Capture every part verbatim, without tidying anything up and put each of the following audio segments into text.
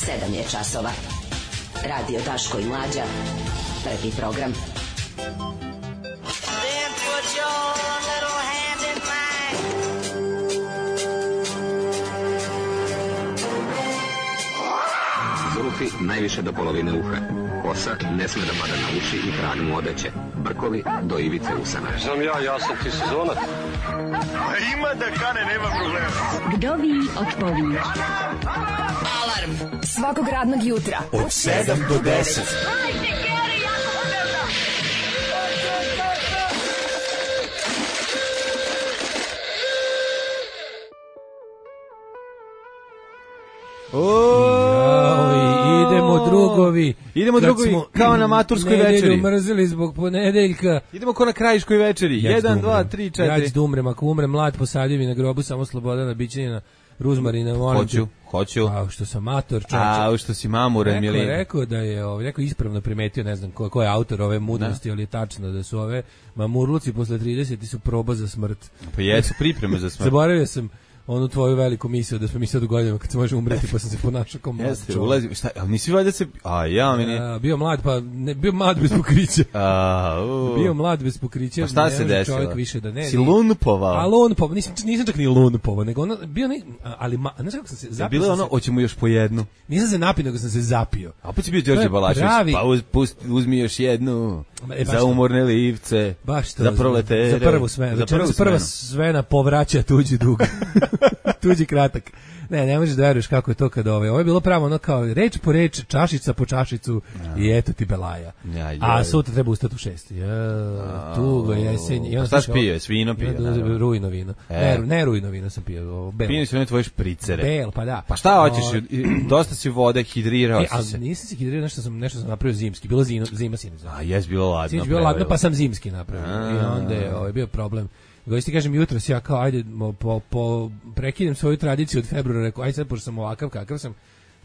sedam je časova. Radio Daško i Mlađa. Prvi program. Zulufi najviše do polovine uha. Kosa ne sme da pada na uši i trag mu odeće. Brkovi do ivice usana. Znam ja, ja sam ti sezonac. Ima da kane, nema problema. Vdovi otpovi. Alarm svakog radnog jutra od sedam do deset. Idemo drugovi. Idemo drugovi smo kao na maturskoj večeri. Nedelju mrzili zbog ponedeljka. Idemo kao na krajiškoj večeri. jedan, dva, tri, četiri. Ja ću da umrem, ako umrem mlad posadio mi na grobu samo Slobodana Bićanina, Ruzmarina, molim. Hoću, hoću. A što sam mator, čovječe. A što si mamuran, Milina. Rekao, rekao da je, ovaj, rekao ispravno primetio, ne znam ko, ko je autor ove mudrosti, ali je tačno da su ove mamurluci posle trideset su proba za smrt. Pa jesu pripreme za smrt. Zaboravio sam onu tvoju veliku misiju da smo mi sad u godinama kad se može umreti, pa sam se ponašao kao mlad čovjek. Ulazi, šta, ali nisi valjda se, a ja meni... A, bio mlad, pa ne, bio mlad bez pokrića. A, uh. Bio mlad bez pokrića. Pa šta se desilo? Čovjek više da ne. Si lunpovao? A lunpovao, nisam, nisam čak ni lunpovao, nego ono, bio ne, ali, ma, ne znam kako sam se zapio. Bilo ono, se, hoćemo još po jednu. Nisam se napio, nego sam se zapio. A opet si bio Đorđe Balašević, pravi... pa uz, pust, uzmi još jednu, e, za umorne livce, baš to, za proletere. Za prvu smenu. Za prvu prva smena povraća tuđi dug. Tuđi kratak. Ne, ne možeš da veruješ kako je to kad ove. Ovo je bilo pravo ono kao reč po reč, čašica po čašicu ja. I eto ti belaja. Ja, ja, a sutra treba ustati u šest. Ja, tugo jesen. I šta si pio? Svino pio? Ja, rujno vino. E. Ne, ne rujno vino sam pio. Pio si one tvoje špricere. Bel, pa da. Pa šta hoćeš? O... Dosta si vode, hidrirao e, si se. A nisam se hidrirao, nešto sam, nešto sam napravio zimski. Bilo zima, zima sinoć. A jes bilo ladno. Sinoć bilo ladno, pa sam zimski napravio. I onda je ovaj, bio problem. Gosti kažem jutros ja kao ajde po, po prekidem svoju tradiciju od februara, rekao aj sad pošto sam ovakav kakav sam,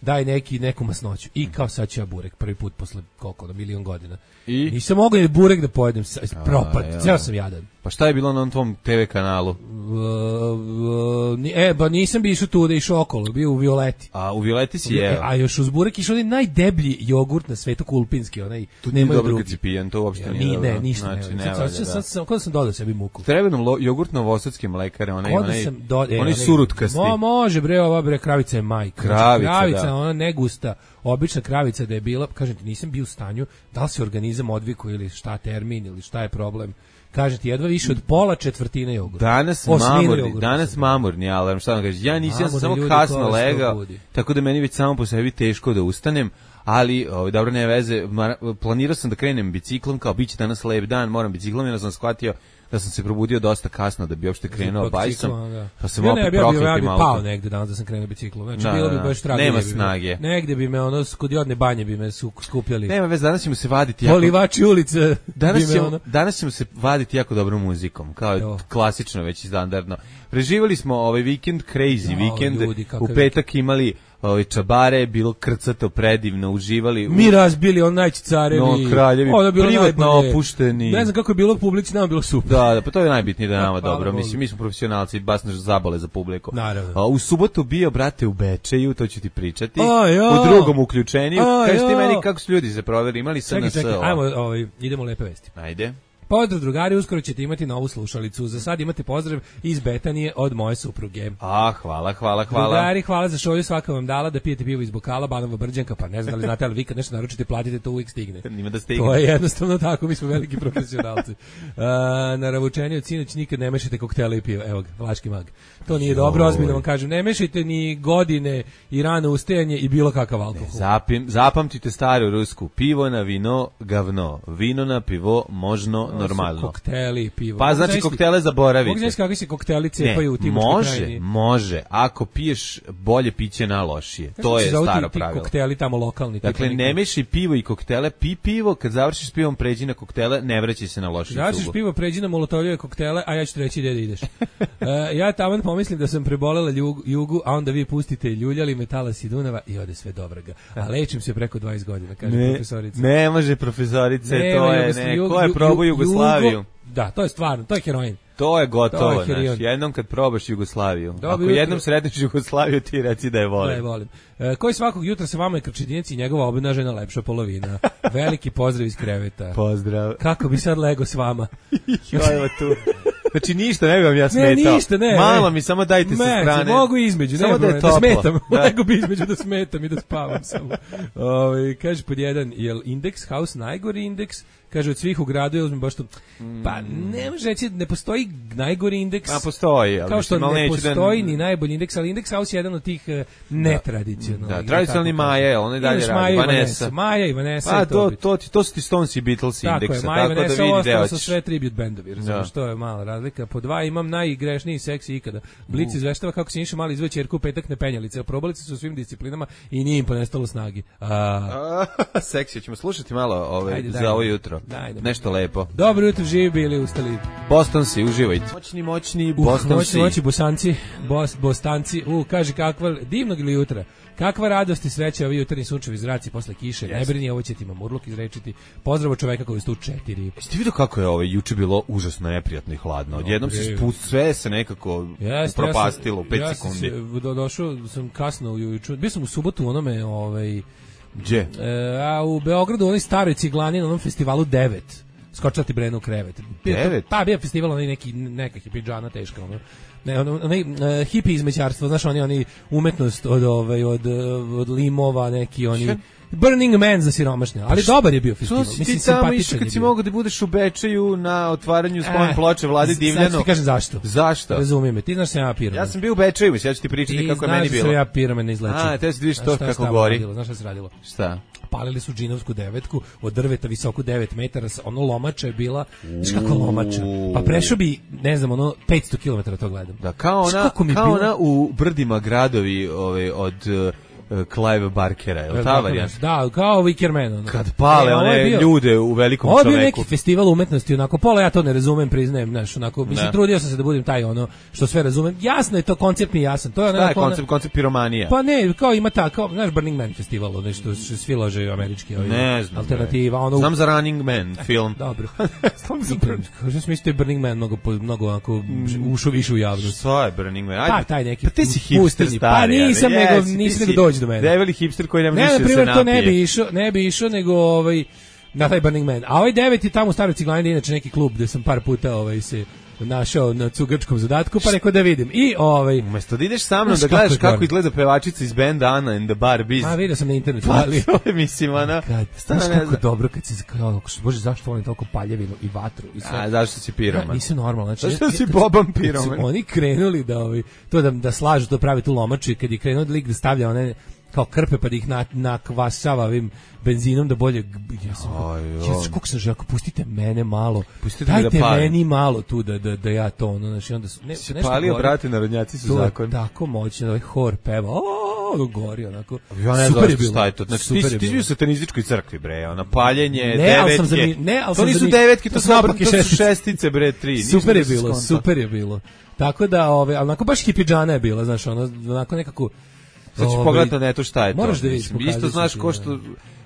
daj neki neku masnoću i kao sad ću ja burek prvi put posle koliko na milion godina. I nisam mogao ni burek da pojedem, propad, ceo sam jadan. Pa šta je bilo na tom te ve kanalu? Uh, uh, e, ba nisam bi išao tu da išao okolo, bio u Violeti. A u Violeti si jeo? A još uz burek išao onaj najdeblji jogurt na svetu, kulpinski, onaj. Tu nema dobro kad si pijan, to uopšte nije dobro. Ne, ništa znači, ne. Sad, sad, sad, sad, kod sam dodao sebi muku. Treba nam jogurt novosadske mlekare, onaj, onaj, do, e, onaj surutkasti. Mo, može bre, ova bre, kravica je majka. Kravica, kravica da. Ona negusta, obična kravica da je bila, kažem ti, nisam bio u stanju, da li se organizam odvikao ili šta termin ili šta je problem. Kažete ti, jedva više od pola četvrtine jogurta. Danas mamurni, danas mamurni alarm, šta vam kažeš, ja nisam ja samo kasno legao, tako da meni već samo po sebi teško da ustanem, ali ovaj, dobro, ne veze, planirao sam da krenem biciklom, kao bit će danas lep dan, moram biciklom, jer sam shvatio da sam se probudio dosta kasno da bi uopšte krenuo bajsom, pa sam ja opet prokleti malo. Ja bi pao negde danas da sam krenuo biciklom, znači da, bilo bi baš trago. Nema snage. Bi, negde bi me ono, kod jodne banje bi me su, skupljali. Nema veze, danas ćemo se vaditi jako... Polivači ulice. Danas ćemo, ono... danas ćemo se vaditi jako dobrom muzikom, kao jo. Klasično, već i standardno. Preživali smo ovaj vikend, crazy jo, vikend, ljudi, u petak imali ovaj čabare, bilo krcato, predivno, uživali. Mi razbili on najći carevi. No, kraljevi, privatno opušteni. Ne znam kako je bilo u publici, nama bilo super. Da, da, pa to je najbitnije da je nama dobro. Mislim, mi smo profesionalci, baš naš zabole za publiku. Naravno. A, u subotu bio, brate, u Bečeju, to ću ti pričati. U drugom uključenju. Kaži ti meni kako su ljudi se proveli, imali se na S. Čekaj, čekaj, ajmo, ovaj, idemo lepe vesti. Ajde. Pozdrav drugari, uskoro ćete imati novu slušalicu. Za sad imate pozdrav iz Betanije od moje supruge. A, hvala, hvala, hvala. Drugari, hvala za šolju, svaka vam dala da pijete pivo iz bokala, Banova Brđanka, pa ne znam da li znate, ali vi kad nešto naručite, platite, to uvijek stigne. Nima da stigne. To je jednostavno tako, mi smo veliki profesionalci. Uh, na ravučenju sinoć nikad ne mešajte koktele i pivo. Evo ga, Vlaški mag. To nije dobro, ozbiljno vam kažem. Ne mešajte ni godine i rano ustajanje i bilo kakav alkohol. Ne, zapim, zapamtite staru rusku. Pivo na vino, gavno. Vino na pivo, možno normalno. Kokteli, pivo. Pa znači koktele zaboravite. Mogu znaš kakvi se kokteli cepaju u tim može, krajini. Može, ako piješ bolje piće na lošije. Kako to je staro ti, pravilo. Ti kokteli tamo lokalni. Dakle, ne mešaj pivo i koktele, pi pivo, kad završiš pivom pređi na koktele, ne vraćaj se na lošiju cugu. Završiš pivo, pređi na molotovljeve koktele, a ja ću ti reći gdje da ideš. uh, ja taman pomislim da sam prebolela jugu, jugu, a onda vi pustite ljuljali Metalas i Dunava i ode sve dobroga. A lečim se preko dvadeset godina, kaže ne, profesorica. Ne može profesorice, ne, to je, ne, ko je probao Jugoslaviju? Da, to je stvarno, to je heroin. To je gotovo, to je znaš, jednom kad probaš Jugoslaviju. Dobi Ako jutro. jednom sretneš Jugoslaviju, ti reci da je volim. Da je volim. E, koji svakog jutra sa vama je Krčedinac i njegova obnažena lepša polovina. Veliki pozdrav iz kreveta. Pozdrav. Kako bi sad lego s vama? Evo tu. Znači ništa ne bi vam ja smetao. Ne, ništa, ne. Malo mi samo dajte sa strane. Mogu između, samo ne, da, je da smetam. Da. Lego bi između da smetam i da spavam samo. Ove, kaže pod jedan, jel Index House najgori indeks? Kaže, od svih u gradu, ja uzmem baš to, pa ne može reći, ne postoji najgori indeks. A postoji, ali kao što ne postoji da... ni najbolji indeks, ali Index House je jedan od tih uh, netradicionalnih. Da, tradicionalni Maja, on je dalje radi, Vanessa. Maja i Vanessa. Pa, to, to, to, to su ti Stones i Beatles tako indeksa, je, Maja tako Vanessa, da vidi gde hoćeš. Su sve tribute bendovi, razumiješ, to je mala razlika. Po dva imam najgrešniji seksi ikada. Blic izveštava kako se Niša mali izveo ćerku u petak nepenjalice, oprobali su u svim disciplinama i nije im ponestalo snagi. A... Seksi, ćemo slušati malo ove, Ajde, za ovo jutro. Dajde, nešto lepo. Dobro jutro, živi bili, ustali. Bostonci, uživajte. Moćni, moćni, Bostonci. Moćni, moćni, bosanci, bos, bostanci. U, kaže, kakva, divnog ili jutra. Kakva radost i sreća ovi jutarnji sunčevi zraci posle kiše. Yes. Ne brini, ovo će ti mamurluk izrečiti. Pozdrav od čoveka koji je tu četiri. Jeste vidio kako je ovo juče bilo užasno neprijatno i hladno. Odjednom se spust, sve se nekako yes, propastilo u pet ja sekundi. Ja sam do, došao, sam kasno ujutru. Bio sam u subotu u onome, ovaj... Gdje? E, a u Beogradu, u onoj staroj ciglani, na onom festivalu devet. Skočila ti Brenu u krevet. devet? Pa, bio festival, onaj neki, neka hipidžana teška, ono. Ne, ono, onaj uh, hipi izmećarstvo, znaš, oni, oni umetnost od, ovaj, od, od limova, neki, oni... Še? Burning Man za siromašne, ali pa dobar je bio festival. Što si ti tamo išao kad si mogao da budeš u Bečeju na otvaranju spomen ploče Vlade Divljano? Sad ti kažem zašto. Zašto? Razumije me, ti znaš sam ja piromen. Ja sam bio u Bečeju, ja ću ti pričati ti kako je meni bilo. Ti znaš da sam ja piromen na izleči. A, te si vidiš to kako gori. Radilo, znaš šta se radilo? Šta? Palili su džinovsku devetku od drveta visoko devet metara, ono lomača je bila, znaš kako lomača, pa prešao bi, ne znam, ono petsto kilometara to gledam. Da, kao ona, kao ona u brdima gradovi ove, od... Clive Barkera, je li ta varijanta? Da, kao Wickerman. Kad pale e, one bio, ljude u velikom čoveku. Ovo je bio neki festival umetnosti, onako, pola ja to ne razumem, priznajem, znaš, onako, mislim, ne. Trudio sam se da budem taj, ono, što sve razumem. Jasno je to, koncept mi jasan. To je Šta je koncept, ona, koncept piromanija? Pa ne, kao ima ta, kao, znaš, Burning Man festival, ono, što svi lože američki, ovaj, ne znam, alternativa. Ono, znam za Running Man film. Dobro. Kažem se mislite Burning Man mnogo, mnogo, onako, ušao više u javnost. Šta je Burning Man? Ajde, pa, taj neki, pa ti si hipster stari. Pa nisam, nego, nisam nego dođi do mene. Debeli hipster koji ne može ne, više da se napije. To ne bi išao, ne bi išao nego ovaj na taj Burning Man. A ovaj devet je tamo u Staroj Ciglani, inače neki klub gde sam par puta ovaj se našao na cugačkom zadatku, pa rekao da vidim. I ovaj umesto da ideš sa mnom da gledaš kako, kako izgleda pevačica iz benda Ana and the Barbies. A vidio sam na internetu, ali to je mislim ona. Znaš kako dobro kad se kao bože zašto volim toliko paljevinu i vatru i sve. A zašto si piroman? Nisu normalno, znači zašto si Boban piroman? Oni krenuli da ovaj to da da slažu to pravi tu lomaču i kad je krenuo lik da stavlja one kao krpe pa da ih na, nakvasava ovim benzinom da bolje ja sam ja kako sam želeo pustite mene malo pustite dajte da meni malo tu da da da ja to ono znači onda su ne se palio brate narodnjaci su zakon tako moćno ovaj hor peva o gori onako ja ne znam šta je to znači ti ti bio u satanističkoj crkvi bre ona paljenje devetke ne al to nisu devetke to su šestice bre tri super je bilo super je bilo tako da ove onako baš hipidžana je bila znači ono onako nekako znači pogledaj na netu šta je to. Moraš da vidiš, isto znaš ko što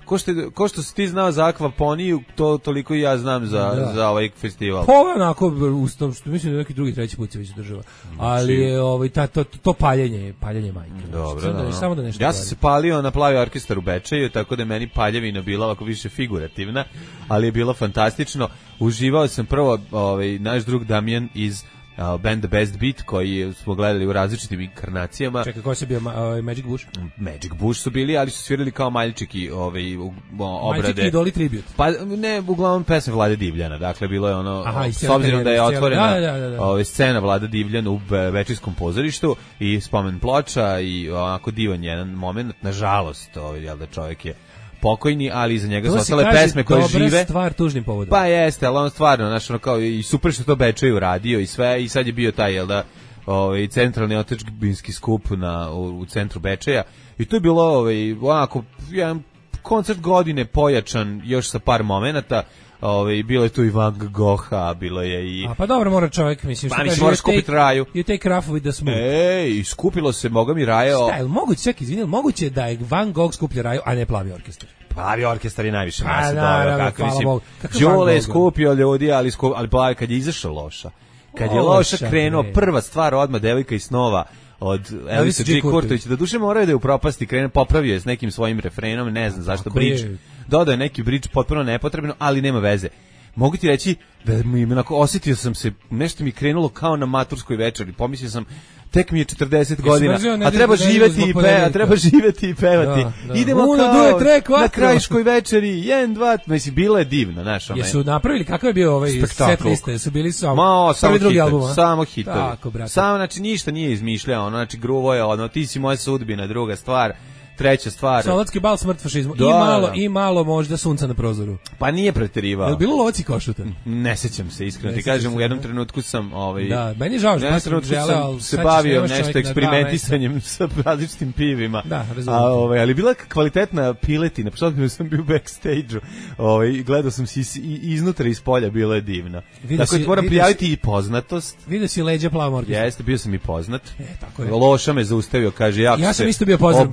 ko što ko što si ti znao za akvaponiju, to toliko i ja znam za da. za ovaj festival. Pa onako ustom što mislim da neki drugi treći put se već država. Ali je ovaj ta to, to paljenje, paljenje majke. Dobro, znači, da, da, samo da nešto. Ja sam se palio na Plavi orkestar u Bečeju, tako da je meni paljevina bila ovako više figurativna, ali je bilo fantastično. Uživao sam prvo ovaj naš drug Damjan iz Uh, band The Best Beat koji smo gledali u različitim inkarnacijama. Čekaj, ko se bio uh, Magic Bush? Magic Bush su bili, ali su svirali kao Maljčiki ovaj, u, obrade. Maljčiki idoli tribute. Pa ne, uglavnom pesme Vlade Divljana. Dakle, bilo je ono, Aha, s obzirom da je otvorena da, da, da, da. Ovaj, scena Vlade Divljana u Bečijskom pozorištu i spomen ploča i onako divan jedan moment. Nažalost, ovaj, jel da čovjek je pokojni, ali iza njega su ostale pesme koje žive. Dobra stvar tužnim povodom. Pa jeste, ali on stvarno, znaš, ono kao i super što to Bečeju radio i sve, i sad je bio taj, jel da, ovaj, centralni otadžbinski skup na, u, u centru Bečeja, i to je bilo, ovaj, onako, jedan koncert godine pojačan još sa par momenata. Ovaj bilo je tu i Van Gogha, bilo je i A pa dobro, mora čovjek, mislim što pa, kaže, moraš kupiti raju. You take rough with the smooth. Ej, skupilo se, moga mi raja. Šta je, moguće, čekaj, izvini, moguće da je Van Gogh skuplja raju, a ne Plavi orkestar? Plavi orkestar je najviše masa dobro, kako mislim. Đole je skupio ljudi, ali skup, ali Plavi kad je izašao loša. kad je loša krenuo, prva stvar odmah devojka iz snova od Elvisa G. Kurtovića, da duše moraju da je u propasti krene, popravio je s nekim svojim refrenom, ne znam zašto bridge, dodao je neki bridge potpuno nepotrebno, ali nema veze. Mogu ti reći da mi onako osjetio sam se, nešto mi krenulo kao na maturskoj večeri, pomislio sam tek mi je četrdeset godina, a treba živeti i pe, a treba živeti i pevati. Da, da. Idemo Uno, kao duje, tre, na krajiškoj večeri, jedan, dva, mislim, bilo je divno, znaš. Jesu napravili, kakav je bio ovaj set liste, jesu bili samo, Ma, samo drugi album, samo hitovi. Tako, brate. Samo, znači, ništa nije izmišljao, ono, znači, gruvo je, ono, ti si moja sudbina, druga stvar. Treća stvar. Solotski bal, smrt fašizmu. Da, I malo, da. I malo možda sunca na prozoru. Pa nije preterivao. Je bilo Lovac i Košuta? Ne sećam se, iskreno ti kažem, u jednom trenutku sam ovaj Da, meni je žao što sam želeo, se bavio nešto eksperimentisanjem sa različitim pivima. Da, razumem. A ovaj, ali bila kvalitetna piletina, pošto sam bio u backstage-u. Ovaj, gledao sam se iznutra iz polja, bilo je divno. Tako da moram prijaviti i poznatost. Vidio si leđa plavom orkestra. Jeste, bio sam i poznat. E, tako je. Loša me zaustavio, kaže ja. Ja sam isto bio poznat.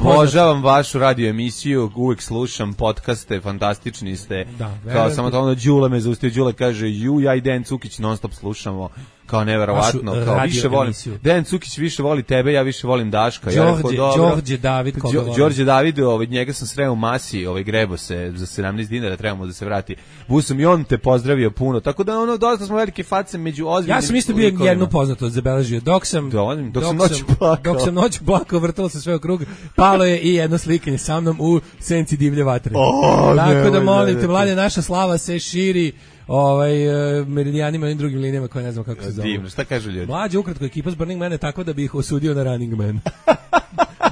Vašu radio emisiju, uvek slušam podcaste, fantastični ste. Da, kao samo to ono Đule me zaustavio, Đule kaže ju, ja i Dejan Cukić non stop slušamo. Kao neverovatno, kao više volim. Dejan Cukić više voli tebe, ja više volim Daška. Ja rekao dobro. Đorđe David, koga volim. Đorđe David, ovaj njega sam sreo u Masi, ovaj grebo se za sedamnaest dinara, trebamo da se vrati. Busom i on te pozdravio puno. Tako da ono dosta smo velike face među ozbiljnim. Ja sam isto bio jednu poznatost zabeležio. Dok sam dok, dok sam noć plakao. Dok sam noć plakao, vrtalo se sve u krug. Palo je i jedno slikanje sa mnom u senci divlje vatre. Oh, tako da molim te, mlade, naša slava se širi ovaj uh, meridijanima i drugim linijama koje ne znam kako se zove. Divno, šta kažu ljudi? Mlađe ukratko ekipa s Burning Man je tako da bi ih osudio na Running Man.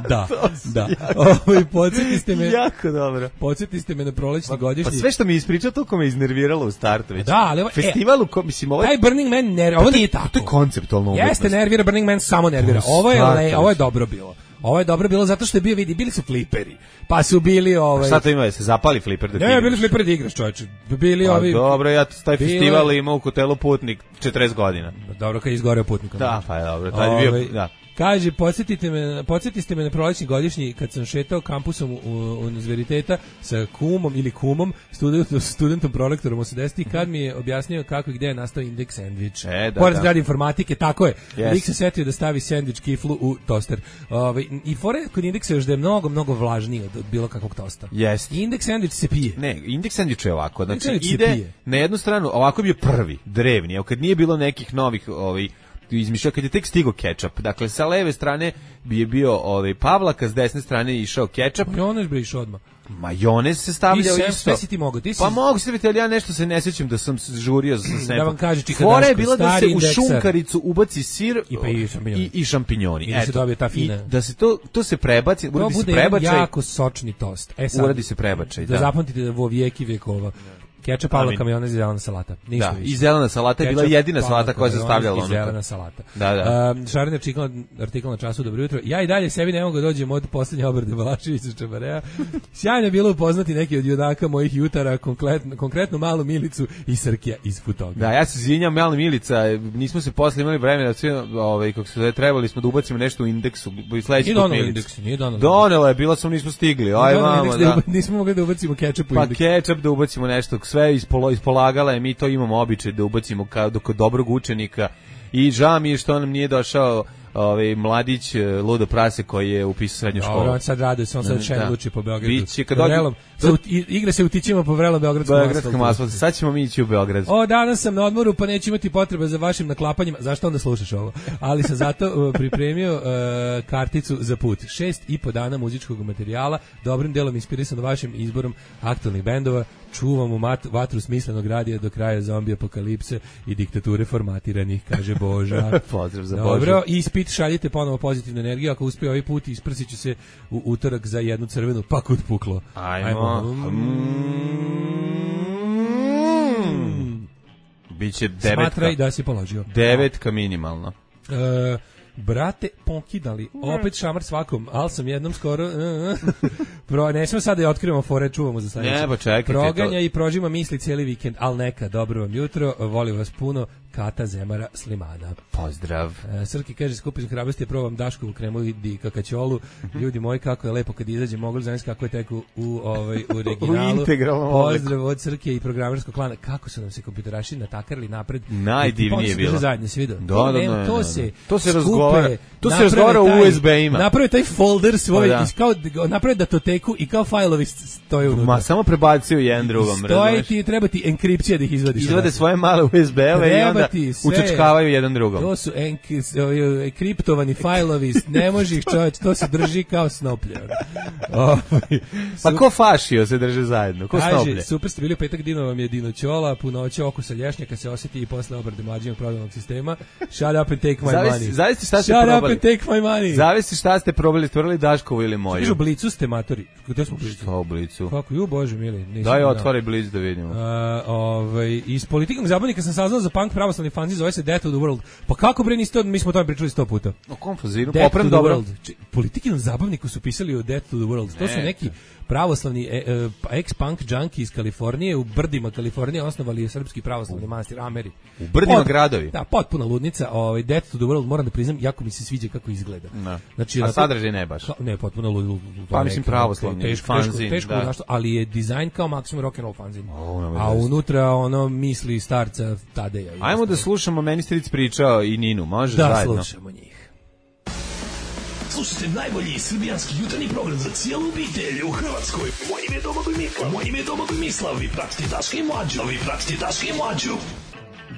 Da, da. Ovaj podsjetiste me. Jako dobro. Podsjetiste me na prolećni godišnji. Pa sve što mi ispričao toliko me iznerviralo u startu već. Da, ali festivalu, e, mislim, ovo taj Burning Man nervira. Ovo nije tako. To je konceptualno umetnost. Jeste, nervira, Burning Man samo nervira. Ovo je le, ovo je dobro bilo. Ovo je dobro bilo zato što je bio, vidi, bili su fliperi. Pa su bili ovaj. Šta to ima, da se zapali fliper da ti? Ne, bili su fliperi da igraš, čoveče. Bili pa, ovi. Dobro, ja taj bili... festival imao u hotelu Putnik četrdeset godina. Dobro, kad je izgoreo Putnikom. Da, pa je dobro, taj je bio, da. Kaže, podsjetite me, podsjetiste me na prolećni godišnji kad sam šetao kampusom u, u univerziteta sa kumom ili kumom, studentom, studentom prolektorom osamdesetih, kad mi je objasnio kako i gde je nastao indeks sendvič. E, da, Pored da. zgrade informatike, tako je. Yes. Lik se setio da stavi sendvič kiflu u toster. Ove, I fore kod indeksa još da je mnogo, mnogo vlažniji od, od bilo kakvog tosta. Yes. Indeks sendvič se pije. Ne, indeks sendvič je ovako. Znači, ide na jednu stranu, ovako bi je prvi, drevni. Evo, kad nije bilo nekih novih ovih izmišljao, kad je tek stigao kečap. Dakle, sa leve strane bi je bio ovaj Pavlaka, s desne strane je išao kečap. Majonez bi išao odmah. Majonez se stavljao isto. Sve si ti mogu. Ti si... Pa mogu se vidjeti, ali ja nešto se ne sjećam da sam žurio za sempom. Da vam kaže Čika Fora Daško, je bila da se u indekser. šunkaricu ubaci sir i, pa i šampinjoni. I, i šampinjoni. I da se dobije ta fina. I da se to, to se prebaci, uradi se prebačaj. To bude jako sočni tost. E sad, uradi se prebačaj, da. Da zapamtite da vo vijeki vijekova. Kečap, Pavlaka, majonez i zelena salata. Ništa da, više. I zelena salata je bila Kečap, jedina salata koja se stavljala unutra. I zelena salata. Da, da. Um, Šarin artikl, artikl na času, dobro jutro. Ja i dalje sebi ne mogu da dođem od poslednje obrade Balaševića Čabarea. Sjajno je bilo upoznati neki od judaka mojih jutara, konkretno, konkretno malu Milicu i Srkija iz Futoga. Da, ja se izvinjam, mala Milica, nismo se posle imali vremena, sve, ovaj, kako se trebali smo da ubacimo nešto u indeksu. Nije donalo indeks, nije donalo. Donelo je, bilo sam, nismo stigli. Aj, mamo, da. Da, nismo mogli da ubacimo kečap u pa indeks. Pa kečap da ubacimo nešto, sve ispolo, ispolagala je, mi to imamo običaj da ubacimo kao kod dobrog učenika i žao mi je što nam nije došao ovaj mladić ludo prase koji je upisao srednju školu. Dobro, on sad radi, on sad šen luči po Beogradu. Biće kad dođe, do... igra se utićima po vrelom beogradskom asfaltu. asfaltu. Sad ćemo mi ići u Beograd. O, danas sam na odmoru, pa neću imati potrebe za vašim naklapanjima. Zašto onda slušaš ovo? Ali sam zato uh, pripremio uh, karticu za put. Šest i po dana muzičkog materijala, dobrim delom inspirisan vašim izborom aktualnih bendova. Čuvamo mat, vatru smislenog radija do kraja zombi apokalipse i diktature formatiranih, kaže Boža. Pozdrav za Dobro, Boža. Ispit, šaljite ponovo pozitivnu energiju. Ako uspije ovaj put, isprsit ću se u utorak za jednu crvenu, pa kud puklo. Ajmo. Ajmo. Mm. Biće devetka. Smatraj da si položio. Devetka minimalno. E, brate, pokidali, opet šamar svakom, ali sam jednom skoro... Pro, ne smemo sada da otkrivamo fore, čuvamo za sledeće. Ne, pa čekajte. Proganja to... i prožima misli cijeli vikend, ali neka, dobro vam jutro, volim vas puno, Kata Zemara Slimana. Pozdrav. E, Srki kaže, skupim hrabrosti, probam Daškovu kremu i kakaćolu. Ljudi moji, kako je lepo kad izađe, mogli zamisliti kako je teku u, ovaj, u originalu. Pozdrav od Srke i programerskog klana. Kako su nam se kompjuteraši natakarili napred. Najdivnije je bilo. Zajedno se vidio. Da, da, da, da, to da. se, to se razgovara. To se razgovara u U S B-ima. Napravi taj folder svoj, pa, da. Kao, napravi datoteku i kao fajlovi stoje unutra. Ma samo prebacuju jedan drugom. Stoje ti, treba ti enkripcija da ih izvadiš. Izvade svoje male U S B-ove i onda učačkavaju jedan drugom. To su enkriptovani fajlovi, ne može ih čovječ, to se drži kao snoplje. Pa ko fašio se drže zajedno, ko snoplje? Kaže, super ste bili u petak, Dino vam je dinoćola, punoće okusa lješnjaka se osjeti i posle obrade mlađinog prodavnog sistema. Shut up and take my zavisi, money. Zavisi šta ste Shut probali. Shut up and take my money. Zavisi šta ste probali, stvorili Daškovu ili moju. Kažu Blicu ste matori. Gde smo Blicu? Šta u Blicu? Kako, ju bože mili. Daj, otvori Blic da vidimo. Uh, ovaj, iz političkog zabavnika sam saznao za punk pravoslavni fanzin, zove se Death to the World. Pa kako bre niste, mi smo o tome pričali sto puta. O kom fanzinu? Poprem dobro. Političkom zabavniku su pisali o Death to the World. To su neki pravoslavni e, e, ex-punk junkie iz Kalifornije, u brdima Kalifornije osnovali je srpski pravoslavni manastir Ameri. U brdima Pot, gradovi? Da, potpuna ludnica. Ovaj, Death to the World, moram da priznam, jako mi se sviđa kako izgleda. No. Znači, a sadržaj ne baš? Ne, potpuno lud. Pa mislim pravoslavni teško, fanzin. Teško, teško, teško, ali je dizajn kao maksimum rock'n'roll fanzin. Oh, a unutra ono misli starca Tadeja. Ajmo da slušamo, meni stric pričao i Ninu, može da zajedno? Da, slušamo njih. Slušajte najbolji srbijanski jutarnji program za cijelu obitelj u Hrvatskoj. Moje ime je Domagoj Mislav. Moje ime je Domagoj Mislav. Vi pratite Daška i Mlađu. Vi pratite Daška i Mlađu.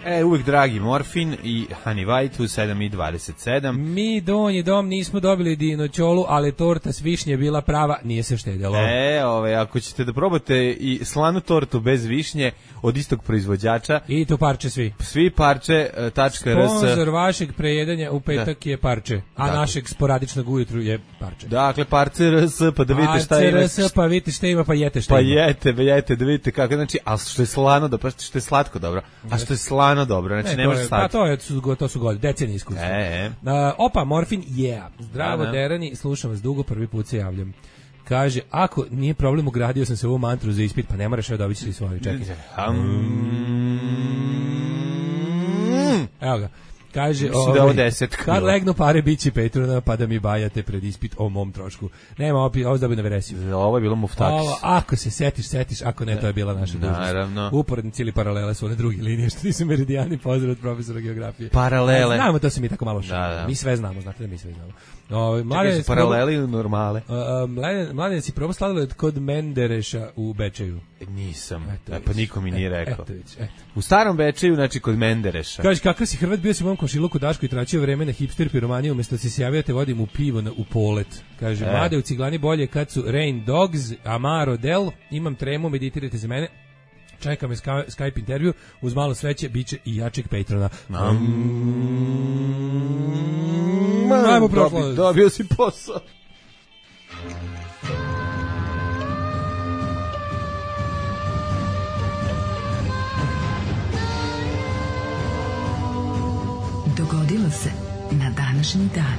E, uvijek dragi Morfin i Honey White u sedam i dvadeset sedam. Mi donji dom nismo dobili dinoćolu, ali torta s višnje bila prava, nije se štedjelo. E, ove, ako ćete da probate i slanu tortu bez višnje od istog proizvođača. I to parče svi. Svi parče, tačka rs. Sponzor vašeg prejedanja u petak da. Je parče, a dakle. Našeg sporadičnog ujutru je parče. Dakle, parce rs, pa da vidite šta ima. Parce rs, pa vidite šta ima, pa jete šta pa ima. Pa jete, jete, da vidite kako, znači, a što je slano dobro, što je slatko dobro, a što je slano dobro, znači ne, ne može stati. Pa to, je, to su godine, decenije iskustva. E, e. Uh, opa, Morfin, yeah. Zdravo, da, Derani, slušam vas dugo, prvi put se javljam. Kaže, ako nije problem, ugradio sam se u ovu mantru za ispit, pa ne moraš, evo dobit ćeš li svoju, čekaj. Evo ga. Kaže, ovaj, kad legnu pare bići Petrona, pa da mi bajate pred ispit o mom trošku. Nema, opet, ovo je na veresiju. Ovo je bilo muftakis. Ako se setiš, setiš, ako ne, to je bila naša dužnost. Naravno. Uporednici ili paralele su one druge linije, što nisu meridijani, pozdrav od profesora geografije. Paralele. Znamo, to se mi tako malo šalimo. Da, da. Mi sve znamo, znate da mi sve znamo. O, mladen, paraleli ili normale? Uh, mladen, mladen si probao sladoled kod Mendereša u Bečeju? Nisam, eto, e, pa niko mi nije eto, rekao. Eto, eto. U starom Bečeju, znači kod Mendereša. Kaže, kakav si Hrvat, bio si u mom komšiluku Daško i tračio vreme na hipster piromaniju, umjesto da si se javio te vodim u pivo na, u polet. Kaže, e. mlade u ciglani bolje kad su Rain Dogs, Amaro Del, imam tremu, meditirajte za mene. Čeka me Skype intervju, uz malo sveće, bit će i jačeg Patrona. Ajmo prošlo. Dobio si posao. Dogodilo se na današnji dan.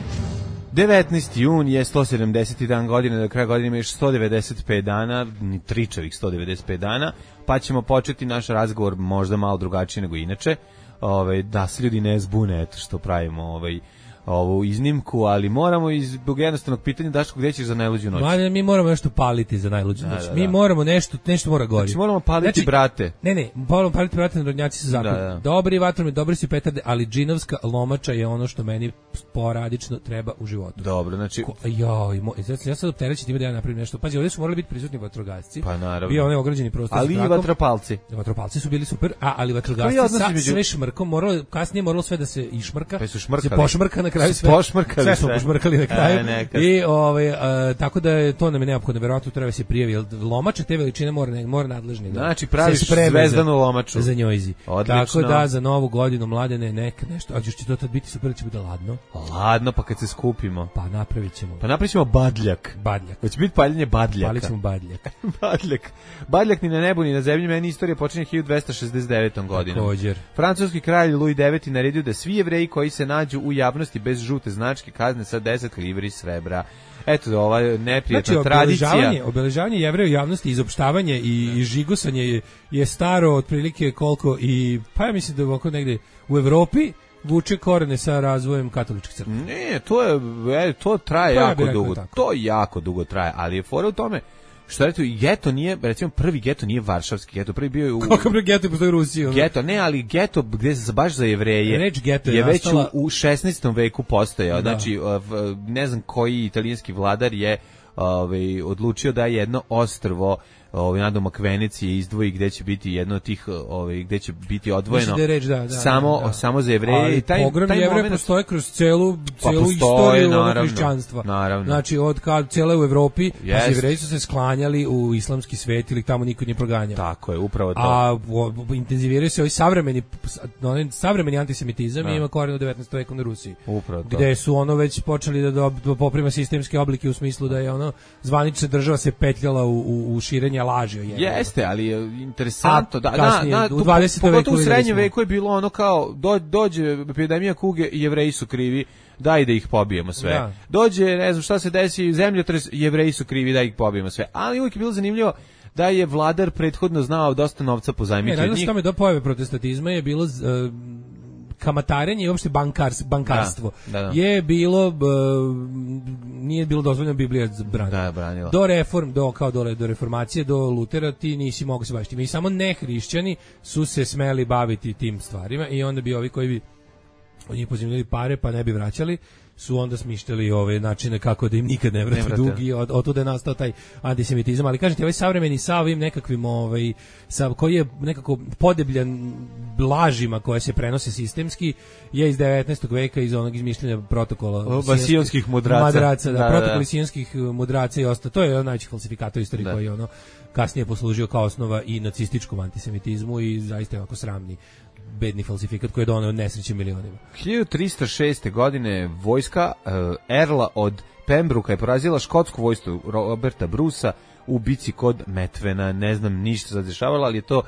devetnaesti jun je sto sedamdeseti dan godine, do kraja godine ima još sto devedeset pet dana, ni tričavih sto devedeset pet dana, pa ćemo početi naš razgovor možda malo drugačije nego inače, ovaj, da se ljudi ne zbune, eto što pravimo ovaj, ovu iznimku, ali moramo zbog jednostavnog pitanja, Daško, gdje ćeš za najluđu noć? Mladen, mi moramo nešto paliti za najluđu noć. Da, da, mi da. moramo nešto, nešto mora gori. Znači moramo paliti znači, brate. Ne, ne, moramo paliti brate, narodnjaci su zakon. Da, da. Dobri vatromi, dobri su petarde, ali džinovska lomača je ono što meni sporadično treba u životu. Dobro, znači... Ko, joj, mo, ja sad optereći time da ja napravim nešto. Pazi, ovdje su morali biti prisutni vatrogasci. Pa naravno. Bio onaj ograđeni prostor. Ali i vatropalci. Vatropalci su bili super, a ali vatrogasci sa među... sve šmrkom, moralo, kasnije moralo sve da se išmrka. Pa su šmrkali. Se pošmrka na kraju sve. Sve smo pošmrkali na kraju. E, I ovaj uh, tako da je to nam je neophodno, verovatno treba se prijavi, jer lomača te veličine mora ne, mora nadležni. Znači praviš zvezdanu lomaču. Za njojzi. Odlično. Tako da za novu godinu Mladene neka nešto, a će to tad biti super, će biti ladno. Ladno, pa kad se skupimo. Pa napravićemo. Pa napravićemo badljak. Badljak. Hoće biti paljenje badljaka. Palićemo badljak. badljak. Badljak ni na nebu ni na zemlji, meni istorija počinje hiljadu dvesta šezdeset devetom godinom. Također. Francuski kralj Louis deveti naredio da svi Jevreji koji se nađu u javnosti bez žute značke, kazne sa deset livri srebra. Eto, ova neprijatna znači, tradicija. Obeležavanje, obeležavanje Jevreja u javnosti, izopštavanje i, i žigosanje je, je staro otprilike koliko i, pa ja mislim da je oko negde u Evropi vuče korene sa razvojem katoličke crkve. Ne, to je, to traje pa jako ja dugo. Tako. To jako dugo traje, ali je fora u tome što reći, geto nije, recimo prvi geto nije varšavski geto, prvi bio je u... Kako prvi geto postoji u Rusiji? Ono? Geto, ne, ali geto gdje se baš za Jevreje Reč geto je, je već nastala... u, u šesnaestom veku postojao. Znači, ne znam koji italijanski vladar je ovaj, odlučio da jedno ostrvo ovaj nadomak Venecije izdvoji gde će biti jedno od tih ovaj gde će biti odvojeno da reč, da, da, samo da, da. samo za Jevreje i taj pogrom taj Jevreja moment postoji kroz celu celu pa istoriju naravno, hrišćanstva. Naravno. Znači od kad cele u Evropi yes. pa Jevreji su se sklanjali u islamski svet ili tamo niko nije proganjao. Tako je, upravo to. A intenziviraju se ovaj savremeni onaj savremeni antisemitizam i ima koren u devetnaestom veku na Rusiji. Upravo to. Gde su ono već počeli da, da poprima sistemske oblike u smislu da je ono zvanična država se petljala u, u, u širenje laži o Jevreju. Jeste, ali je interesantno da kasnije, na, na u dvadesetom veku u srednjem veku je bilo ono kao do, dođe epidemija kuge i Jevreji su krivi, daj da ih pobijemo sve. Da. Dođe, ne znam šta se desi, zemljotres, Jevreji su krivi, da ih pobijemo sve. Ali uvijek je bilo zanimljivo da je vladar prethodno znao dosta novca pozajmiti od njih. Ne, što do pojave protestatizma je bilo uh, kamatarenje i uopšte bankars, bankarstvo da, da, da. je bilo uh, nije bilo dozvoljeno, Biblija branila. Da, do reform, do kao do, do reformacije, do Lutera ti nisi mogao se baviti. Mi samo ne hrišćani su se smeli baviti tim stvarima i onda bi ovi koji bi od njih pozimljali pare pa ne bi vraćali su onda smišljali ove načine kako da im nikad ne vrate dug i od, od tuda je nastao taj antisemitizam, ali kažete ovaj savremeni sa ovim nekakvim ovaj, sa, koji je nekako podebljan lažima koje se prenose sistemski je iz devetnaestog veka iz onog izmišljenja protokola sijonskih mudraca, mudraca da, da, protokoli da. sijonskih mudraca i ostalo, to je jedan najveći falsifikator u istoriji koji je ono kasnije poslužio kao osnova i nacističkom antisemitizmu i zaista je ovako sramni bedni falsifikat koji je doneo nesreće milionima. hiljadu tristo šeste. godine vojska uh, Erla od Pembruka je porazila škotsku vojsku Roberta Brusa u bici kod Metvena. Ne znam ništa se dešavalo, ali je to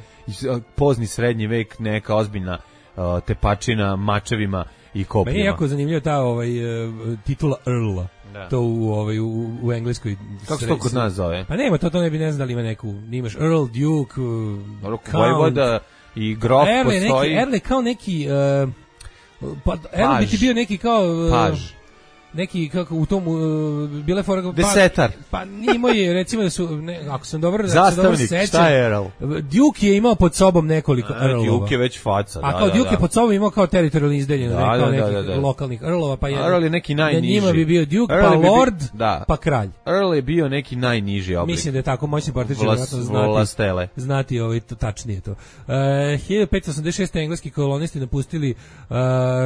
pozni srednji vek, neka ozbiljna uh, tepačina mačevima i kopljima. Meni je jako zanimljivo ta ovaj, uh, titula Earla. Da. To u ovaj u, u engleskoj. Kako se to kod nas zove? Pa nema, to to ne bi ne znam da li ima neku, imaš Earl, Duke, uh, Vojvoda i grof Erle, postoji. Neki, Erle kao neki uh, pa Erle bi ti bio neki kao uh, Paž. Neki kako u tom uh, bile fora desetar. Pa, pa imao je recimo da su ne, ako sam dobro zastavnik, dobro šta je Earl? Duke je imao pod sobom nekoliko Earlova. Duke je već faca, a da. A kao da, Duke da. je pod sobom imao kao teritorijalni izdeljeno, da, kao da, nekih da, da, da. lokalnih Earlova, pa je Earl je neki najniži. Njima bi bio Duke, Earl pa Lord, bi, da. pa kralj. Earl je bio neki najniži oblik. Mislim da je tako, moćni partičar vjerojatno znati. Vlastele. Znati ovaj to tačnije to. Uh, hiljadu petsto osamdeset šeste. engleski kolonisti napustili uh,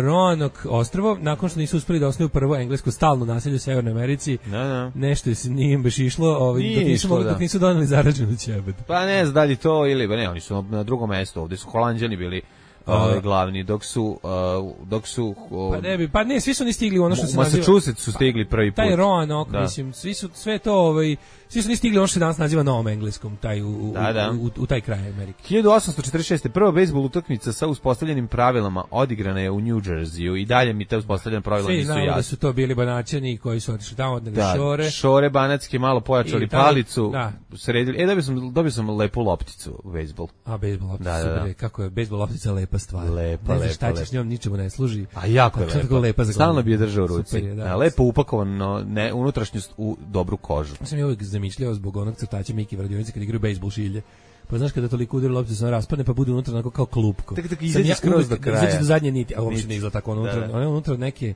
Roanoke ostrvo nakon što nisu uspeli da osnuju prvo englesko stalno naselje u Severnoj Americi. Da, da. Nešto se nije baš išlo, ovaj dok nisu mogli, dok nisu doneli zarađenu ćebad. Pa ne znam da li to ili ne, oni su na drugom mjestu, ovdje su Holanđani bili ovaj glavni, dok su uh, dok su uh, pa ne bi, pa ne, svi su ni stigli ono što se naziva Massachusetts su stigli prvi put. Taj Roanoke, da. Mislim, svi su sve to ovaj svi su ni stigli ono što se danas naziva Novom Engleskom, taj u, da, da. U, u, u taj kraj Amerike. hiljadu osamsto četrdeset šeste. prva bejzbol utakmica sa uspostavljenim pravilama odigrana je u New Jerseyu i dalje mi te uspostavljena pravila nisu jasne. Da su to bili Banaćani koji su otišli tamo od da, Šore. Šore banatski malo pojačali tada, palicu, da. Sredili. E da bi sam dobio sam lepu lopticu u bejzbol. A bejzbol loptica, da, da, da. Kako je bejzbol loptica lepa stvar. Lepa, ne znaš šta lepa, će s njom, ničemu ne služi. A jako je lepa. lepa za stalno bi je držao u ruci. Super je, da. Lepo upakovano, ne, unutrašnjost u dobru kožu. Ja sam je uvijek zamišljao zbog onog crtača Miki Vradionice kad igraju bejzbol šilje. Pa znaš kada toliko udari loptica se ona raspadne pa bude unutra onako kao klupko. Tako tako izađe skroz do kraja. Izađe do zadnje niti, a uopšte ne izgleda tako unutra. Ona je unutra neke,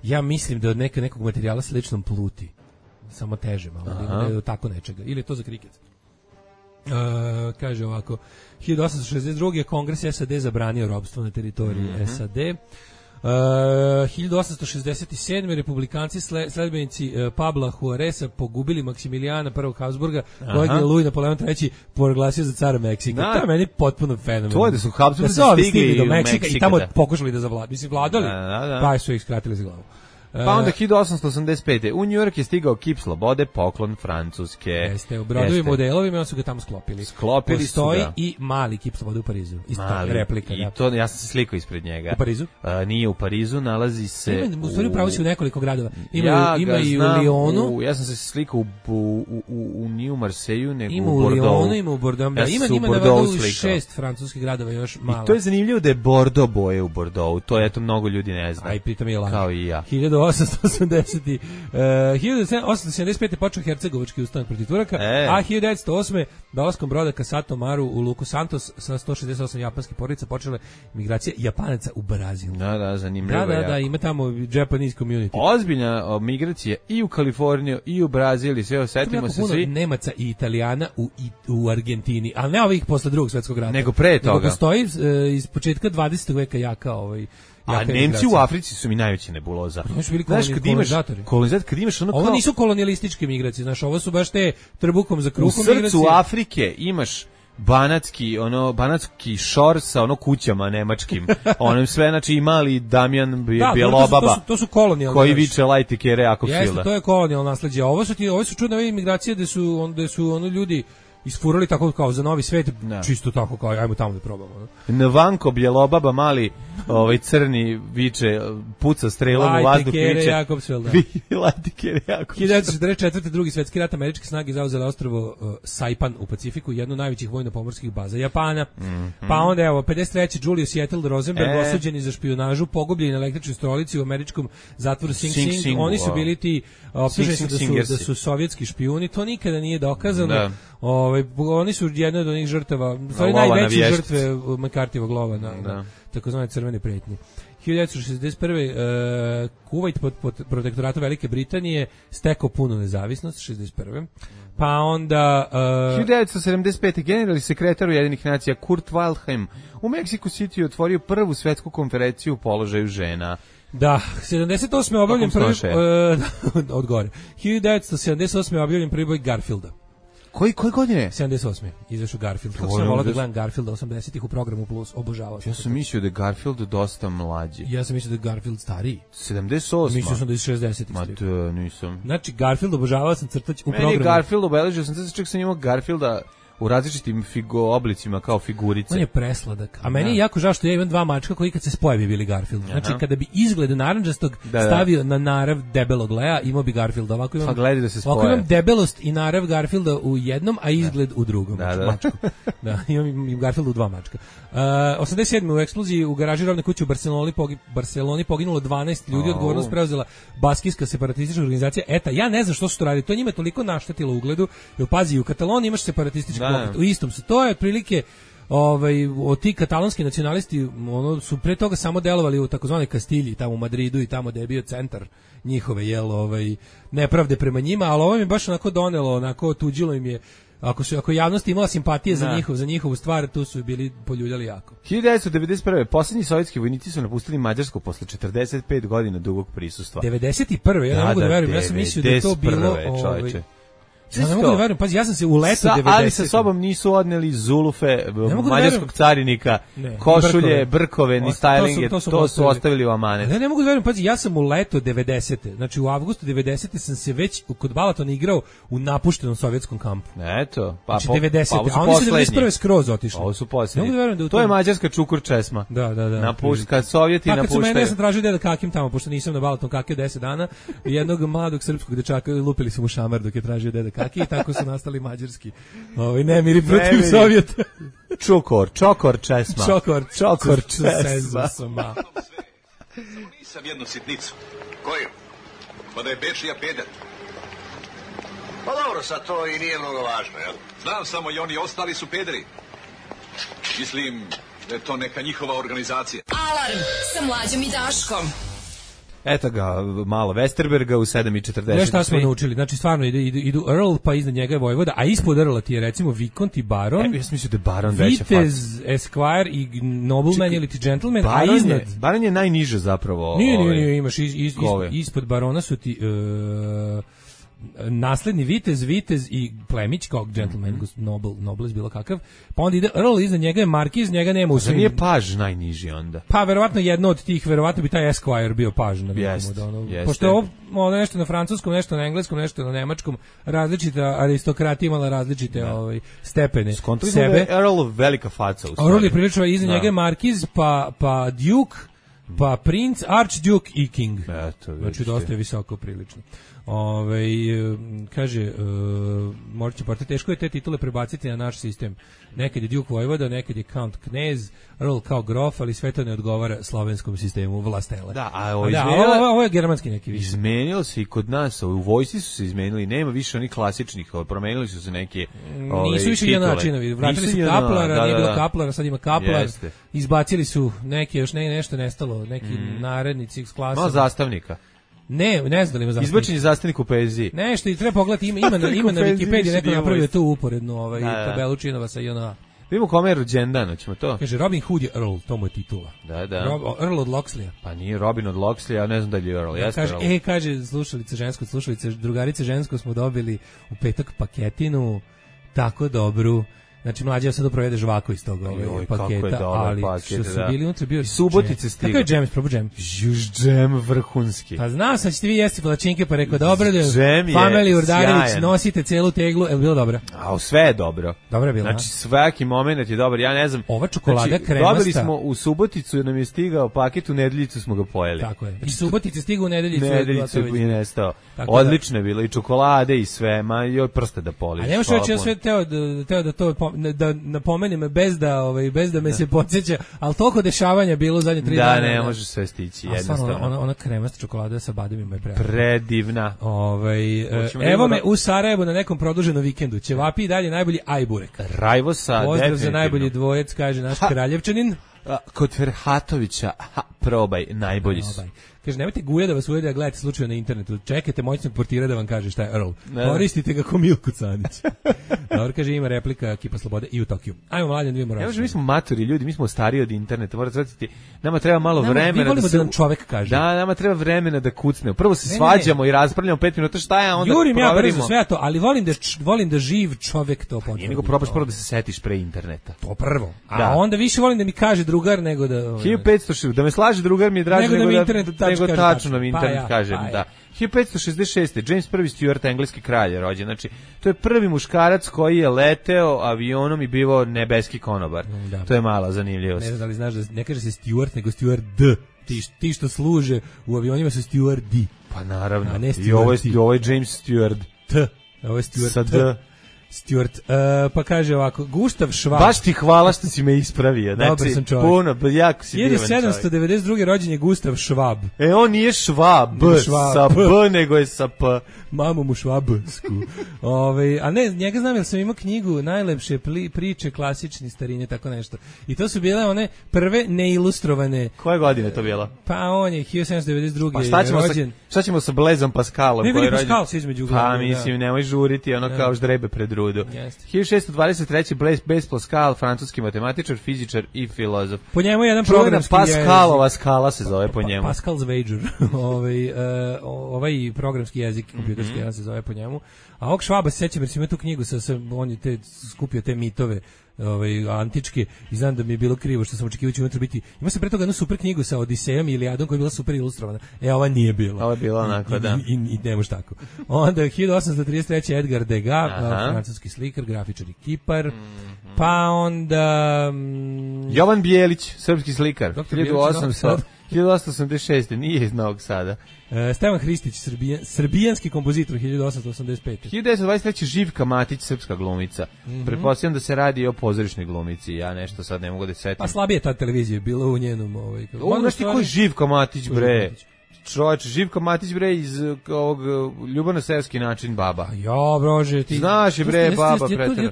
ja mislim da od neke, nekog materijala s ličnom pluti. Samo teže malo, ili tako nečega. Ili je to za kriket. Uh, kaže ovako, hiljadu osamsto šezdeset druge. Kongres S A D zabranio ropstvo na teritoriji mm-hmm. S A D. Uh, hiljadu osamsto šezdeset sedme. republikanci sledbenici uh, Pabla Juareza pogubili Maksimilijana prvog Habsburga, kojeg je Louis Napoleon treći proglasio za cara Meksika. Da. To je meni potpuno fenomen. To je da su Habsburgi da stigli do Meksika, Meksika i tamo da. pokušali da zavladaju. Mislim, vladali, da, da, da. pa su ih skratili za glavu. Pa onda hiljadu osamsto osamdeset pete. u New York je stigao kip slobode, poklon Francuske. Jeste, u brodovima u delovima, oni su ga tamo sklopili. Sklopili Postoji su ga. i mali kip slobode u Parizu. Isto Mali, replika. I da. to, ja sam se slikao ispred njega. U Parizu? Uh, nije u Parizu, nalazi se... Ima, u stvari upravo si u nekoliko gradova. Ima, ja ima i u Lyonu. U, ja sam se slikao u, u, u, u, u nije u Marseju, nego ima u u Bordeaux. Lyonu, ima u Bordeaux. Ja Da, ima, sam ima u na Bordeaux šest francuskih gradova još malo. I to je zanimljivo da je Bordeaux boje u Bordeaux. To je to mnogo ljudi ne zna. Aj, pritom je laž. Kao i ja. hiljadu osamsto osamdeset. Uh, hiljadu osamsto sedamdeset pete počeo Hercegovački ustanak protiv Turaka, e. a hiljadu devetsto osme dolaskom broda Kasato Maru u luku Santos sa sto šezdeset osam japanskih porodica počele migracije Japanaca u Brazil. Da, da, zanimljivo. Da, da, jako. da, ima tamo Japanese community. Ozbiljna o, migracija i u Kaliforniju i u Brazil i sve osetimo se svi. Nemaca i Italijana u, i, u Argentini, ali ne ovih posle drugog svjetskog rata. Nego pre toga. Nego postoji uh, iz početka dvadesetog veka jaka ovaj A Nemci u Africi su mi najveći nebuloza. Oni su bili znaš, kad imaš, kolonizator, kad imaš ono kao... Ovo nisu kolonijalističke migracije, znaš, ovo su baš te trbukom za kruhom migracije. U srcu migracije. Afrike imaš banatski, ono, banatski šor sa ono kućama nemačkim. Onim sve, znači i mali Damjan Bjelobaba. To su, to su kolonijalne. Koji viče lajti kere ako filda. Jeste, to je kolonijalno nasleđe. Ovo su ti, ovo su čudne migracije gde su, on, gde su ono ljudi isfurali tako kao za novi svet, no. Čisto tako kao ajmo tamo da probamo. No? Nvanko Bjelobaba mali, ovaj crni viče, puca strelom u vazduh, viče. Jakobsveld, da. Lajti kere Jakobsveld. hiljadu devetsto četrdeset četvrte. drugi svetski rat, američke snage zauzele ostrvo uh, Saipan u Pacifiku, jednu od najvećih vojno-pomorskih baza Japana. Mm -hmm. Pa onda evo pedeset treće. Julius Seattle Rosenberg e. osuđeni za špijunažu, pogubljen na električnoj stolici u američkom zatvoru Sing Sing. Sing, Sing Oni su bili ti optuženi da su da su sovjetski špijuni, to nikada nije dokazano. Da. Ovaj oni su jedna od onih žrtava, stvari najveće žrtve McCarthyjevog lova na, na takozvane crvene pretnje. hiljadu devetsto šezdeset prve. Uh, Kuvajt pod, pod protektoratom Velike Britanije stekao punu nezavisnost šezdeset prve. Pa onda uh, hiljadu devetsto sedamdeset pete. generalni sekretar Ujedinjenih nacija Kurt Waldheim u Mexico City otvorio prvu svetsku konferenciju o položaju žena. Da, sedamdeset osme objavljen prvi uh, od gore. hiljadu devetsto sedamdeset osme objavljen prvi boj Garfielda. Koji koje godine? sedamdeset osme izašao Garfield. Kako sam volao da gledam Garfielda osamdesetih u programu Plus, obožavao sam. Ja sam mislio da je Garfield dosta mlađi. Ja sam mislio da je Garfield stariji. sedamdeset osme. Mislio sam da je iz šezdesetih. Ma to nisam. Znači Garfield obožavao sam crtać u Meni programu. Meni Garfield obeležio sam, čak sam imao Garfielda u različitim figo oblicima kao figurice. On je presladak. A meni je jako žao što ja imam dva mačka koji kad se spoje bi bili Garfield. Znači aha. Kada bi izgled narandžastog da, da. stavio na narav debelog Lea, imao bi Garfielda. Ovako imam, pa gledi da se spoje. Ovako imam debelost i narav Garfielda u jednom, a izgled da. u drugom. Da, da. Mačku. Da, imam i Garfielda u dva mačka. Uh, osamdeset sedme. u eksploziji u garaži robne kuće u Barceloni, pogi, Barceloni poginulo dvanaest ljudi, oh. odgovornost preuzela baskijska separatistička organizacija. Eta, ja ne znam što su to radili. To njima toliko naštetilo ugledu. Jer pazi, u Kataloniji imaš separatistički pokret. U istom su. To je otprilike ovaj od ti katalonski nacionalisti ono su pre toga samo delovali u takozvanoj Kastilji tamo u Madridu i tamo da je bio centar njihove jel ovaj nepravde prema njima, al ovo mi baš onako donelo, onako tuđilo im je. Ako su ako javnost imala simpatije za njihov za njihovu stvar, tu su bili poljuljali jako. hiljadu devetsto devedeset prve. poslednji sovjetski vojnici su napustili Mađarsku posle četrdeset pet godina dugog prisustva. devedeset prve. Ja ne mogu da verujem, ja sam mislio da je to bilo ovaj Ja ne mogu da verujem, pazi, ja sam se u leto devedesetih. Ali sa sobom nisu odneli zulufe, mađarskog da carinika, ne, košulje, brkove, brkove ni stylinge, to su, to su, to su ostavili u amanet. Ja ne mogu da verujem, pazi, ja sam u leto devedesete. Znači u avgustu devedesete sam se već kod Balatona igrao u napuštenom sovjetskom kampu. Eto, pa znači, po, devedesete. Pa, a oni su devedeset prve skroz otišli. Ovo su posljednji. Da da to je mađarska čukur česma. Da, da, da. Napušta, kad Sovjeti napuštaju. Kad su mene, ja sam tražio deda kakim tamo, pošto nisam na Balaton kakio deset dana, jednog mladog srpskog dečaka lupili su mu šamar dok je tražio deda kaki i tako su nastali mađarski. Ovaj nemiri protiv nemiri. Sovjeta. Čukor, čokor česma. Čokor, čokor česma. Nisam jednu sitnicu. Koju? Pa da je Bečija peder. Pa dobro, sad to i nije mnogo važno, jel? Znam samo i oni ostali su pederi. Mislim da je to neka njihova organizacija. Alarm sa Mlađom i Daškom. Eto ga, malo Westerberga u sedam i četrdeset. Nešto šta smo naučili, znači stvarno idu, idu, idu Earl, pa iznad njega je Vojvoda, a ispod Earla ti je recimo Vikont i Baron. E, ja sam mislio da je Baron veća faca. Vitez, Esquire i Nobleman ili ti Gentleman, Baron a iznad... Je, Baron je najniže zapravo. Nije, nije, nije, imaš iz, iz, iz, ispod Barona su ti... Uh, nasledni vitez, vitez i plemić kao gentleman, mm-hmm. noble, nobles bilo kakav, pa onda ide Earl, iza njega je markiz, njega nema u svim. Nije paž najniži onda? Pa verovatno jedno od tih, verovatno bi taj Esquire bio paž na jest, da ono, jest. Pošto je ovo, ovo nešto na francuskom, nešto na engleskom, nešto na nemačkom, različita aristokratija imala različite da. ovaj, stepene Skontali sebe. Da je Earl velika faca u stvari. Earl je prilično, iza da. njega je markiz, pa, pa duke, pa princ, archduke i king. Eto, znači dosta je visoko prilično. Ove, kaže, uh, možda će porti, teško je te titule prebaciti na naš sistem. Nekad je Duke Vojvoda, nekad je Count Knez, Earl kao grof, ali sve to ne odgovara slovenskom sistemu vlastele. Da, a ovo, da, ovo, ovo je germanski neki više. Izmenilo se i kod nas, u vojsci su se izmenili, nema više onih klasičnih, promenili su se neke ove, nisu više jedan načinovi, vratili su Kaplara, da, da, nije bilo da. Kaplara, sad ima Kaplar, Jeste. Izbacili su neke, još ne, nešto nestalo, neki mm. narednici iz klasa. Malo zastavnika. Ne, ne znam da li ima zastavnik. Izbačen je zastavnik u poeziji. Nešto i treba pogledati, ima, ima, na, ima na Wikipediji neko napravio tu uporednu ovaj, da, da. tabelu činova sa I N A. Vidimo kome je rođendan, hoćemo to. Kaže, Robin Hood je Earl, to mu je titula. Da, da. Rob, Earl od Loxleya. Pa nije Robin od Loxleya, ja ne znam da li je Earl. Ja, kaže, Earl. E, kaže, slušalice žensko, slušalice, drugarice žensko smo dobili u petak paketinu, tako dobru. Znači, mlađa sad provede žvako iz toga ovaj paketa, ali paket, što su da. bili unutra bio subotice stiga. Kako je džem, probu džem? Juž džem vrhunski. Pa znao sam ćete vi jesti palačinke, pa rekao, dobro da Famili Urdarević nosite celu teglu, je li bilo dobro? A sve je dobro. Dobro je bilo, znači, svaki moment je dobar, ja ne znam. Ova čokolada znači, kremasta. Dobili smo u Suboticu, nam je stigao paket, u Nedeljicu smo ga pojeli. Tako je. I Subotice stigao u Nedeljicu. Nedeljicu je nestao. Odlično je bilo, i čokolade i sve, ma joj prste da poliš. A nemaš reći, ja sve teo da, teo da to da napomenem bez da, ovaj, bez da me da. se podsjeća, ali toliko dešavanja bilo u zadnje tri da, dana. Da, ne može sve stići, jednostavno. Ona, ona kremasta čokolada sa bademima je predivna. Predivna. Ovaj, evo me u Sarajevu na nekom produženom vikendu. Ćevapi i dalje najbolji ajburek. Rajvosa, pozdrav definitivno. Za najbolji dvojec, kaže naš ha. Kraljevčanin. A, kod Ferhatovića, ha, probaj, najbolji su. Probaj. Kaže, nemojte guja da vas ujede, a gledajte slučajno na internetu. Čekajte moćnog portira da vam kaže šta je Earl. Ne. Koristite ga ko Milku Canić. Dobro, kaže, ima replika Kipa Slobode i u Tokiju. Ajmo, Mladen, dvije moramo. Evo, mi smo maturi ljudi, mi smo stariji od interneta. Morate shvatiti, nama treba malo nama, vremena. Mi volimo da, se, da nam čovek kaže. Da, nama treba vremena da kucnemo. Prvo se ne, svađamo ne. i raspravljamo pet minuta šta je, a onda Jurim proverimo. ja brzo sve to, ali volim da, č, volim da živ čovek to potvrdi. Nije nego probaš prvo da se setiš pre interneta. To prvo. A da. onda više volim da mi kaže drugar nego da... hiljadu petsto da me slaže drugar mi je draže nego, nego da, da nego tačno nam internet pa ja, kažem, pa ja. da. hiljadu petsto šezdeset šeste James prvi Stuart, engleski kralj je rođen. Znači, to je prvi muškarac koji je leteo avionom i bivao nebeski konobar. Da. To je mala zanimljivost. Ne znam da li znaš da ne kaže se Stuart, nego Steward. Ti, ti što služe u avionima su stewardi. Pa naravno. A ne I ovo je, ovo je James Stewart. T. Ovo je Stewart. Sa D. Stewart, uh, pa kaže ovako, Gustav Schwab. Baš ti hvala što si me ispravio. Znači, dobar sam čovjek. Puno, jako si divan čovjek. hiljadu sedamsto devedeset druge rođen je Gustav Schwab. E, on nije Schwab, Schwab sa B, nego je sa P. Mamu mu švabsku. Ove, a ne, njega znam jer sam imao knjigu najlepše pli, priče klasični starinje, tako nešto. I to su bile one prve neilustrovane. Koje godine to bilo? Pa on je hiljadu sedamsto devedeset druge pa šta ćemo rođen. Sa, šta ćemo sa Blazom Pascalom? Ne, vidi Pascal se između uglavnom. Pa mislim, da. Nemoj žuriti, ono da. Kao ždrebe pred rudu. hiljadu šessto dvadeset treće Blaise Pascal, francuski matematičar, fizičar i filozof. Po njemu je jedan programski Pascalova skala se zove po njemu. Pa, Pascal's Wager. ovaj, uh, ovaj programski jezik kompjuterski mm-hmm. se zove po njemu. A ovog Švaba se sećam jer sam imao tu knjigu, sa, sa, on je te, skupio te mitove ovaj, antičke i znam da mi je bilo krivo što sam očekivao će unutra biti. Ima se pre toga jednu super knjigu sa Odisejom i Ilijadom koja je bila super ilustrovana. E, ova nije bila. Ova je bila onako, I, da. I, i, i ne može tako. Onda hiljadu osamsto trideset treće Edgar Degas, francuski slikar, grafičar i kipar. Mm-hmm. Pa onda... Mm, Jovan Bijelić, srpski slikar. hiljadu osamsto osamdeset šeste nije iz Novog Sada. Uh, Stevan Hristić, srbijan, srbijanski kompozitor, hiljadu osamsto osamdeset pete. hiljadu devetsto dvadeset treće Živka Matić, srpska glumica. Mm-hmm. Pretpostavljam da se radi o pozorišnoj glumici. Ja nešto sad ne mogu da setim. Pa slabije ta televizija bila u njenom... Ovaj, o, znaš ti ko je Živka Matić, bre? Čovječ, Živka Matić, bre, iz ovog ljubavno-seoski način baba. Ja, brože, ti... Znaš je, bre, baba pretjera.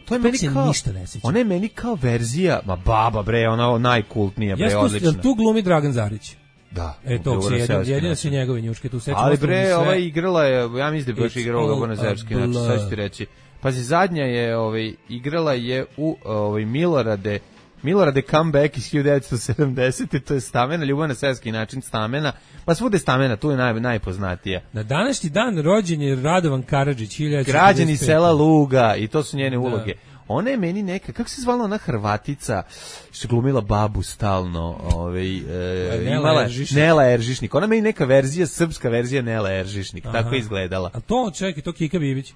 To je meni kao... ništa ne sećam. Ona je meni kao verzija, ma baba, bre, ona najkultnija, bre, odlična. Tu glumi Dragan Zarić. Da. E, to se jedino, jedino su njegove njuške, tu sećam. Ali, bre, ova igrala je, ja mislim da je baš igrala ljubavno-seoski način, sad ću ti reći. Pazi, zadnja je, ovaj, igrala je u ovaj, Milorade Milorade comeback iz hiljadu devetsto sedamdesete. To je Stamena, ljubav na seoski način Stamena. Pa svude Stamena, tu je naj, najpoznatija. Na današnji dan rođen je Radovan Karadžić, hiljadu devetsto četrdeset pete. Građani sela Luga, i to su njene uloge. Da. Ona je meni neka, kako se zvala ona Hrvatica što je glumila babu stalno, ovaj e, Nela imala Eržišnik. Nela Eržišnik. Ona meni neka verzija, srpska verzija Nela Eržišnik. Aha. Tako je izgledala. A to, čekaj, to Kika Bibić.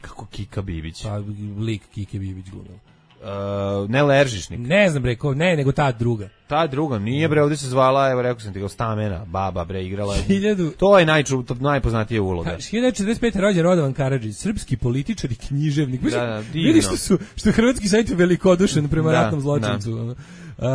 Kako Kika Bibić? Pa lik Kike Bibić glumila. Uh, Nela Eržišnik. Ne znam bre, ko, ne, nego ta druga. Ta druga, nije bre, ovdje se zvala, evo rekao sam ti ga, Stamena, baba bre, igrala. Hiljadu... To je najču, to najpoznatija uloga. hiljadu devetsto četrdeset pete. rođen Radovan Karadžić, srpski političar i književnik. Da, da, vidi što su, što je hrvatski sajt velikodušan prema da, ratnom zločincu. Uh,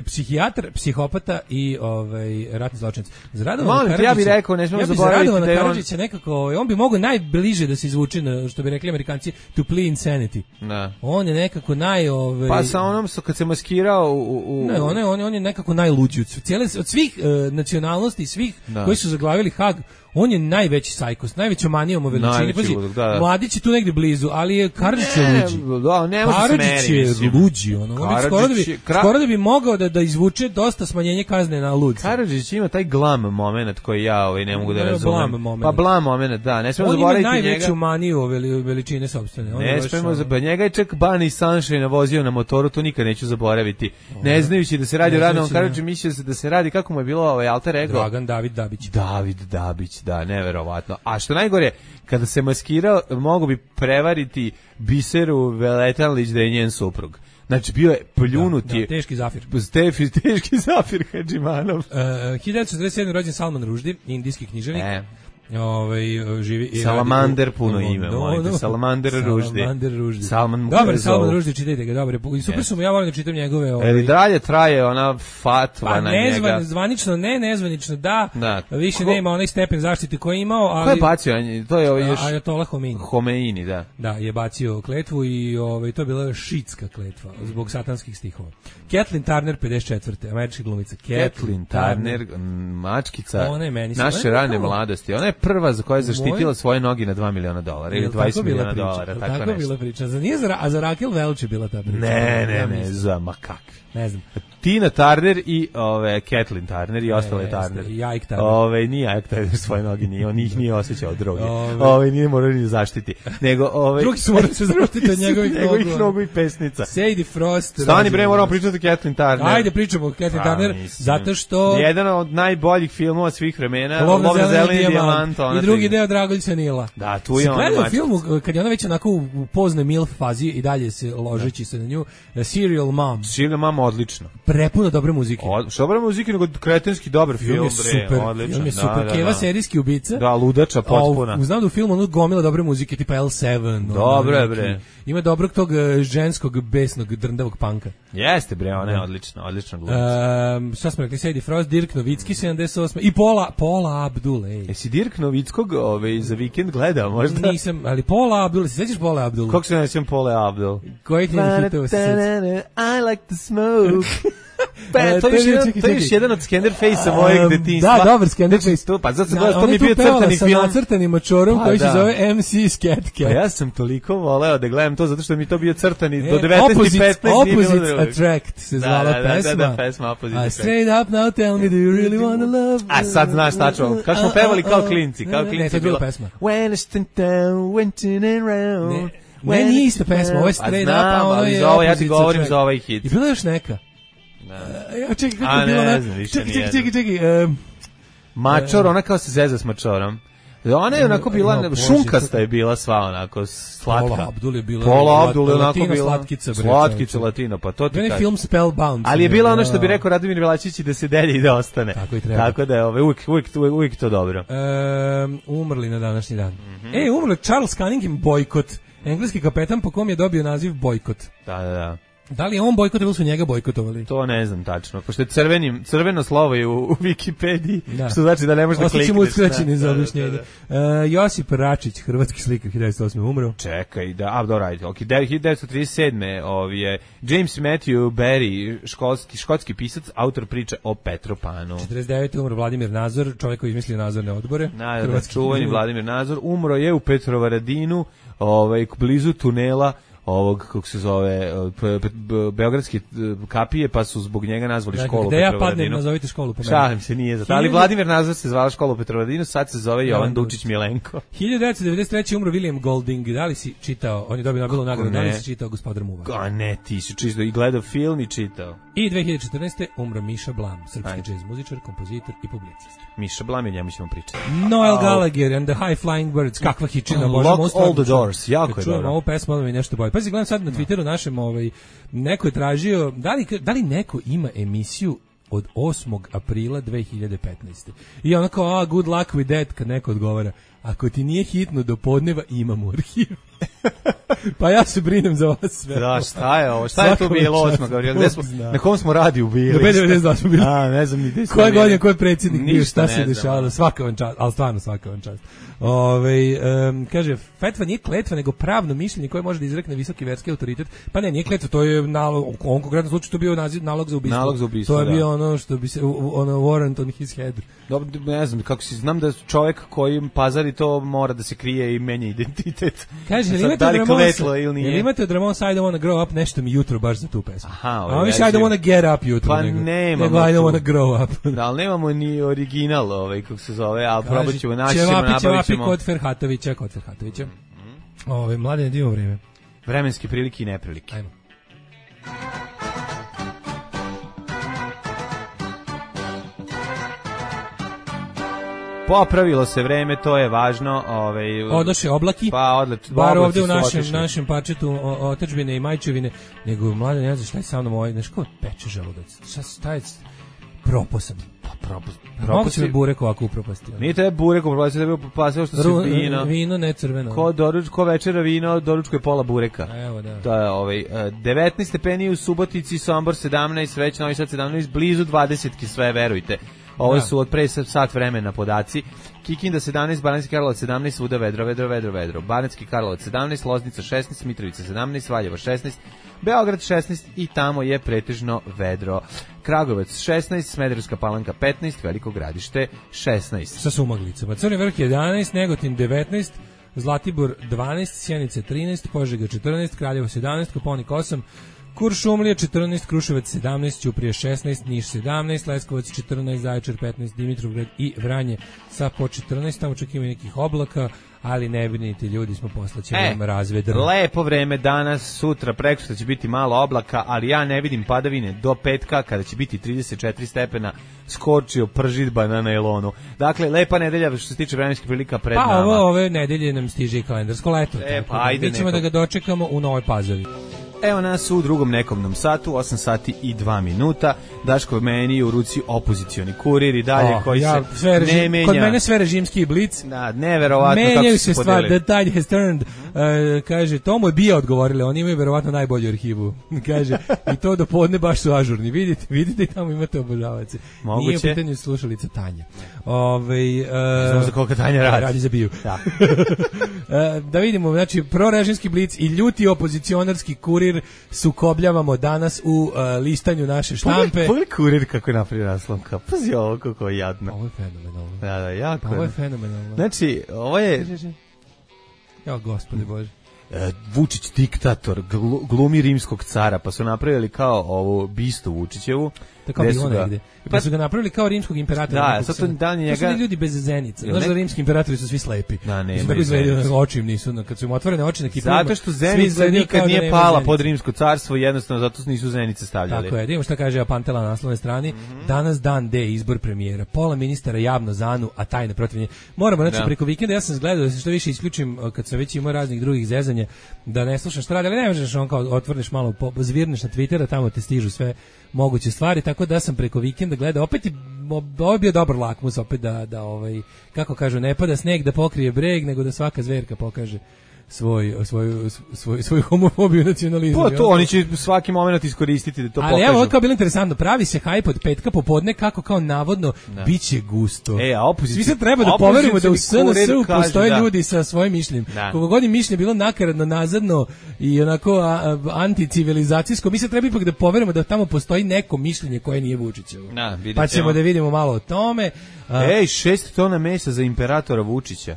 psihijatar, psihopata i ovaj ratni zločinac. Za Radovana Karadžića, ja bih rekao, ne smemo ja zaboraviti da je on... nekako, on bi mogao najbliže da se izvuče na, što bi rekli Amerikanci, to plea insanity. Da. On je nekako naj ovaj Pa sa onom što kad se maskirao u, u... Ne, on je, on je, on je nekako najluđi od cijele od svih uh, nacionalnosti, svih da. Koji su zaglavili Hag. On je najveći sajkos, najveća manijom o veličini. Pazi, da, da. Mladić je tu negdje blizu, ali je Karadžić je luđi. Da, ne može Karadžić je luđi. Ono. On skoro, da bi, Kra... skoro da bi mogao da, da izvuče dosta smanjenje kazne na ludce. Karadžić ima taj glam moment koji ja ovaj, ne mogu da razumem. Blam moment. Pa blam moment, da. Ne smemo zaboraviti njega. On ima najveću maniju o veli, veličine sopstvene. On ne smemo zaboraviti. Njega je čak Bani Sunshine vozio na motoru, to nikad neću zaboraviti. O, ne znajući da se radi o Radovan Karadžiću, mislio se da se radi, kako mu je bilo ovaj alter ego? Dragan David Dabić. David Dabić, da, neverovatno. A što najgore, kada se maskirao, mogu bi prevariti Biseru Veletanlić da je njen suprug. Znači, bio je pljunuti. Da, da, teški zafir. Teški, teški zafir Hadžimanov. Uh, hiljadu devetsto četrdeset sedme. rođen Salman Rushdie, indijski književnik. E. Ovaj živi Salamander puno ime, mojte. Salamander Rushdie. Salamander Rushdie. Salman Dobar Salman Rushdie, čitajte ga, dobro. I super su mu, ja volim da čitam njegove ovaj. Eli dalje traje ona fatva pa, na nezvan, njega. Zvanično ne, nezvanično da. da. Više Ko... nema onaj stepen zaštite koji je imao, ali ko je bacio? To je ovaj još Ajatola Homeini. Homeini, da. Da, je bacio kletvu i ovaj to je bila šitska kletva zbog satanskih stihova. Kathleen Turner pedeset četvrte. američka glumica. Kathleen Turner, mačkica naše rane kao... mladosti. Ona je prva za koja je zaštitila svoje noge na dva miliona dolara ili dvadeset miliona dolara, tako, tako nešto. Bila priča. Za nije za, a za Raquel Welch je bila ta priča. Ne, ne, ne, za makak. Ne znam. Tina Turner i ove Kathleen Turner i ostale ne, Turner. I Ike Turner. Ove nije Ike Turner svoje noge, nije, on ih nije osjećao droge. Ove, ove nije morao ni zaštiti. Nego ove drugi su morali se zaštiti od njegovih nogu. Njegovih nogu i pesnica. Sadie Frost. Stani bre, moramo pričati o Kathleen Turner. Ajde pričamo o Kathleen Turner zato što jedan od najboljih filmova svih vremena, Lov na zeleni dijamant, i drugi deo Dragoljca Nila. Da, tu je on. Gledao film kad je ona već onako u pozne milf fazi i dalje se ložeći se na nju. Serial Mom. Serial Mom odlično. Prepuno dobre muzike. Od, što dobre muzike, nego kretenski dobar film, film bre, super, odličan. Film je super, da, da, Keva da. serijski ubica. Da, ludača potpuna. A, znam da u filmu ono gomila dobre muzike, tipa L sedam. Dobro je bre. Ima dobrog tog ženskog, besnog, drndavog panka. Jeste bre, ona je odlična, odlična glumica. Um, šta smo rekli, Sadie Frost, Dirk Novicki, sedamdeset osme i Paula, Paula Abdul. Ej. Jesi Dirk Novickog ove, za vikend gledao možda? Nisam, ali Paula Abdul, se sećaš Paula Abdul? Kako se nećem Paula Abdul? Koji ti je hitova se sećaš? I like to smoke. Pa, to je jedan, to je jedan od Scanderface-a mojeg detinjstva. Da, dobar Scanderface. Pa zato se to mi je bio crtani film. Sa nacrtanim mačorom pa, koji da. se zove M C Scat Cat. Pa ja sam toliko voleo da gledam to zato što mi to bio crtani do devetnaest i petnaest. Opposite Attract se zvala da, da, pesma. Da, da, pesma Opposite Attract. Straight up now tell me do you really wanna love me? A sad znaš tačno, kako smo pevali kao klinci. Kao klinci ne, to je bila pesma. When I stand down, went in and round. Ne, nije ista pesma, ovo je Straight Up, a ono je Opposite Attract. Ja ti govorim za ovaj hit. I bila još neka. Da. Uh, čekaj, kako je bilo ona? Čekaj, čekaj, čekaj, čekaj. Um, Mačor, ona kao se zeza s mačorom. Ona je onako bila, no, šunkasta je bila sva onako slatka. Pola Abdul je bila. Pola Abdul je onako bila. Slatkica. Bre, slatkica latina, pa to ti kažem. Film Spellbound. Ali je bila ono što bi rekao Radomir Velačić da se delje i da ostane. Tako i treba. Tako da je ove, uvijek, uvijek, uvijek, uvijek to dobro. Um, umrli na današnji dan. Mm-hmm. E, umrli Charles Cunningham Boykot. Engleski kapetan po kom je dobio naziv Bojkot. Da, da, da. Da li je on bojkot ili su njega bojkotovali? To ne znam tačno. Pošto je crvenim, crveno slovo je u, u Wikipediji, da. Što znači da ne možeš da klikneš. Ostaćemo uskraćeni za objašnjenje. Da, da, da. Uh, Josip Račić, hrvatski slikar, hiljadu devetsto osme umro. Čekaj, da, a dobro, ajde. Ok, hiljadu devetsto trideset sedme Ovi je James Matthew Barry, školski, škotski pisac, autor priče o Petropanu. četrdeset devete umro Vladimir Nazor, čovjek koji izmislio nadzorne odbore. Da, da, čuveni Vladimir Nazor, umro je u Petrovaradinu, ovaj, blizu tunela ovog, kako se zove, beogradske kapije, pa su zbog njega nazvali dakle, školu u Petrovaradinu. Petrovaradinu. Gde ja padnem, nazovite školu po meni. Šalim se, nije za to. Ali Vladimir Nazor se zvala škola u Petrovaradinu, sad se zove Jovan Dučić Milenko. hiljadu devetsto devedeset treće umro William Golding. Da li si čitao, on je dobio Nobelovu nagradu, da li si čitao Gospodar Muva? A ne, ti si čisto i gledao film i čitao. I dve hiljade četrnaeste umro Miša Blam, srpski džez muzičar, kompozitor i publicist. Miša Blam, i njemu ćemo pričati. Noel Gallagher and the High Flying Birds, kakva hičina, Lock all the doors, jako je čujem dobro. ovu pesmu, ali mi nešto bolje. Pazi, gledam sad na Twitteru našem, ovaj, neko je tražio, da li, da li neko ima emisiju od osmog aprila dve hiljade petnaeste. I ono kao, a, good luck with that, kad neko odgovara, ako ti nije hitno do podneva, imam u arhivu. Pa ja se brinem za vas sve. Da, šta je ovo? Šta je to bilo osmog aprila? Na kom smo radiju bili? Do B devedeset dva smo bili. A, ne znam ni gde smo. Koje godine, koji predsjednik bio, šta se dešavalo? Svaka vam čast, ali stvarno svaka vam čast. Ove, um, kaže, fetva nije kletva, nego pravno mišljenje koje može da izrekne visoki verski autoritet. Pa ne, nije kletva, to je nalog, u ovom konkretnom slučaju to bio naziv, nalog za ubistvo. Nalog za ubistvo, to je da. bio ono što bi se, ono warrant on his head. Dobro, ne znam, kako si, znam da čovjek koji pazari to mora da se krije i menja identitet. Kaže, jel imate, da li imate od Ramones I don't wanna grow up, nešto mi jutro baš za tu pesmu. Aha, a mi še I don't wanna get up jutro, pa nego, nemamo nego I don't wanna grow up. Da, ali nemamo ni original, ovaj, kako se zove, ali probat ćemo, naći ćemo, nabavit ćemo. Čevapi kod Ferhatovića, kod Ferhatovića. Mm-hmm. Ove, mladine, divimo vreme. Vremenske prilike i neprilike. Ajmo. Popravilo se vreme, to je važno. Ovaj, odoše oblaki, pa odlet, bar ovde u našem, našem parčetu otadžbine i majčevine, nego mlade ne znaš šta je sa mnom ovaj, znaš kao peče želudac, šta, šta je proposan. Pa propos, mogu se mi burek ovako upropasti. Nije te burek upropasti, da bi upropastio što se vino. Vino, ne crveno. Ko, doruč, ko večera vino, doručko je pola bureka. Evo da. To je ovaj, devetnaest stepeni u Subotici, Sombor sedamnaest, već Novi Sad sedamnaest, blizu dvadesetki sve, verujte. Ovo da. Su od pre sat vremena podaci. Kikinda sedamnaest, Banatski Karlovac sedamnaest, svuda vedro, vedro, vedro, vedro. Banatski Karlovac sedamnaest, Loznica šesnaest, Mitrovica sedamnaest, Valjevo šesnaest, Beograd šesnaest i tamo je pretežno vedro. Kragujevac šesnaest, Smederevska Palanka petnaest, Veliko Gradište šesnaest. Sa sumaglicama. Crni vrh jedanaest, Negotin devetnaest, Zlatibor dvanaest, Sjenica trinaest, Požega četrnaest, Kraljevo sedamnaest, Koponik osam, Kuršumlija četrnaest, Kruševac sedamnaest, Ćuprija šesnaest, Niš sedamnaest, Leskovac četrnaest, Zaječar petnaest, Dimitrovgrad i Vranje sa po četrnaest, tamo čak ima nekih oblaka, ali ne brinite ljudi, smo poslaćemo e, vam razvedrno. Lepo vreme danas, sutra, prekosutra će biti malo oblaka, ali ja ne vidim padavine do petka kada će biti trideset četiri stepena, skorčio pržidba na nailonu. Dakle, lepa nedelja što se tiče vremenskih prilika pred pa, nama. Pa ovo, ove nedelje nam stiže i kalendarsko leto. E, pa, ajde, mi ćemo neko. Da ga dočekamo u Novoj Pazovi. Evo nas u drugom nekomnom satu, osam sati i dva minuta. Daško meni u ruci opozicioni kurir i dalje oh, koji ja, se sve režim, ne menja. Kod mene sve režimski blic. Da, neverovatno kako se, se stvar, the tide has turned. Uh, kaže, to mu je bija odgovorile, oni imaju verovatno najbolju arhivu. Kaže, i to do podne baš su ažurni. Vidite, vidite i tamo imate obožavace. Moguće. Nije u pitanju slušalica Tanja. Ove, uh, Znamo za koliko Tanja radi. Radi za biju. Da. uh, da vidimo, znači, prorežimski blic i ljuti opozicionarski kurir sukobljavamo danas u uh, listanju naše štampe. Pogledaj kurir kako je napravio naslovka. Pazi ovo kako je jadno. Ovo je fenomenalno. Da, da, jako. Ovo je fenomenalno. Znači, ovo je... Ja, gospodи Bože. E, Vučić diktator, glumi rimskog cara, pa su napravili kao ovu bistu Vučićevu. Tako bi ono negde. Pa su ga napravili kao rimskog imperatora. Da, sad to dan njega... To su ljudi bez zenica. Znaš da rimski imperatori su svi slepi. Da, ne, tako izgledaju, oči im nisu, kad su im otvorene oči na kipima. Zato što zenica nikad nije pala zenice. Pod rimsko carstvo, jednostavno zato nisu zenice stavljali. Tako je, da imamo šta kaže Apantela na naslovnoj strani. Mm-hmm. Danas dan D, izbor premijera. Pola ministara javno zanu, a tajne protiv nje. Moramo, znači, da. Preko vikenda ja sam gledao da se što više isključim, kad sam već imao raznih drugih zezanja, da ne slušam šta radi, ali ne možeš on kao otvorniš malo, zvirneš na Twittera, tamo te stižu sve moguće stvari, tako da sam preko vikenda gledao, opet je, ovo je bio dobar lakmus, opet da, da ovaj, kako kažu, ne pada sneg da pokrije breg, nego da svaka zverka pokaže svoj svoj svoj svoj homofobiju, nacionalizam. Pa to oni će svaki momenat iskoristiti da to ali pokažu. Ali evo, ovo kao bilo interesantno, pravi se hajp od petka popodne kako kao navodno da. Biće gusto. E, a opozicija, svi se treba da poverujemo da u S N S-u postoje da. Ljudi sa svojim mišljenjem. Koliko god je mišljenje bilo nakaradno, nazadno i onako a, a, anticivilizacijsko, mi se treba ipak da poverujemo da tamo postoji neko mišljenje koje nije Vučićevo. Da, pa ćemo da vidimo malo o tome. A, Ej, šest tona mesa za imperatora Vučića.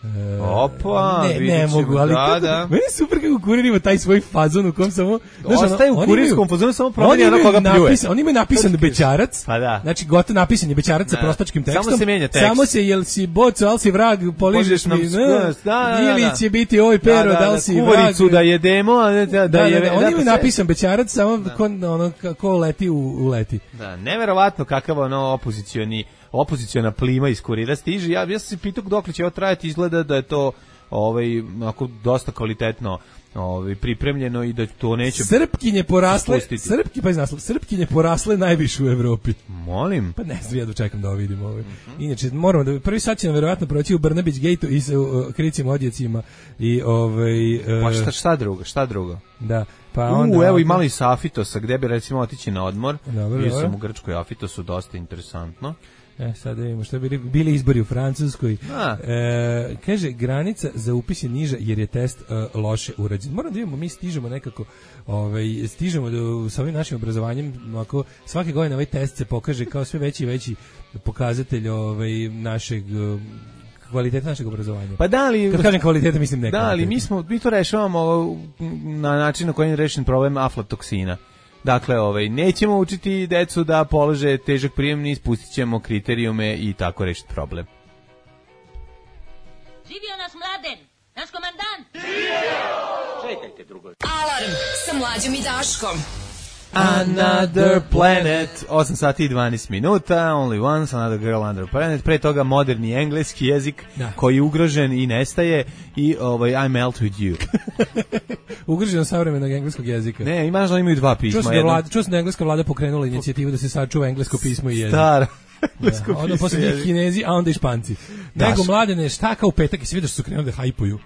E, Opa, ne, ne mogu, ali da, kako, da. meni je super kako Kurir ima taj svoj fazon u kom samo... Ostaje u kurirskom fazonu, samo promeni ono koga pljuje. Oni imaju napisan Bećarac, pa da. znači gotovo napisan je Bećarac sa prostačkim tekstom. Samo se menja tekst. Samo se, jel si boco, ali si vrag, poližeš mi, da, da, ili će biti oj pero, da, li si vrag. Kuvaricu da jedemo, da, da, da je... Oni imaju napisan Bećarac, samo ono kako leti u leti. Da, neverovatno kakav ono opozicioni opoziciona plima iz Kurira stiže. Ja, ja sam se pitao dokle će ovo trajati, izgleda da je to ovaj, ako dosta kvalitetno ovaj, pripremljeno i da to neće... Srpkinje porasle, srpki, pa naslov, Srpkinje porasle najviše u Evropi. Molim. Pa ne znam, ja dočekam da ovo vidim. Ovaj. Mm-hmm. Inače, moramo da, prvi sad će nam verovatno proći u Brnabić Gate-u i sa uh, kricim odjecima i ovaj... Uh, pa šta, šta drugo, šta drugo? Da. Pa U, onda, evo i malo iz Afitosa, gde bi recimo otići na odmor. Dobro, Bio dobro. sam u Grčkoj Afitosu, dosta interesantno. E, sad da vidimo što bili, bili izbori u Francuskoj. E, kaže, granica za upis je niža jer je test uh, loše urađen. Moram da vidimo, mi stižemo nekako, ovaj, stižemo do, sa ovim našim obrazovanjem, ako svake godine ovaj test se pokaže kao sve veći i veći pokazatelj ovaj, našeg... Uh, kvaliteta našeg obrazovanja. Pa da li, kad kažem kvaliteta, mislim ne. Da, ali mi smo mi to rešavamo na način na koji je rešen problem aflatoksina. Dakle, ovaj nećemo učiti decu da polože težak prijemni, ispustit kriterijume i tako rešiti problem. Živio nas Mladen, naš komandant. Živio! Čekajte drugo. Alarm sa Mlađom i Daškom. Another Planet, osam sati i dvanaest minuta, Only Once, Another Girl, Another Planet, pre toga moderni engleski jezik da. Koji je ugrožen i nestaje i ovaj, I melt with you. Ugrožen savremenog engleskog jezika. Ne, imaš da imaju dva pisma. Čuo sam da, vlada, čuo sam da engleska vlada pokrenula inicijativu da se sačuva englesko pismo i jezik. Stara. Englesko da, onda posle njih Kinezi, a onda i Španci. Daš. Nego mladene, šta kao u petak i svi da su krenuli da hajpuju.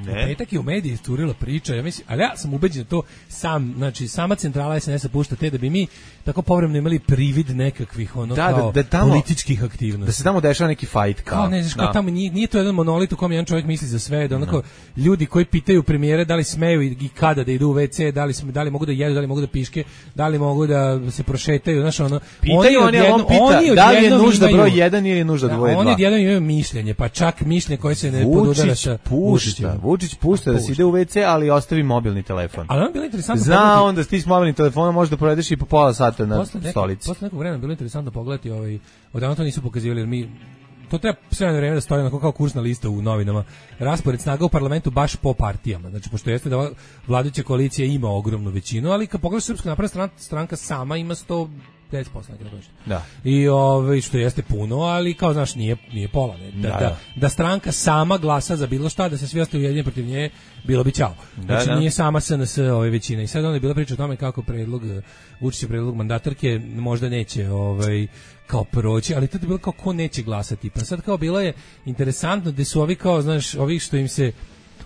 Ne. U petak je u mediji isturila priča, ja mislim, ali ja sam ubeđen da to sam, znači sama centrala S N S-a pušta te da bi mi tako povremeno imali privid nekakvih ono da, kao da, da tamo, političkih aktivnosti. Da se tamo dešava neki fight kao. Kao ne, znaš, kao tamo nije, nije to jedan monolit u kom jedan čovjek misli za sve, da onako no. ljudi koji pitaju premijere da li smeju i, i kada da idu u ve ce, da li, da li mogu da jedu, da li mogu da piške, da li mogu da se prošetaju, znaš ono. Pitaju oni, oni, on pita oni da li je nužda broj jedan ili je nužda da, dvoje dva. Oni odjednom imaju mišljenje, pa čak mišljenje koje se ne podudara sa pušta. Vučić pušta da se ide u ve ce, ali ostavi mobilni telefon. Ali on bilo interesantno. Zna on da ti s mobilnim telefonom možeš da provedeš i po pola sata na posle stolici. Posle nekog vremena bilo interesantno pogledati ovaj, odavno to nisu pokazivali, jer mi to treba sve na vreme da stoji onako kao kursna lista u novinama. Raspored snaga u parlamentu baš po partijama. Znači, pošto jeste da vladajuća koalicija ima ogromnu većinu, ali kad pogledaš Srpska napredna stranka sama ima sto deset posto da. I ovaj što jeste puno, ali kao znaš nije nije pola, ne. Da, da, da. da stranka sama glasa za bilo šta, da se svi ostaju ujedinjeni protiv nje, bilo bi ćao. Znači da, da. Nije sama S N S ove većine. I sad onda je bila priča o tome kako predlog Vučićev predlog mandatarke možda neće ovaj kao proći, ali to je bilo kao ko neće glasati. Pa sad kao bilo je interesantno da su ovi kao znaš, ovi što im se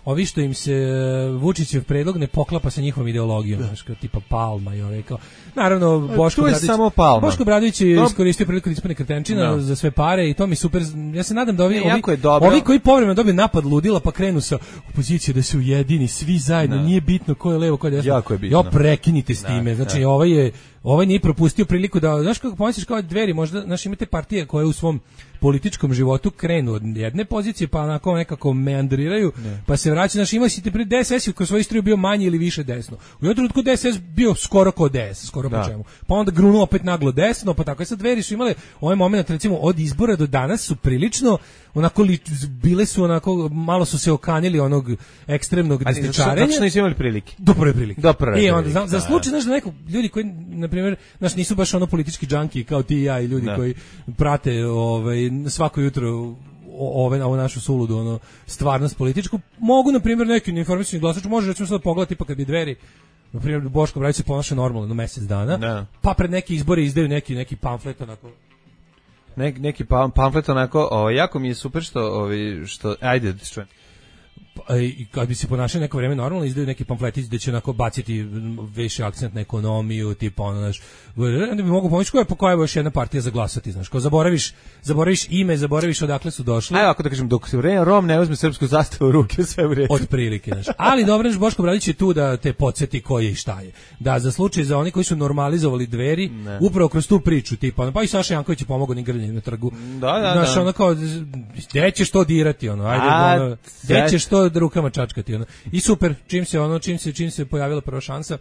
ovi što im se Vučićev predlog ne poklapa sa njihovom ideologijom, znaš, kao tipa Palma i ove kao. Naravno Boško Obradović. Boško Obradović je iskoristio priliku da ispane kretenčina no. za sve pare i to mi super. Ja se nadam da ovi ne, ovi, ovi koji povremeno dobiju napad ludila pa krenu sa opozicije da se ujedini svi zajedno, no. nije bitno ko je levo, ko je desno. Jako je bitno. Ja prekinite s time. No, znači no. ovaj je ovaj nije propustio priliku da znaš kako pomisliš kao Dveri, možda znaš imate partije koje u svom političkom životu krenu od jedne pozicije pa onako nekako meandriraju ne. pa se vraća, znaš imao si te pri D S S-u kroz svoju istoriju bio manje ili više desno. U jednom trenutku D S S bio skoro kao D S, skoro da. po čemu. Pa onda grunuo opet naglo desno, pa tako je sad Dveri su imale ovaj moment recimo od izbora do danas su prilično onako li, bile su onako malo su se okanjili onog ekstremnog desničarenja. Znači nisu imali prilike. Do prve prilike. Do prve I onda prilike, za, za slučaj znaš da neko ljudi koji na primjer znaš nisu baš ono politički džanki kao ti i ja i ljudi da. koji prate ovaj svako jutro ove ovu našu suludu ono stvarnost političku mogu na primjer neki neinformisani glasač može recimo sad pogledati pa kad bi Dveri na primjer Boško Obradović se ponaša normalno na mesec dana da. pa pred neki izbore izdaju neki neki pamflet onako Nek, neki pamflet onako, o, jako mi je super što, ovi, što ajde, što i kad bi se ponašali neko vreme normalno, izdaju neki pamfletić da će onako baciti više akcent na ekonomiju, tipa ono, znaš, da bi mogu pomoći koja je po kojoj još jedna partija za glasati, znaš, kao zaboraviš, zaboraviš ime, zaboraviš odakle su došli. Ajde, ako da kažem, dok se Rom ne uzme srpsku zastavu u ruke, sve u redu. Od prilike, znaš. Ali dobro, znaš, Boško Obradović je tu da te podsjeti ko je i šta je. Da, za slučaj za oni koji su normalizovali Dveri, ne. Upravo kroz tu priču, tipa, pa i Saša Janković je pomogao ni grljenje na trgu. Da, da, znaš, da. ono kao, gde ćeš to dirati, ono, ajde, ono, gde ćeš to rukama čačkati, ono. I super, čim se ono, čim se, čim se pojavila prva šansa,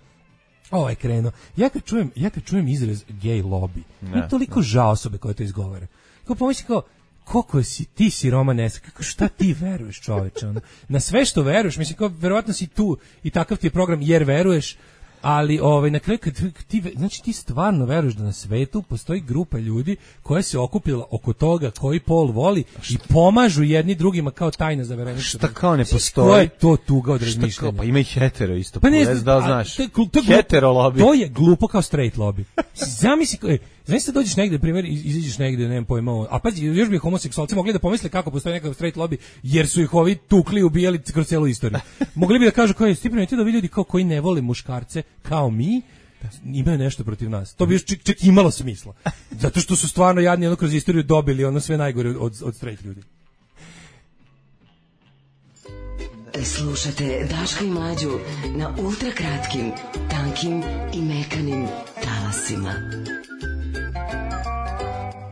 ovo je krenuo. Ja kad čujem, ja kad čujem izraz gay lobby, mi je toliko žao osobe koje to izgovore. Kao pomisli kao, koliko si ti siroma neska, kako šta ti veruješ, čoveče, ono. Na sve što veruješ, mislim kao verovatno si tu i takav ti je program jer veruješ, ali ovaj na kraju kad ti znači ti stvarno veruješ da na svetu postoji grupa ljudi koja se okupila oko toga koji pol voli i pomažu jedni drugima kao tajna zavereništvo. Šta kao ne postoji? Ko je to tuga od razmišljanja? Pa ima i hetero isto, pa ne, da znaš. To, to, hetero lobby. To je glupo kao straight lobby. Zamisli, znaš da dođeš negde, primjer, izađeš negde, nemam pojma, a pa još bi homoseksualci mogli da pomisle kako postoji neka straight lobby, jer su ih ovi tukli, ubijali kroz celu istoriju. Mogli bi da kažu kao je, ti primetio da ovi ljudi kao koji ne vole muškarce, kao mi, imaju nešto protiv nas. To bi još čak, čak imalo smisla. Zato što su stvarno jadni ono kroz istoriju dobili ono sve najgore od, od straight ljudi. Slušate Daška i Mlađu na ultrakratkim, tankim i mekanim talasima.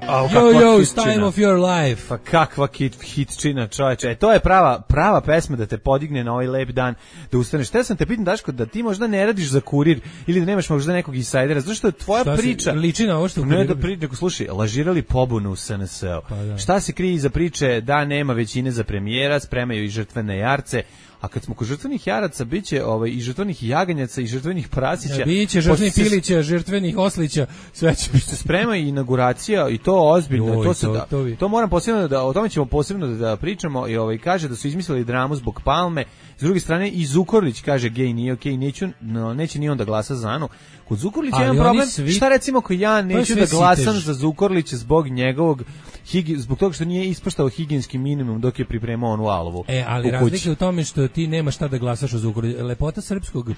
Oh, yo, yo, it's time of your life. Pa kakva hit, hitčina, čoveče. E, to je prava, prava pesma da te podigne na ovaj lep dan, da ustaneš. Te sam te pitan, Daško, da ti možda ne radiš za Kurir ili da nemaš možda nekog insajdera, zato što je tvoja šta priča... Si, liči na ovo što... Ne da pri, nego slušaj, lažirali pobunu u S N S O. Pa da. Šta se krije iza priče da nema većine za premijera, spremaju i žrtvene jarce, a kad smo kod žrtvenih jaraca, biće ovaj, i žrtvenih jaganjaca i žrtvenih prasića. Ja, biće žrtvenih pilića, žrtvenih oslića, sve će biti. Sprema i inauguracija i to ozbiljno. Joj, to, se to, da, to, to moram posebno da, o tome ćemo posebno da, da pričamo i ovaj, kaže da su izmislili dramu zbog Palme. S druge strane i Zukorlić kaže gej nije okej, neću, no, neće ni on da glasa za Anu. Kod Zukorlića je jedan problem, svi... šta recimo ako ja neću da glasam sitež. Za Zukorlića zbog njegovog higi, zbog toga što nije ispoštao higijenski minimum dok je pripremao onu alovu. E, ali razlika je u tome što ti nemaš šta da glasaš o Zukorliću. Lepota srpskog e,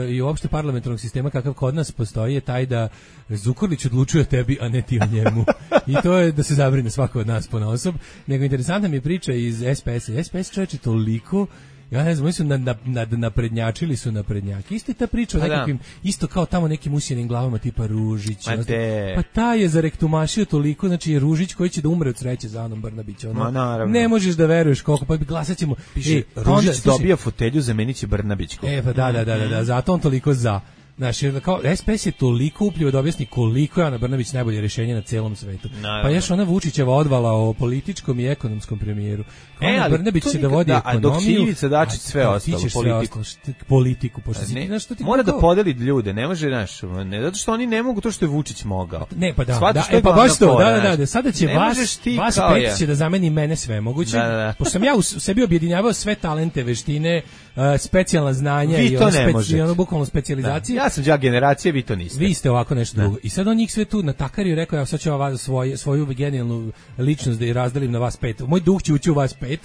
i uopšte parlamentarnog sistema kakav kod nas postoji je taj da Zukorlić odlučuje o tebi, a ne ti o njemu. I to je da se zabrine svako od nas ponaosob. Nego interesantna mi je priča iz S P S-a. S P S čovječe toliko... Ja ne znam, oni su na, na, na, naprednjačili su naprednjaki. Isto je ta priča o nekakvim, isto kao tamo nekim usjenim glavama tipa Ružić. Pa ta je zarektumašio toliko, znači je Ružić koji će da umre od sreće za Anom Brnabić. Ono, ne možeš da veruješ koliko, pa glasat ćemo. Piše, e, Ružić onda, dobija fotelju, zamenit će Brnabićku. E, pa da, da, da, da, da, zato on toliko za. Znaš, kao, S P S je toliko upljivo da objasni koliko je Ana Brnabić najbolje rješenje na celom svetu. Naravno. Pa još ona Vučićeva odvala o političkom i ekonomskom premijeru. E, Ana Brnabić će da vodi da, ekonomiju. Dok si Ivica Dačić sve ostalo, politiku. Sve ostalo, politiku pošto si, ne, znaš, što ti mora kako... da podeli ljude, ne može, znaš, ne, zato što oni ne mogu to što je Vučić mogao. Ne, pa da, da e, pa baš to, da, da, da, da, sada će vas, vas pet će da zameni mene sve moguće, da, da, da. Pošto sam ja u sebi objedinjavao sve talente, veštine, uh, specijalna znanja vi i ono, speci, ono bukvalno specijalizacije. Da. Ja sam đak generacije, vi to niste. Vi ste ovako nešto drugo. I sad on njih sve tu natakariju, rekao ja sad ću vas svoj, svoju genijalnu ličnost da i razdelim na vas pet. Moj duh će ući u vas pet,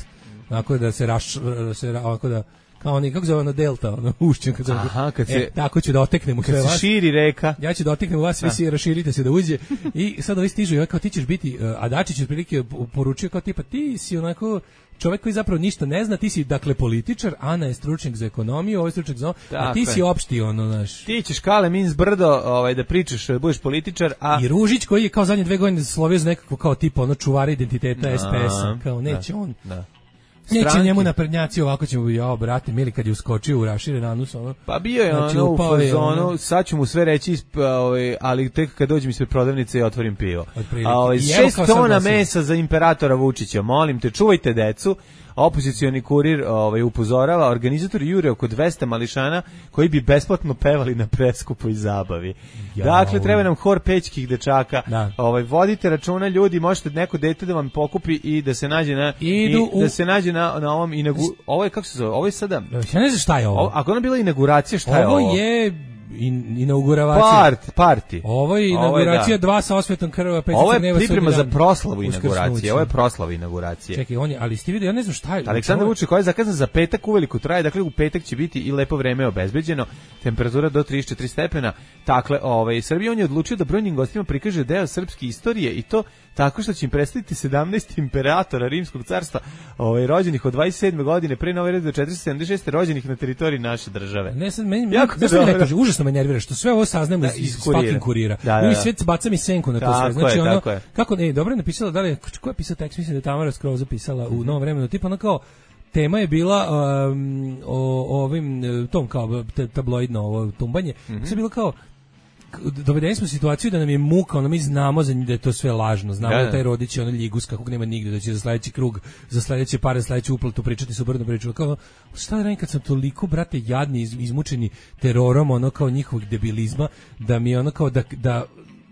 onako da se raš, se ovako da kao oni, kako zove ono delta, ono ušćen kad zove. Aha, kad se, e, tako ću da oteknem u sve vas. Kad se širi reka. Ja ću da oteknem u vas, svi se raširite se da uđe. I sad ovi stižu, ja kao ti ćeš biti, a Dačić otprilike poručio kao tipa ti si onako čovjek koji zapravo ništa ne zna, ti si dakle političar, Ana je stručnjak za ekonomiju, ovaj stručnjak za, a ti si opšti ono naš. Ti ćeš kale min zbrdo, ovaj da pričaš, da budeš političar, a i Ružić koji je kao zadnje dve godine slovio za nekako kao tipa ono čuvar identiteta S P S-a, kao neće da, on. Da. Neće stranke. Njemu naprednjaci ovako ćemo ja brate mili kad je uskočio u raširen anus ono. Pa bio je znači, ono u fazonu, sad ću mu sve reći ovaj, ali tek kad dođem ispred prodavnice i otvorim pivo. A ovaj šest tona mesa za imperatora Vučića, molim te čuvajte decu. Opozicioni kurir ovaj upozorava, organizatori jure oko dvesta mališana koji bi besplatno pevali na preskupoj zabavi. Ja, dakle, treba nam hor pećkih dečaka. Da. Ovaj vodite računa ljudi, možete neko dete da vam pokupi i da se nađe na Idu i, u... da se nađe na na ovom inagu... ovo je kako se zove? Ovo je sada. Ja ne znam šta je ovo. ovo ako ona bila inauguracija, šta je ovo? Ovo je in, inauguracija. Part, parti. Ovo je inauguracija, dva sa osvetom krva, pet ovo je priprema za proslavu inauguracije. Ovo je proslava inauguracije. Čekaj, on je, ali ste vidio, ja ne znam šta je. Aleksandar Vučić koji je zakazan za petak uveliko traje, dakle u petak će biti i lepo vreme obezbeđeno, temperatura do trideset četiri stepena. Dakle, ovaj Srbija on je odlučio da brojnim gostima prikaže deo srpske istorije i to tako što će im predstaviti sedamnaest imperatora Rimskog carstva, ovaj rođenih od dvadeset sedme godine pre nove ere do četiristo sedamdeset šeste rođenih na teritoriji naše države. Ne sad meni jako ne kaže, užasno me nervira što sve ovo saznamo iz fucking kurira. Da, da, I sve baca mi senku na to sve. Znači je, ono je. kako ne, dobro je napisala, da li ko je pisao tekst, mislim da je Tamara Skroz zapisala u Novom vremenu, tipa ono kao tema je bila um, o ovim tom kao tabloidno ovo tumbanje. Mm-hmm. Sve bilo kao dovedeni smo u situaciju da nam je muka, ono mi znamo za da je to sve lažno, znamo da, da. da taj Rodić je ono ljigus kakvog nema nigde, da će za sledeći krug, za sledeće pare, sledeću uplatu pričati su brdo priču. Kao, šta da radim kad sam toliko, brate, jadni, iz, izmučeni terorom, ono kao njihovog debilizma, da mi je ono kao da, da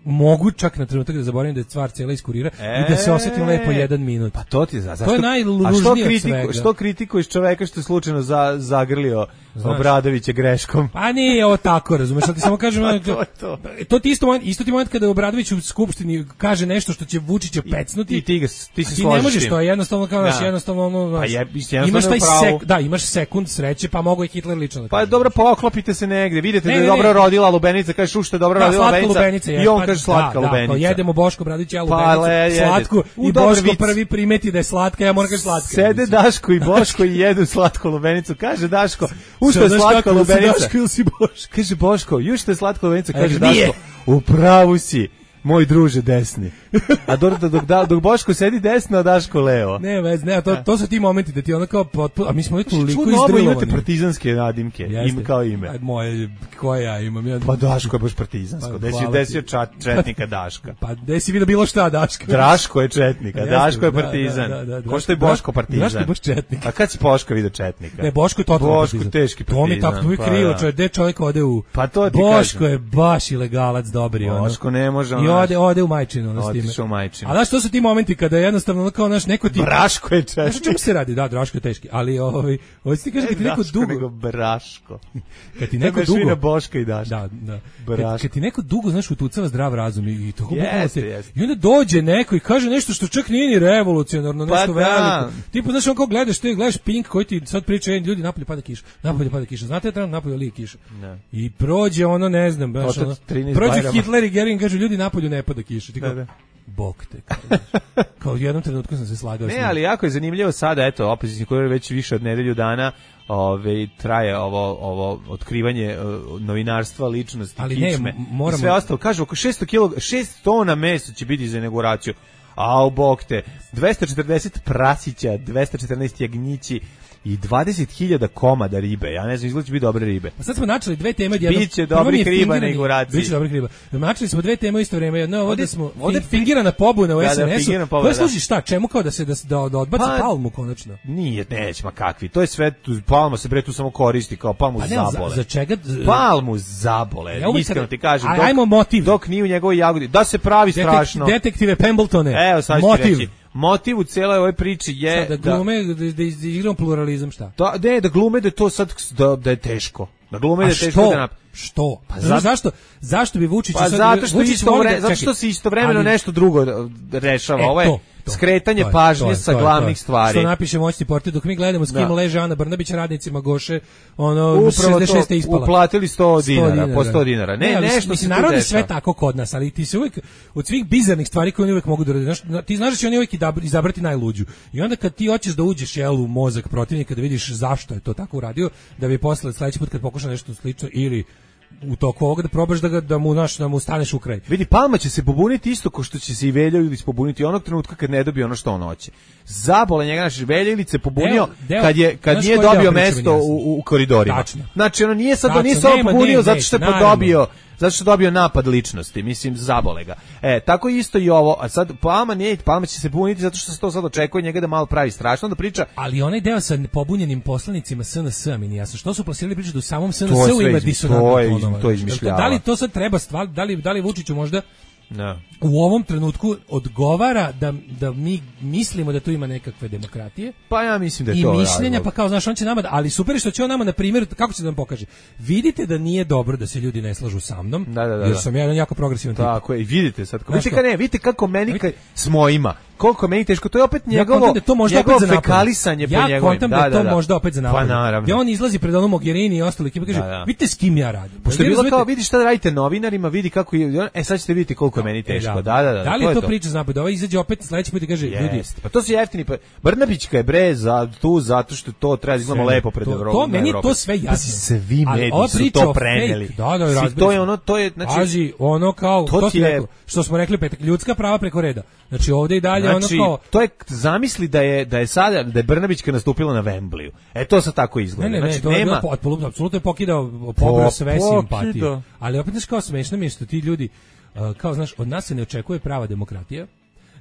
mogu čak na trenutak da zaboravim da je stvar cijela iz kurira e, i da se osjetim lepo jedan minut. Pa to ti za, zašto? To je najružnije od svega. Što kritikuješ čoveka što je slučajno za, zagrlio Znaš, Obradovića greškom? Pa nije ovo tako, razumeš, ali ti samo kažem, pa to, to. to ti isto moment, isto ti moment kada Obradović u skupštini kaže nešto što će Vučića pecnuti. I ti ga ti se ti ne možeš to, jednostavno kao naš, jednostavno ono, pa je, imaš taj sek, da, imaš sekund sreće, pa mogu i Hitler lično da. Pa dobro, poklopite se negde, vidite ne, da je dobro rodila lubenica, kažeš u što je dobro da, rodila lubenica. I on kaže slatka da, lubenica. Da, jedemo Boško Obradovića lubenicu, pa, slatku i Boško prvi primeti da je slatka, ja moram kažem slatka. Sede Daško i Boško i jedu slatku lubenicu, kaže Daško, u što je slatka lubenica. Daško ili si Boško? Kaže Boško, ju što je slatka lubenica, kaže Daško, u pravu si. Moj druže desni. A dok, dok, dok, dok Boško sedi desno, a Daško levo. Ne, vez, ne, to, to su ti momenti da ti ono kao potpuno, a mi smo toliko izdrilovani. Čudno, imate partizanske nadimke, im kao ime. A moje, koje ja imam? Ja... Pa Daško je baš partizansko, pa, desi, desio čat, četnika Daška. Pa desi vidio bilo šta Daška. Draško je četnik, a Daško je partizan. Da, da, da, ko što je Boško partizan? Daško je baš četnik. A kad si Boško vidio četnika? Ne, Boško je totalno Boško partizan. Teški partizan. To mi tako, to mi krivo, čovjek, gde čovjek ode u... Pa to ti Boško kažem. je baš ilegalac dobri. Boško ne može. I ode, ode u majčinu. Otišao u majčinu. A znaš, to su ti momenti kada jednostavno kao naš neko ti... Braško je češki. Znaš o čemu se radi? Da, Draško je teški. Ali ovaj, ovaj ti kaže kad ti neko dugo... nego Braško. Kad ti neko dugo... Švina Boška i Daško. Da, da. Kad, kad ti neko dugo, znaš, utucava zdrav razum i to jeste, jeste. I onda dođe neko i kaže nešto što čak nije ni revolucionarno, nešto pa veliko. Tipo, znaš, on kao gledaš, ti gledaš Pink koji ti sad priča, ljudi, napolje pada kiša, napolje pada kiša. Znate, tamo napolje lije kiša. Ne. I prođe ono, ne znam, baš ono, prođe Hitler i Gering, kaže, ljudi, napolju ne pada kiša. Ti kao, bok te, kao, kao u jednom trenutku sam se slagao. Ne, ali jako je zanimljivo sada, eto, opozicijni koji već više od nedelju dana ove, traje ovo, ovo otkrivanje uh, novinarstva, ličnosti, ali kičme ne, moramo... i sve ostalo. Kažu, oko šesto kilograma, šest tona mesa će biti za inauguraciju. Au, bok te, dvesta četrdeset prasića, dvesta četrnaest jagnjići i dvadeset hiljada komada ribe. Ja ne znam, izgleda će biti dobre ribe. Pa sad smo načeli dve teme. Jedno, biće dobrih riba na inauguraciji. Biće dobrih riba. Načeli smo dve teme u isto vrijeme. Jedno je ovo da smo ovdje fingirana pobuna u da, S N S-u. Da, koja služi šta? Čemu kao da se da, da, da odbaci pa, palmu konačno? Nije, neć, ma kakvi. To je sve, tu, palma se bre tu samo koristi kao palmu pa, ne, zabole. Za, za čega? Palmu zabole. Ja iskreno ti kažem. Dok, ajmo motiv. Dok nije u njegovoj jagodi. Da se pravi Detek, strašno. Detektive Pembletone. Evo, sad motiv. Reći. Motiv u cijeloj ovoj priči je da glume da, da, da igramo pluralizam šta? Da, ne, da glume da to sad da, da je teško. Da glume da je teško što? da nap... Što? Pa za... zašto? Zašto bi Vučić pa sad zato što Vučić isto vre... da... zato što se istovremeno ali... nešto drugo rešava. E, Ovo je to, to, skretanje to je, pažnje to je, sa to je, glavnih to je. stvari. Što napiše moćni portir dok mi gledamo s kim da. leže Ana Brnabić radnicima Goše, ono upravo šezdeset šeste ispala. Uplatili sto dinara, po sto dinara. Ne, ne nešto mislim naravno sve tako kod nas, ali ti se uvek od svih bizarnih stvari koje oni uvek mogu da rade. Znaš, ti znaš da će oni uvek izabrati najluđu. I onda kad ti hoćeš da uđeš jel u mozak protivnika da vidiš zašto je to tako uradio, da bi posle sledeći put kad pokuša nešto slično ili u toku ovoga da probaš da, ga, da, mu, naš, da mu staneš u kraj. Vidi, Palma će se pobuniti isto ko što će se i Velja Ilić pobuniti onog trenutka kad ne dobije ono što on hoće. Zabole njega, naš Velja Ilić se pobunio deo, deo, kad, je, kad nije dobio mesto u, u koridorima. Tačno. Znači, ono nije sad, Tačno, nije se on pobunio ne, zato što je podobio zato što je dobio napad ličnosti, mislim, zabole ga. E, tako isto i ovo, a sad Palma nije, Palma će se pobuniti zato što se to sad očekuje njega da malo pravi strašno, da priča. Ali onaj deo sa pobunjenim poslanicima S N S-a mi nije jasno. Što su plasirali priču da u samom S N S-u ima disonantna tonova? To je izmišljava. Da li to sad treba stvar, da li, da li Vučiću možda No. U ovom trenutku odgovara da, da mi mislimo da tu ima nekakve demokratije. Pa ja mislim da je i to I mišljenja, razlog. pa kao, znaš, on će nama, da, ali super je što će on nama, na primjer, kako će da nam pokaže? Vidite da nije dobro da se ljudi ne slažu sa mnom, da, da, da, jer da. sam ja jedan jako progresivan tip. Tako je, i vidite sad, vidite, ka ne, vidite kako meni ka, smo ima, koliko meni teško, to je opet njegovo, ja da to možda njegovo opet za fekalisanje ja po njegovim. Ja kontam da, da je to da, da. možda opet za napad. Pa naravno. Ja on izlazi pred onom Mogherini i ostali ekipa kaže, da, da. vidite s kim ja radim. Pošto je bilo kao, vidi šta radite novinarima, vidi kako je, e sad ćete vidjeti koliko je meni teško. Da, da, da. Da li je to priča za napad? Ovaj izađe opet sledeći put i kaže, ljudi, pa to su jeftini, pa Brnabićka je bre za tu zato što to treba da izgledamo lepo pred Evropom. To meni to sve jasno. Svi mediji su to preneli. Da, da, razbili. To je ono, to je znači Pazi, ono kao to, to ti je rekao, što smo rekli petak, ljudska prava preko reda. Znači ovde i dalje znači, ono kao to je zamisli da je da je sada da je Brnabićka nastupila na Wembleyu. E to sa tako izgleda. Ne, ne, ne, znači to nema je apsolutno apsolutno je pokidao pobrao sve simpatije. Ali opet znači kao smešno mi je što ti ljudi uh, kao znaš, od nas se ne očekuje prava demokratija,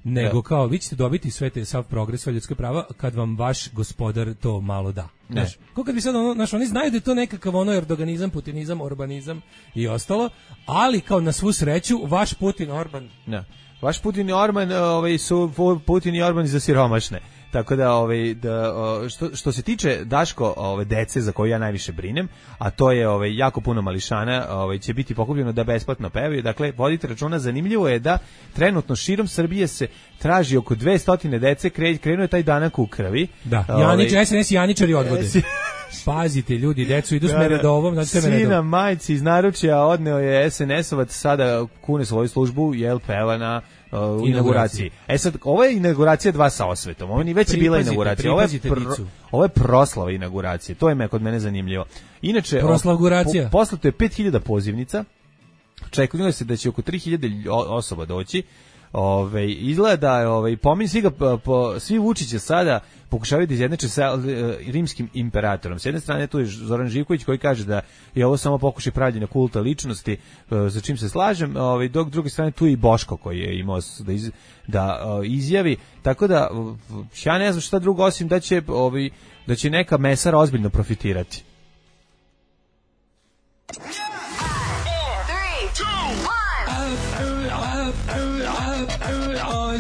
nego ja. kao vi ćete dobiti sve te sav progres, sve ljudske prava kad vam vaš gospodar to malo da. Znaš, kako kad bi sad ono, znaš, oni znaju da je to nekakav ono erdoganizam, putinizam, orbanizam i ostalo, ali kao na svu sreću vaš Putin, Orban. Ne. Vaš Putin i Orban, ovaj su Putin i Orban za siromašne. Tako da ovaj da što što se tiče Daško, ove dece za koju ja najviše brinem, a to je ovaj jako puno mališana, ovaj će biti pokupljeno da besplatno pevaju. Dakle, vodite računa, zanimljivo je da trenutno širom Srbije se traži oko dvesta dece, krenuo je taj danak u krvi. Da, Janić, S N S Janičari odvode. Pazite ljudi, decu idu s meredovom, znači tebe Sina majci iz naručja odneo je S N S-ovac, sada kune svoju službu, jel peva na uh, inauguraciji. E sad, ovo je inauguracija dva sa osvetom, ovo ni već je bila inauguracija, ovo je, pr, ovo je proslava inauguracije, to je me kod mene zanimljivo. Inače, proslavguracija. Po, poslato je pet hiljada pozivnica, čekalo se da će oko tri hiljade osoba doći. Ove, izgleda, ove, pominj svi ga, po, svi Vučića sada pokušavaju da izjednače sa uh, rimskim imperatorom. S jedne strane tu je Zoran Živković koji kaže da je ovo samo pokušaj pravljenja kulta ličnosti, uh, za čim se slažem, ove, dok druge strane tu je i Boško koji je imao da, iz, da uh, izjavi, tako da uh, ja ne znam šta drugo osim da će, ove, da će neka mesara ozbiljno profitirati.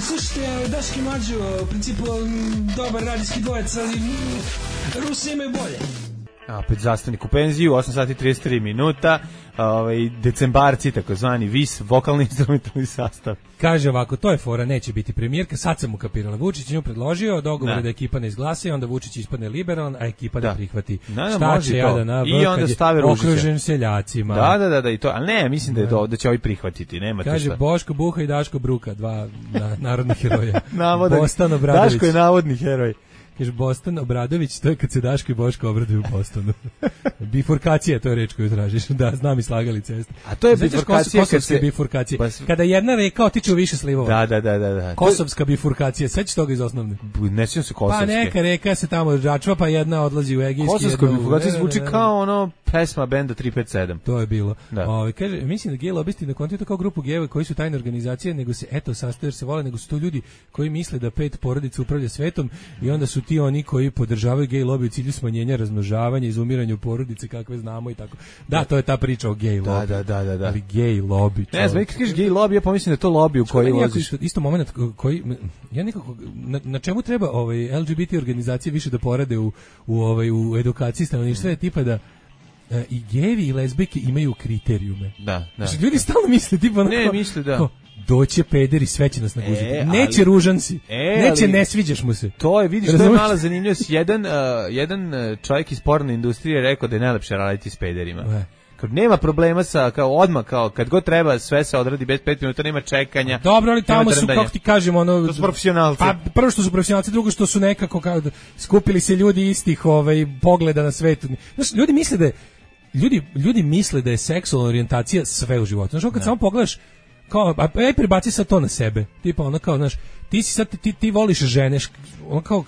Slušajte, Daški Mađo, u principu dobar radijski dvojec, ali Rusi imaju bolje. A, opet zastavnik u penziju, osam sati i trideset tri minuta, ovaj, decembarci, takozvani vis, vokalni instrumentalni sastav. Kaže ovako, to je fora, neće biti premijerka, sad sam mu kapirala. Vučić nju predložio, dogovor da ekipa ne izglasa, onda Vučić ispadne liberalan, a ekipa da. ne prihvati. Da, da, šta će ja da na vrh, i onda stave Ružića. Okružen seljacima. Da, da, da, da, i to, ali ne, mislim da, je do, da će ovi prihvatiti, nema kaže, šta. Boško Buha i Daško Bruka, dva na, narodnih heroja. Navodan, Bostan Obradović. Daško je navodni heroj. Kaže, Bostan Obradović, to je kad se Daško i Boško obraduju u Bostonu. Bifurkacija, to je reč koju tražiš. Da, znam i slagali ceste. A to je znači, bifurkacija kad se... bifurkacija. Pa... Kada jedna reka otiče u više slivova. Da, da, da, da, da. Kosovska bifurkacija, sećaš toga iz osnovne? Ne sjećam se kosovske. Pa neka reka se tamo žačva, pa jedna odlazi u egejski. Kosovska bifurkacija zvuči kao ono pesma benda tri pet sedam. To je bilo. O, kaže, mislim da gej lobisti ne kontuju to kao grupu gejeva koji su tajne organizacije, nego se eto sastoje jer se vole, nego su to ljudi koji misle da pet porodica upravlja svetom i onda su ti oni koji podržavaju gej lobby u cilju smanjenja razmnožavanja, izumiranja porodice kakve znamo i tako. Da, to je ta priča o gej lobby. Da, da, da, da. Ali gej lobby. Ne znam, kad kažeš gej lobby, ja pomislim da je to lobby u koji ulaziš. Isto, isto moment koji ja nekako na, na čemu treba ovaj L G B T organizacije više da porade u u ovaj u edukaciji stanovništva je tipa da e, i gejevi i lezbijke imaju kriterijume. Da, da. Znači, ljudi stalno misle tipa onako, ne misle da kao, doće pederi, sve će nas naguziti. E, neće ali, ružan si. E, neće ali, ne sviđaš mu se. To je, vidiš, to je mala zanimljivost. Jedan, uh, jedan čovjek iz porne industrije rekao da je najlepše raditi s pederima. E. Kad nema problema sa, kao odmah, kao kad god treba, sve se odradi bez pet minuta, nema čekanja. Dobro, ali tamo su, kako ti kažemo, ono... To su profesionalci. Pa, prvo što su profesionalci, drugo što su nekako, kao, skupili se ljudi istih ovaj, pogleda na svetu. Znaš, ljudi misle da je, ljudi, ljudi misle da je seksualna orijentacija sve u životu. Znaš, kad ne. samo pogledaš, kao, aj prebaci sad to na sebe. Tipa ono kao, znaš, ti si sad, ti, ti voliš žene, on kao,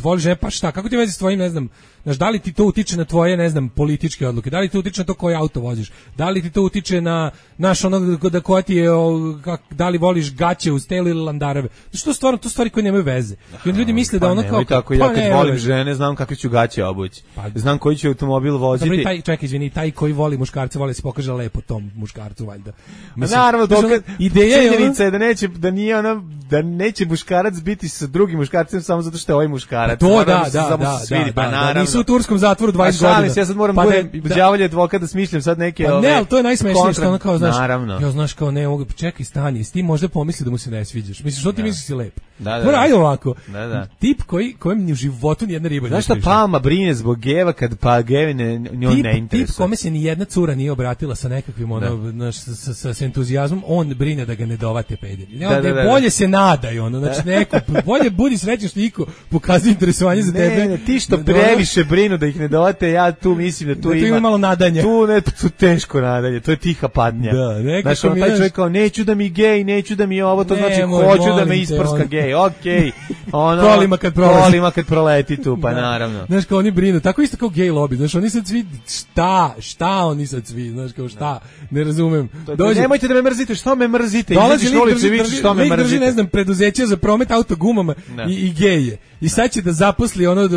voliš žene, pa šta, kako ti vezi s tvojim, ne znam, znaš, da li ti to utiče na tvoje, ne znam, političke odluke, da li ti utiče na to koji auto voziš, da li ti to utiče na, naš ono, da koja ti je, o, kak, da li voliš gaće uz telu ili landareve, znači to stvarno, to stvari koje nemaju veze. I onda ljudi misle da pa ono kao, tako, ja kad volim žene, znam kakve ću gaće obući, pa, znam koji će automobil voziti. Dobro, taj, čekaj, izvini, taj koji voli muškarce, voli se pokaže lepo tom muškarcu, valjda. Mislim, naravno, dokad, ideja je da neće, da nije ona, da neće muškarac biti sa drugim muškarcem samo zato što je ovaj muškarac. Pa to da, da, da, svidi, da, da, da, nisu u turskom zatvoru dvadeset godina. Ja sad moram pa budem da, đavolji advokat da smišljam sad neke pa ove. Ne, ali to je najsmešnije što ono kao, znaš, naravno. Ja znaš kao ne mogu, čekaj, stani, ti možda pomisli da mu se ne sviđaš. Misliš, što ti da. misliš si lep? Da, da, Mora, ajde ovako. Da, da. Tip koji, kojem ni u životu nijedna riba ne. Znaš šta Palma brine zbog geva kad pa gevi ne, njoj ne interesuje? Tip kome se ni jedna cura nije obratila sa nekakvim ono, naš, sa, sa, sa entuzijazmom, on brine da ga ne dovate pederi. Da, da, da, da. Bolje se nadaj, ono, znači neko, bolje budi srećan što iko pokazuje interesovanje za tebe. Ne, ne, ti što previše brinu da ih ne dovate, ja tu mislim da tu da ima, ima malo nadanja. Tu ne, tu teško nadanje, to je tiha patnja. Da, nekako znaš, on, taj čovjek kao, neću da mi gej, neću da mi ovo, to ne, znači moj, hoću da me isprska gej, okej. Ono, kolima kad prolazi. Kolima kad proleti tu, pa da. Naravno. Znaš, kao oni brinu, tako isto kao gej lobby, znaš, oni sad svi, šta, šta oni sad svi, znaš, kao šta, ne razumem. Dođe, nemojte da me mrzite, što me mrzite, izađeš na ulicu i vidiš što me mrzite. Drži, ne znam, preduzeće za promet autogumama i, i geje. I sad će da zaposli ono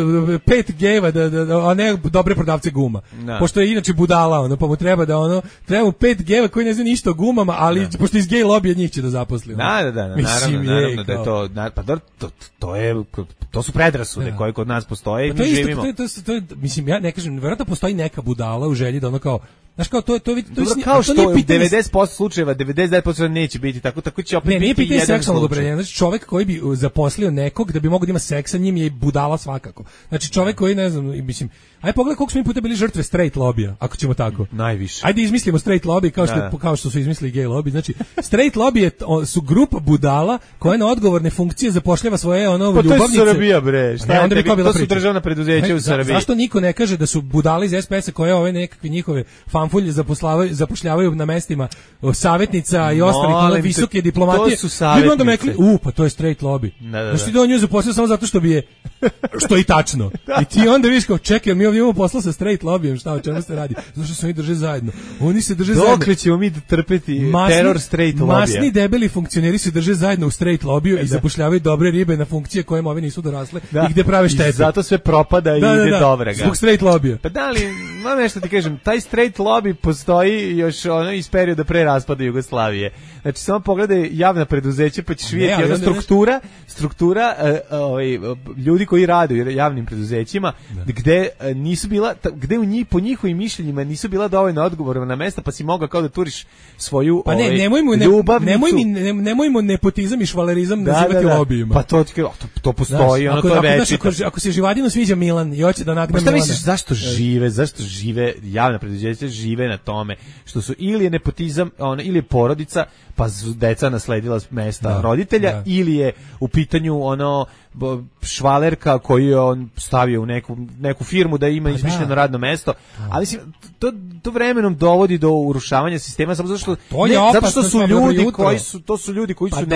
pet gejeva, da, da, da, a ne dobre prodavce guma. Da. Pošto je inače budala, ono, pa mu treba da ono, treba mu pet gejeva koji ne znaju ništa o gumama, ali da. Pošto iz gej lobija njih će da zaposli. Ono. Da, da, da, naravno, naravno da je to, pa to, to, to je, to su predrasude da. Koje kod nas postoje i pa mi isto, živimo. To, to, to, to, to, mislim, ja ne kažem, verovatno postoji neka budala u želji da ono kao, znaš kao, to, to, to, to, dobro, kao što u devedeset posto slučajeva, devedeset devet posto neće biti tako, tako će opet ne, biti pitanje jedan seksualnog opredeljenja. Znači čovjek koji bi zaposlio nekog da bi mogao da ima seks sa njim je budala svakako. Znači čovjek koji, ne znam, mislim, aj pogledaj koliko smo mi puta bili žrtve straight lobija, ako ćemo tako. Najviše. Ajde izmislimo straight lobby kao što, da, da. Kao što su izmislili gay lobby. Znači, straight lobby je, o, su grupa budala koja na odgovorne funkcije zapošljava svoje ono pa ljubavnice. To je Srbija, bre. Šta ne, onda bi to bila su priča. Državna preduzeća u Srbiji. Za, zašto niko ne kaže da su budali iz es pe es-a koje ove nekakve njihove fanfulje zapošljavaju, zapošljavaju na mestima savjetnica i ostalih ono visoke diplomatije. To su savjetnice. Onda mekli, u, pa to je straight lobby. Da, da, da. Znači, da nju zaposlio samo zato što bi je, što je i tačno. Da. I ti onda vidiš kao, čekaj, mi ovdje imamo posla sa straight lobbyjem, šta, o čemu se radi? Zato što se oni drže zajedno. Oni se drže Dokle zajedno. Dokle ćemo mi trpeti masni, teror straight lobija? Masni debeli funkcioneri se drže zajedno u straight lobiju i zapošljavaju dobre ribe na funkcije kojima ove nisu dorasle da. I gde prave štetu. I zato sve propada i da, ide da, da. Dobrega. Zbog straight lobija. Pa da li, mam nešto ti kažem, taj straight lobby postoji još ono iz perioda pre raspada Jugoslavije. Znači samo pogledaj javna preduzeća pa ćeš vidjeti ona struktura, struktura uh, ovaj, ljudi koji rade u javnim preduzećima da. Gde uh, nisu bila, gde u njih po njihovim mišljenjima nisu bila dovoljno odgovorna mesta pa si mogao kao da turiš svoju pa ne, ovaj, nemojmo, ljubavnicu. Nemoj mi, ne, nemojmo nepotizam i švalerizam da, nazivati da, da. lobijima. Pa to, to, to postoji, ono to je večito. Ako, ako, ako se Živadinu sviđa Milan i hoće da nagne pa šta Milana. Misliš, zašto žive, zašto žive, javna preduzeća žive na tome, što su ili je nepotizam, ono, ili je porodica, pa su deca nasledila mesta da, roditelja, da. Ili je u pitanju ono švalerka koju je on stavio u neku, neku firmu da ima izmišljeno da. Radno mesto, ali mislim, to, to vremenom dovodi do urušavanja sistema samo zato što, ne, zato što su ljudi koji su, to su ljudi koji pa su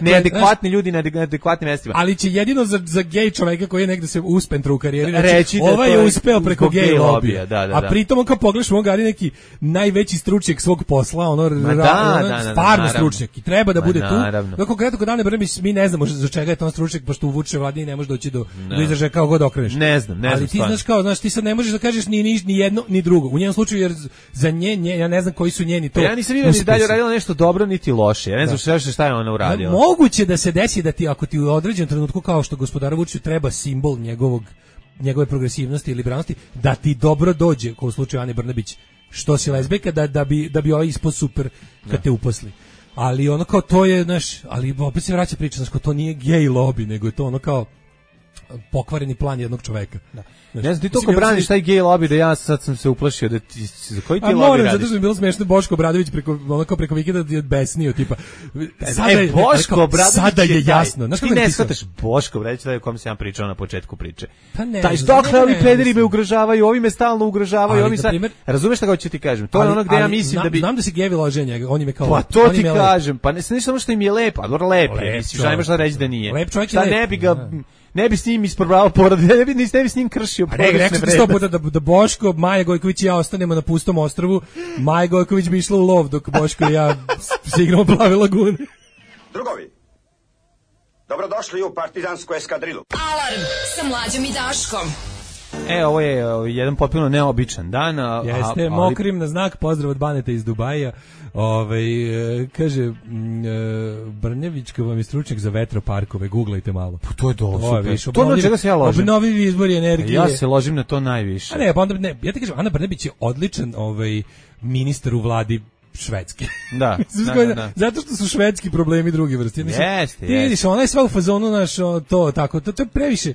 neadekvatni ljudi na neadekvatnim mestima. Ali će jedino za, za gej čoveka koji je negde se uspentra u karijeri reći, da ovaj je uspeo preko gej lobija, da, da, da. A pritom on kao pogledaš on gari neki najveći stručnjak svog posla, ono, da, ra, ono da, da, stvarno stručnjak i treba da bude tu. No konkretno kod Ane Brnabić mi ne znamo za čega je to stručnjak, pošto u Vučićevoj vladi ne može doći do, do izražaja kao god okreneš. Ne znam, ne znam. Ali ti znaš kao, znaš, ti sad ne možeš da kažeš ni, ni, ni jedno, ni drugo. U njenom slučaju, jer za nje, nje ja ne znam koji su njeni to. Ja nisam vidio ni dalje uradila nešto dobro, niti loše. Ja ne znam šta, šta je ona uradila. Da, moguće da se desi da ti, ako ti u određenom trenutku, kao što gospodaru Vučiću treba simbol njegovog, njegove progresivnosti i liberalnosti, da ti dobro dođe, kao u slučaju Ane Brnabić, što si lezbijka, da, da bi, da bi ovaj ispod super kad te uposli. Ali ono kao to je, znaš, ali opet se vraća priča, znaš, kao to nije gej lobby, nego je to ono kao pokvareni plan jednog čoveka. Da. Ne znam, ti toliko braniš taj gej lobby da ja sad sam se uplašio da ti, za koji ti lobby radiš? A moram, zato što mi bilo smiješno Boško Obradović preko, onako preko vikenda je besnio, tipa. Sada je, e, Boško Obradović sada je jasno. Znaš ti ne shvataš Boško Obradović, da je o kom sam ja pričao na početku priče. Pa ne. Taj dokle ovi pederi me ugrožavaju, ovi me stalno ugrožavaju, ovi sad. Razumeš šta hoću ti kažem? To je ono gde ja mislim da bi znam da se gevi lože njega, on im je kao. Pa to ti kažem, pa ne samo što im je lepo, a dobro lepo je, mislim, šta nemaš da reći da nije. Lep čovjek je lep. Ne bi ga, ne bi s njim isprobavao porodice, ne bi, ne bi s njim kršio porodične vrednosti. Rekao sto puta da, da Boško, Maja Gojković i ja ostanemo na pustom ostrvu, Maja Gojković bi išla u lov dok Boško i ja se igramo plave lagune. Drugovi, dobrodošli u partizansku eskadrilu. Alarm sa Mlađom i Daškom. E, ovo je jedan potpuno neobičan dan. A, Jeste, ali... mokrim na znak, pozdrav od Baneta iz Dubaja. Ove, kaže, m, e, Brnjević, kao vam je stručnjak za vetroparkove, googlajte malo. Pa to je dosta. To, to na čega se ja ložim. Obnovivi izbori energije. Ja se ložim na to najviše. A ne, pa onda, ne, ja ti kažem, Ana Brnebić je odličan ovaj, ministar u vladi Švedske. Da, da, da, da. Zato što su švedski problemi drugi vrsti. Jeste, jeste. Ti vidiš, ona je sva u fazonu, naš, to, tako, to, to je previše.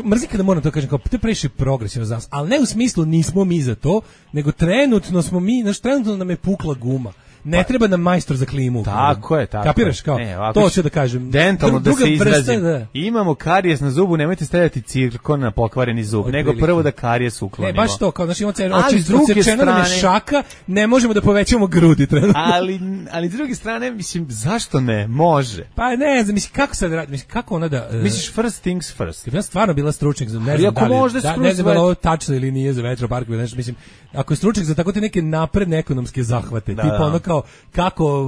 Mrzim kada moram to kažem, kao to je previše progresivno za nas, ali ne u smislu nismo mi za to, nego trenutno smo mi, naš trenutno nam je pukla guma. Ne pa, treba nam majstor za klimu. Tako je, tako. Kapiraš kao? Ne, to hoću da kažem. Dentalno da se izrazim. Da. Imamo karijes na zubu, nemojte stavljati cirkon na pokvareni zub, od nego prvo da karijes uklonimo. Ne, baš to, kao znači imamo cenu, odsečeno nam je šaka, ne možemo da povećamo grudi trenutno. Ali, ali s druge strane, mislim, zašto ne? Može. Pa ne, znam, mislim, kako sad radi, mislim, kako ona da... Uh, Misliš first things first? Ja stvarno bila stručnjak za, ne znam da li, da, ne znam da li ovo tačno ili nije za vetroparkove, znači, mislim, ako je stručnjak za tako te neke napredne ekonomske zahvate, da, tipa da. Ono kao, kako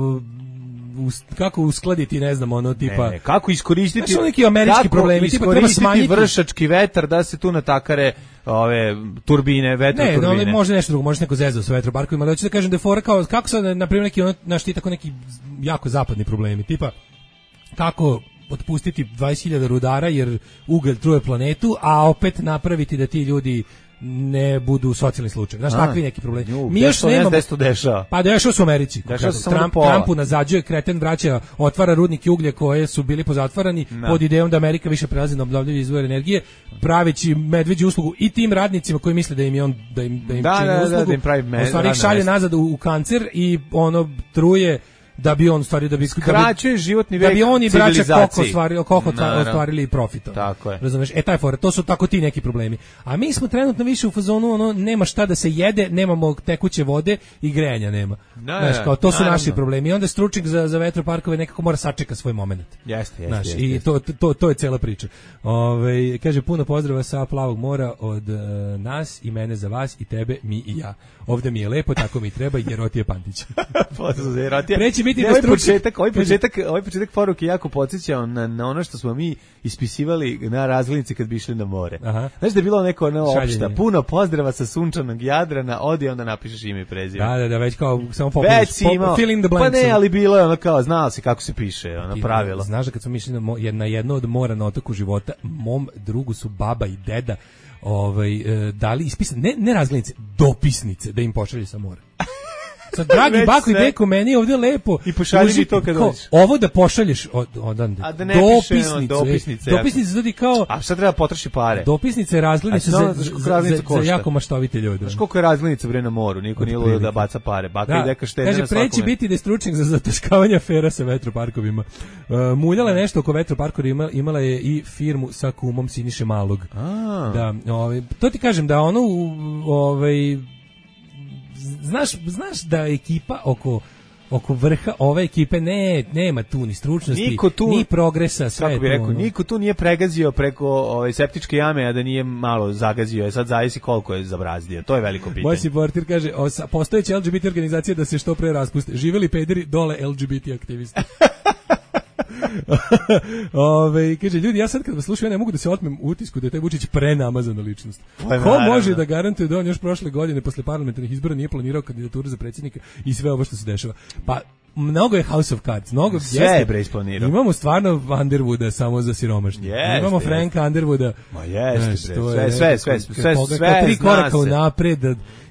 kako uskladiti, ne znam, ono tipa ne, kako iskoristiti znači, neki američki problemi, tipa treba smanjiti vršački vetar da se tu natakare ove turbine, vetroturbine. Ne, no, može nešto drugo, može neko zezao sa vetroparkovima, ali hoću da kažem da je fora kao kako sad na primjer neki ono naš ti tako neki jako zapadni problemi, tipa kako otpustiti dvadeset hiljada rudara jer ugalj truje planetu, a opet napraviti da ti ljudi ne budu socijalni slučaj. Znaš, takvi neki problemi. Mi još nemamo... Pa dešava se u Americi. Trump, Trumpu nazađuje, kreten vraća, otvara rudnike uglja koje su bili pozatvarani no. pod idejom da Amerika više prelazi na obnovljive izvore energije, praveći medveđu uslugu i tim radnicima koji misle da im je on da im, da im da, čini da, uslugu. Da, da pravi med, u stvari ih šalje nazad u, u kancer i ono truje da bi on stvari da bi skraćuje životni vek da bi oni braća Koko ostvarili Koko ostvarili profita. Tako je. Razumeš? E taj for, to su tako ti neki problemi. A mi smo trenutno više u fazonu ono nema šta da se jede, nemamo tekuće vode i grejanja nema. Da, znaš, kao to su naravno. Naši problemi. I onda stručnjak za za vetroparkove nekako mora sačeka svoj momenat. Jeste, jeste. Znaš, i to to to je cela priča. Ovaj kaže puno pozdrava sa Plavog mora od uh, nas i mene za vas i tebe, mi i ja. Ovde mi je lepo, tako mi treba, Jerotije Pantić. Pozdrav Jerotije. Preći biti da početak, ovaj početak, ovaj početak poruke jako podsjećao na, na ono što smo mi ispisivali na razglednici kad bi išli na more. Aha. Znaš da je bilo neko ono opšta, puno pozdrava sa sunčanog Jadrana, odi onda napišeš ime i prezime. Da, da, da, već kao samo popišeš, po, fill in the blanks. Pa ne, ali bilo je ono kao, znao si kako se piše, ono pravilo. Znaš da kad smo išli na, na jedno od mora na otoku života, mom drugu su baba i deda ovaj, e, dali ispisane, ne, ne razglednice, dopisnice da im pošalje sa mora. Sad, dragi bako i deko, meni ovdje lepo. I pošalji mi to kad dođeš. Ovo da pošalješ od, odande. A da ne dopisnicu, piše, dopisnice. Dopisnice znači kao... A sad treba potroši pare. Dopisnice je razglednica za, za, za, za jako maštovite ljude. Znaš koliko je razglednica bre na moru, niko nije ludo da baca pare. Baka da, i deka štede na svakome. Kaže, preći biti da je stručnjak za zataškavanje afera sa vetroparkovima. Uh, muljala je nešto oko vetroparkova, imala, imala je i firmu sa kumom Siniše Malog. A. Da, ovaj, to ti kažem da ono, ovaj... Znaš, znaš da ekipa oko oko vrha ove ekipe ne nema tu ni stručnosti, tu, ni progresa, sve kako bi rekao, ono. Niko tu nije pregazio preko ove septičke jame, a da nije malo zagazio. Sad zavisi koliko je zabrazdio. To je veliko pitanje. Moj supporter kaže, postojeće L G B T organizacije da se što pre raspuste. Živeli pederi, dole L G B T aktivisti. Ove, kaže, ljudi, ja sad kad vas slušam, ja ne mogu da se otmem utisku da je taj Vučić prenamazana ličnost. Pa, ko može da garantuje da on još prošle godine posle parlamentarnih izbora nije planirao kandidaturu za predsjednika i sve ovo što se dešava? Pa mnogo je House of Cards, mnogo sve je bre isplanirao. Imamo stvarno Underwooda samo za siromašne. Jeste, imamo Franka jeste. Underwooda. Ma jeste, bre. Sve, sve, sve, sve, sve, sve tri koraka unapred.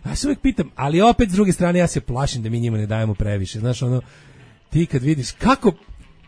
Ja se uvijek pitam, ali opet s druge strane ja se plašim da mi njima ne dajemo previše. Znaš, ono, ti kad vidiš kako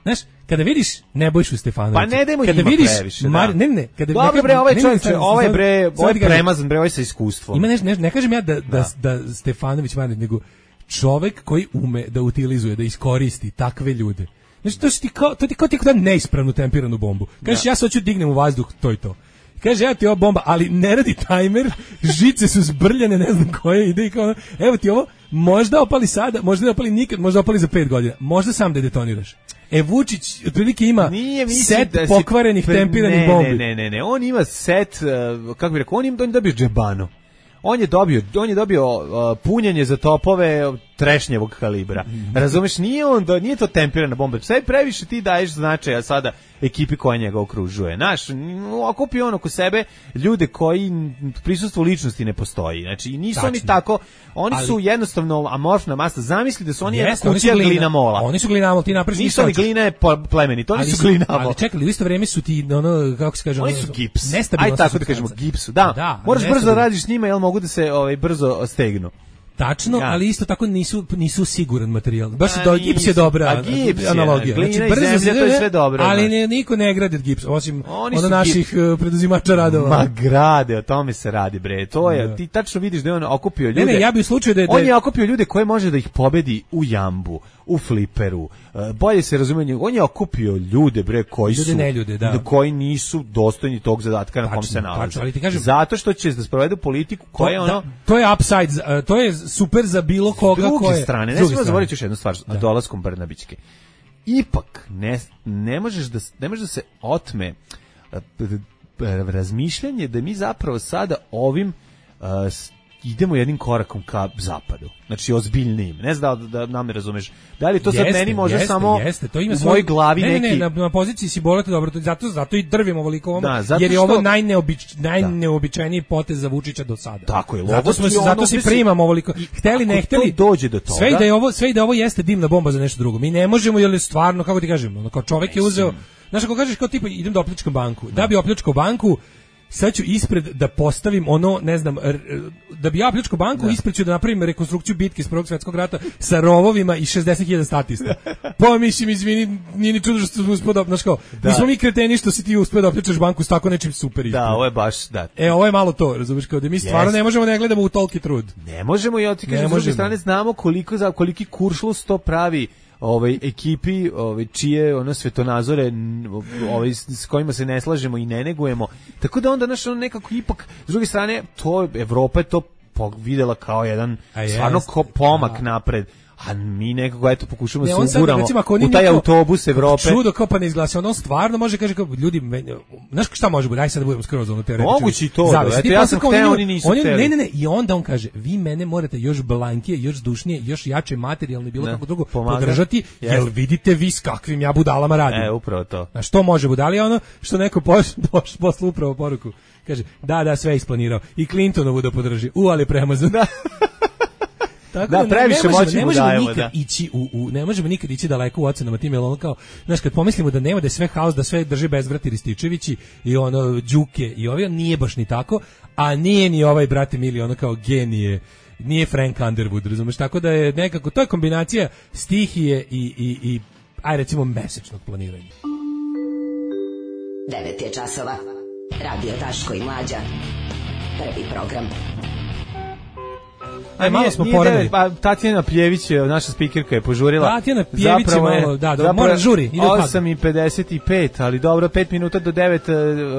Znaš, kada vidiš Nebojšu Stefanovića, pa ne dajmo kada njima vidiš previše, Mar, da. ne, ne, kada dobro bre, ovaj čovjek, ovaj bre, ovaj kažem, premazan bre, ovaj sa iskustvom. Ima nešto, ne, ne kažem ja da, da, da, da Stefanović Marnić, nego čovjek koji ume da utilizuje, da iskoristi takve ljude. Znači, to ti kao, to ti kao ti kao da neispravnu tempiranu bombu. Kažeš, ja se hoću dignem u vazduh, to i to. Kaže, evo ti ova bomba, ali ne radi tajmer, žice su zbrljane, ne znam koje, ide i kao, evo ti ovo, možda opali sada, možda ne opali nikad, možda opali za pet godina, možda sam da detoniraš. E, Vučić, otprilike ima set da pokvarenih pre, tempiranih ne, bombi. Ne, ne, ne, ne, on ima set, uh, kako bih rekao, on ima, on je dobio džebano. On je dobio, on je dobio uh, punjenje za topove trešnjevog kalibra. Razumeš, nije on, do, nije to tempirana bomba. Sve previše ti daješ značaja sada ekipi koja njega okružuje. Naš, okupi on oko sebe ljude koji prisustvo ličnosti ne postoji. Znači, nisu Tačno. oni tako, oni ali, su jednostavno amorfna masa. Zamisli da su oni jedna kutija glina, glinamola. Oni su glinamol, ti napraviš nisu oni glina je plemeni, to oni su glinamol. Ali čekali, u isto vrijeme su ti, ono, kako se kaže, oni su gips. Nestabilno. Aj tako da kažemo, gipsu. Da, da moraš brzo da radiš s njima, jel mogu da se ovaj, brzo stegnu. Tačno, ja. ali isto tako nisu nisu siguran materijal. Baš do gips je dobra gips analogija. Je, znači brzo zemlja, to je sve dobro. Ali ne, niko ne gradi gips osim od naših gips. Preduzimača radova. Ma grade, o tome se radi bre. To je da. Ti tačno vidiš da je on okupio ljude. Ne, ne, ja bih u slučaju da je, on je okupio ljude koje može da ih pobedi u jambu, u fliperu. Bolje se razume, on je okupio ljude bre koji ljude, su ne ljude, da. koji nisu dostojni tog zadatka na kom se nalaze. Ali ti kažem, zato što će da sprovedu politiku koja je ono da, to je upside, to je super za bilo koga druge koje strane. Ne smijemo zaboraviti još jednu stvar, da. Dolaskom Brnabićke. Ipak ne ne možeš da ne može da se otme razmišljanje da mi zapravo sada ovim uh, idemo jednim korakom ka zapadu. Znači ozbiljnijim. Ne znam da, da nam ne razumeš. Da li to sad meni može jeste, samo jeste, to ima u mojoj glavi ne, neki... Ne, ne, na, na poziciji si bolete dobro, zato, zato i drvimo ovoliko ovom, da, jer je što... ovo najneobič, najneobičajniji potez za Vučića do sada. Tako je. Zato, smo, zato si primamo ovoliko. Hteli, ne hteli, dođe do toga. Sve i da je ovo, sve i da ovo jeste dimna bomba za nešto drugo. Mi ne možemo, jer je stvarno, kako ti kažem, ono, kao čovjek je uzeo, znaš, ako kažeš kao tipa, idem da opljačkam banku. Da bi opljačkao banku, sad ću ispred da postavim ono, ne znam, da bi ja opljačkao banku, da. Ispred ću da napravim rekonstrukciju bitke iz Prvog svjetskog rata sa rovovima i šezdeset hiljada statista. Pa mislim, izvini, nije ni čudo što smo uspio da, znaš kao, da. Nismo mi kreteni što si ti uspio da opljačaš banku s tako nečim super ispred. Da, ovo je baš, da. E, ovo je malo to, razumiješ, kao da mi stvarno yes. ne možemo ne gledamo u toliki trud. Ne možemo, ja ti kažem, s druge strane znamo koliko, za, koliki kuršlus to pravi ovaj ekipi, ovaj čije ono svetonazore, ovaj s kojima se ne slažemo i ne negujemo. Tako da onda naš ono nekako ipak s druge strane to Evropa je to videla kao jedan stvarno ko pomak a. napred. A mi nekako eto pokušamo ne, se uguramo u taj neko, autobus Evrope. Čudo kao pa ne izglasa, on stvarno može kaže kao ljudi, znaš šta može biti, aj sad da budemo skroz ono teoretički. Mogući to, da, eto ja sam hteo, oni nisu on, hteli. Ne, ne, ne, i onda on kaže, vi mene morate još blankije, još zdušnije, još jače materijalno bilo ne, kako drugo pomaga, podržati, yes. Jel vidite vi s kakvim ja budalama radim. E, upravo to. A što može budali, ono što neko posle upravo poruku, kaže, da, da, sve isplanirao, i Clintonovu da podrži, u, ali premazan. Da. Tako da, previše moći ne mu dajemo, nikad da. Ići u, u, ne možemo nikad ići daleko u ocenama tim, jer ono kao, znaš, kad pomislimo da nema, da je sve haos, da sve drži Bezvrati Rističevići i ono, Đuke i ovi, nije baš ni tako, a nije ni ovaj, brate mili, ono kao genije, nije Frank Underwood, razumeš, tako da je nekako, to je kombinacija stihije i, i, i aj recimo, mesečnog planiranja. devet je časova, Radio Daško i Mlađa, prvi program. Aj, malo smo poredili. Pa Tatjana Pljević, naša spikerka, je požurila. Tatjana Pljević je malo, da, da mora žuri. osam i pedeset pet, ali dobro, pet minuta do devet,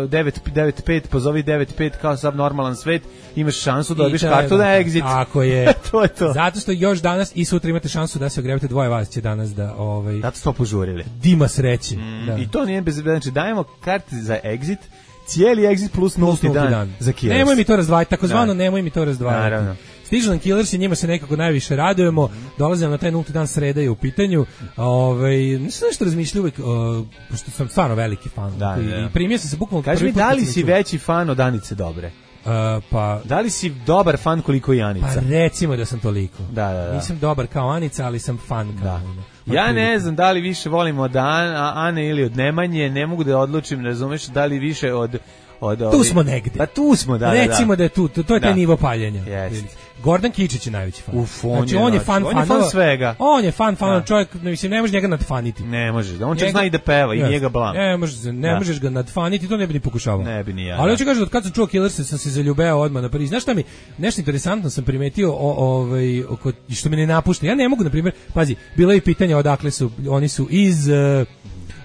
devet, devet pet, pozovi devet pet kao sav normalan svet, imaš šansu da dobiješ kartu na Exit. Tako je. To je to. Zato što još danas i sutra imate šansu da se ogrevate, dvoje vas će danas da... Ovaj, zato smo požurili. Dima sreći. Mm, da. I to nije bez... Znači, dajemo karte za Exit, cijeli Exit plus nulti dan, dan za Killers. Nemoj mi to razdvajati, takozvano nemoj mi to razdvajati. Naravno. Stižu nam Killers i njima se nekako najviše radujemo. Dolazimo na taj nulti dan, sreda je u pitanju. Ovaj, nisam nešto razmišljao uvek, uh, pošto sam stvarno veliki fan. Da, i, da. i primio sam se bukvalno... Kaži mi, da li si veći fan od Anice Dobre? Uh, pa, da li si dobar fan koliko i Anica? Pa recimo da sam toliko. Da, da, da. Nisam dobar kao Anica, ali sam fan kao da. Ona. Ja ne znam da li više volim od Ane ili od Nemanje, ne mogu da odlučim, razumeš, da li više od Od, tu smo negde. Pa tu smo, da, Recimo da, da je tu, to, to je taj da. nivo paljenja. Yes. Gordon Kičić je najveći fan. Uf, on znači, je, on je fan, on je fan svega. On je fan, fan, da. Čovjek, mislim, ne može njega nadfaniti. Ne može, on čak zna i da peva i yes. njega blam. Ne, može, ne da. možeš ga nadfaniti, to ne bi ni pokušavao. Ne bi ni ja. Ali hoću kažem, od kad sam čuo Killerse, sam se zaljubeo odmah na prvi. Znaš šta mi, nešto interesantno sam primetio, o, ovaj, oko, što me ne napušta. Ja ne mogu, na primjer, pazi, bilo je pitanje odakle su, oni su iz... Uh,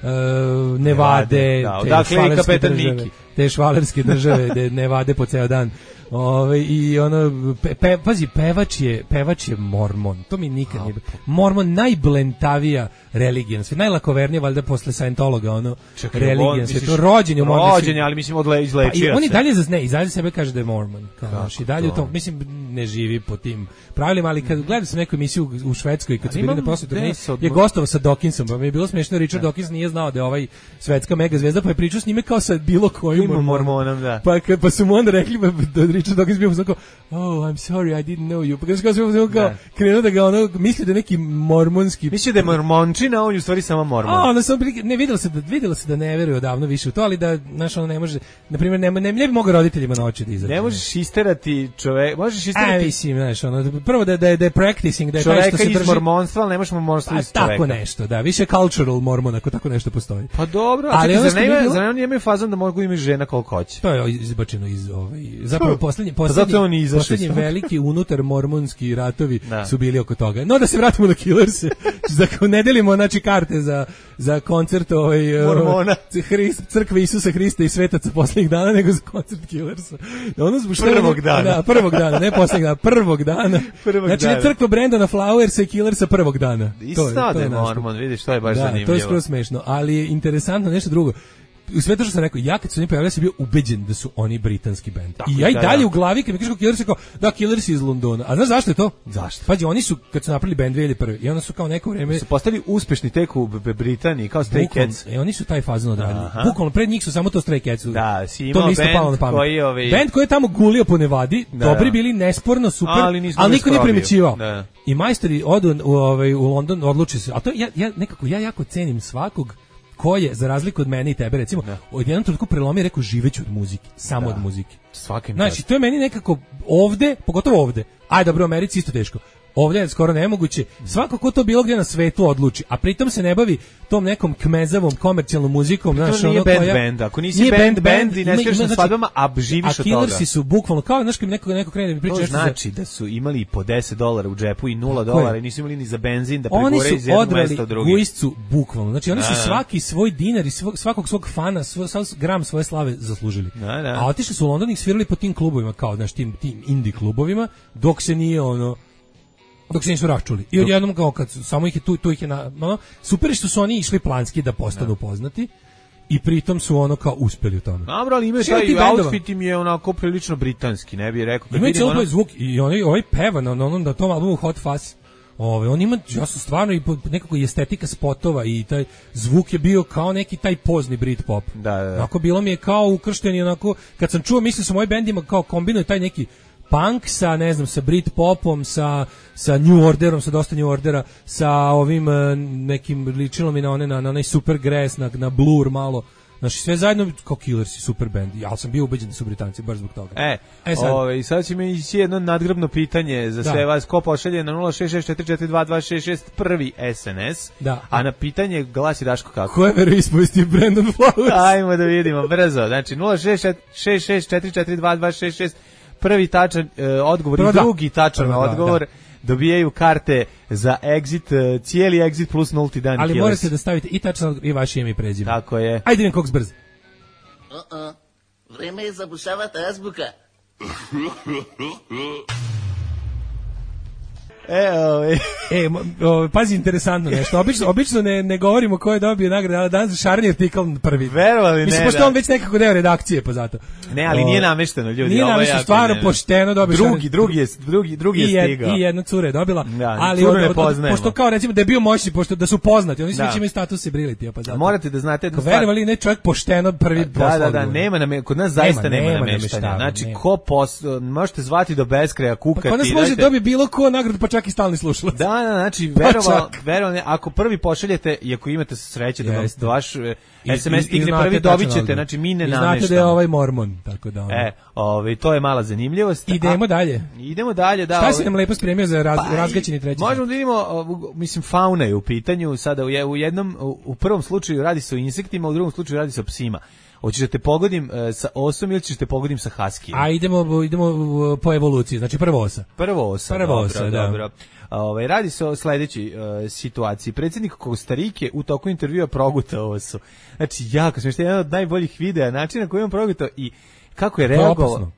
Uh, Nevade, da, odakle i kapetan Miki. Te švalerske države, de Nevade po ceo dan. Ove, i ono pe, pe, pazi, pevač je, pevač je mormon. To mi nikad nije. Mormon najblentavija religija, sve najlakovernije valjda posle Scientologa, ono religija, sve to rođenje u mormon. Rođenje, ali mislim odle izlečio pa, on i se. dalje zazne, i dalje sebe kaže da je mormon. Kao, i dalje to? to, mislim, ne živi po tim pravilima, ali kad gledam sam neku emisiju u Švedskoj, kad su bili na posletu, je gostovao sa Dawkinsom, pa mi je bilo smiješno, Richard ne. Dawkins nije znao da je ovaj svetska mega zvezda, pa je pričao s njime kao sa bilo kojim mormonom. mormonom, da. Pa, pa su mu onda rekli, da Richard Dawkins bio kao, oh, I'm sorry, I didn't know you. Pa kao kao kao krenuo da ga ono, misli da neki mormonski... Misli da je mormončina, on je u stvari samo mormon. A, onda sam, ne, vidjela se da, vidjela se da ne veruje odavno više u to, ali da, znaš, ono ne može, na primjer, ne, ne, ne bi mogao roditeljima na oči da izađe. Ne možeš isterati čovek, možeš isterati... A, mislim, znaš, ono, prvo da, da, da je practicing, da je taj što se drži... Čoveka iz mormonstva, ali ne možeš mormonstva iz čoveka. Tako nešto, da, više cultural mormon, ako tako nešto postoji. Pa dobro, a čekaj, zar ne, zar ne imaju fazon da mogu imati žena koliko hoće? To je izbačeno iz, ovaj, zapravo poslednji, poslednji, poslednji veliki unutar mormonski ratovi da. Su bili oko toga. No da se vratimo na Killerse, da ne delimo znači karte za, za koncert ovaj, Mormona. Hrist, crkve Isusa Hrista i svetaca poslednjih dana, nego za koncert Killersa. Ono prvog dana. Da, prvog dana, ne poslednjeg dana, prvog dana. Prvog znači dana. Ne crkva Brandona Flowersa i Killersa prvog dana. Isto da je Mormon, vidiš, to je baš da, zanimljivo. To je skoro smešno, ali je interesantno nešto drugo. U sve to što sam rekao, ja kad su oni pojavili sam bio ubeđen da su oni britanski bend. Tako, I ja i dalje da, da. U glavi kad mi kažeš kao Killers, kao da Killers iz Londona. A znaš zašto je to? Zašto? Pađi, oni su kad su napravili bend dvije hiljade prve i onda su kao neko vreme su postali uspešni tek u Britaniji kao Stray Cats. E oni su taj fazon odradili. Bukvalno pred njih su samo to Stray Cats. Da, si imao bend koji ovaj bend koji je tamo gulio po Nevadi, da, dobri bili, nesporno super, ali, ali niko nije primećivao. Da. I majstori odu u ovaj u London, odluče se. A to ja ja nekako ja jako cenim svakog ko je, za razliku od mene i tebe, recimo, da. Od jednom trenutku prelomi i rekao živeću od muzike, samo da. Od muzike. Svakim znači, to je meni nekako ovde, pogotovo ovde, aj dobro, u Americi isto teško, ovdje je skoro nemoguće, svako ko to bilo gdje na svetu odluči, a pritom se ne bavi tom nekom kmezavom komercijalnom muzikom, znaš, ono band koja... band, ako nisi nije band, band i ne sviraš na svadbama, a živiš od toga. A Killersi su bukvalno, kao, znaš, kad neko, neko krene da mi priča... To znači da su imali po deset dolara u džepu i nula dolara i nisu imali ni za benzin da pregore iz jednog mesta u drugi. Oni su odrali guiscu, bukvalno, znači oni su svaki svoj dinar i svakog svog fana, svoj gram svoje slave zaslužili. A otišli su u London i svirali po tim klubovima, kao, znaš, tim, tim indie klubovima, dok se nije ono... dok se nisu račuli. I odjednom kao kad samo ih je tu, tu ih je na, no, super što su oni išli planski da postanu poznati i pritom su ono kao uspeli u tome. Dobro, ali imaju taj outfit im je onako prilično britanski, ne bih rekao. Imaju cijelo ono... zvuk i oni, ovaj peva na onom na tom albumu Hot Fuzz. Ove, on ima, ja sam stvarno i nekako i estetika spotova i taj zvuk je bio kao neki taj pozni Britpop. Da, da, da. Onako bilo mi je kao ukršteni, onako, kad sam čuo, mislim su moji bendima kao kombinuje taj neki punk sa, ne znam, sa Britpopom, sa, sa New Orderom, sa dosta New Ordera, sa ovim nekim, ličilo mi na one, na, na onaj Supergrass, na, na Blur malo. Znači, sve zajedno kao Killersi, super band. Ja sam bio ubeđen da su Britanci, baš zbog toga. E, e sad. Ove, sad će mi ići jedno nadgrobno pitanje za da. Sve vas. Ko pošalje na nula šest šest četiri četiri dva dva šest šest prvi S N S. Da. A na pitanje glasi Daško kako? Ko je veroispovesti Brandon Flowers? Ajmo da vidimo, brzo. Znači, nula šest šest četiri četiri dva dva šest šest prvi tačan e, odgovor Prvo i drugi tačan Prvo odgovor. Da, da. Dobijaju karte za exit, cijeli exit plus nulti dan. Ali Killers. Morate da stavite i tačno i vaše ime i prezime. Tako je. Ajde idem koks brz. Uh-uh. Vreme je zabušavati azbuka. E, ovaj. e, o, pazi, interesantno nešto. Obično, obično ne, ne govorimo ko je dobio nagradu, ali danas šarni artikl prvi. Verovali ne, mislim, pošto da. On već nekako deo redakcije, pa zato. Ne, ali o, nije namešteno, ljudi. Nije namešteno, stvarno ne, pošteno dobio drugi, drugi je, drugi, drugi je stigao. I jedna cura je dobila, da, ali od, od, od, pošto kao recimo da je bio moćni, pošto da su poznati, oni svi da. Imaju status ability, pa zato. Morate da znate jednu stvar. Verovali ne, čovjek pošteno prvi da, da, da, nema nam, kod nas zaista nema, nema nameštanja. Znači, ko možete zvati do beskraja, kukati. Kod nas može dobiti bilo ko nagradu, pa čak čak i stalni slušalac. Da, da, znači, verovalo, verovalo, ako prvi pošaljete, i ako imate sreće da, yes. da vaš es em es stigne prvi, dobit ćete, znači mi ne nameštamo. I znate da je ovaj mormon, tako da... E, ovaj, to je mala zanimljivost. Idemo a, dalje. Idemo dalje, da. Šta si nam lepo spremio za raz, pa, razgaćeni treći? Možemo da vidimo, mislim, fauna je u pitanju, sada u jednom, u prvom slučaju radi se o insektima, u drugom slučaju radi se o psima. Hoćeš da te pogodim uh, sa osom ili ćeš te pogodim sa haskijem? A idemo, idemo po evoluciji, znači prvo osa. Prvo osa, prvo dobro, osa, dobro. Da. Ove, radi se o sledećoj uh, situaciji. Predsjednik Kostarike u toku intervjua progutao osu. Znači, jako smiješno, jedan od najboljih videa, načina koji on progutao i kako je reagovao.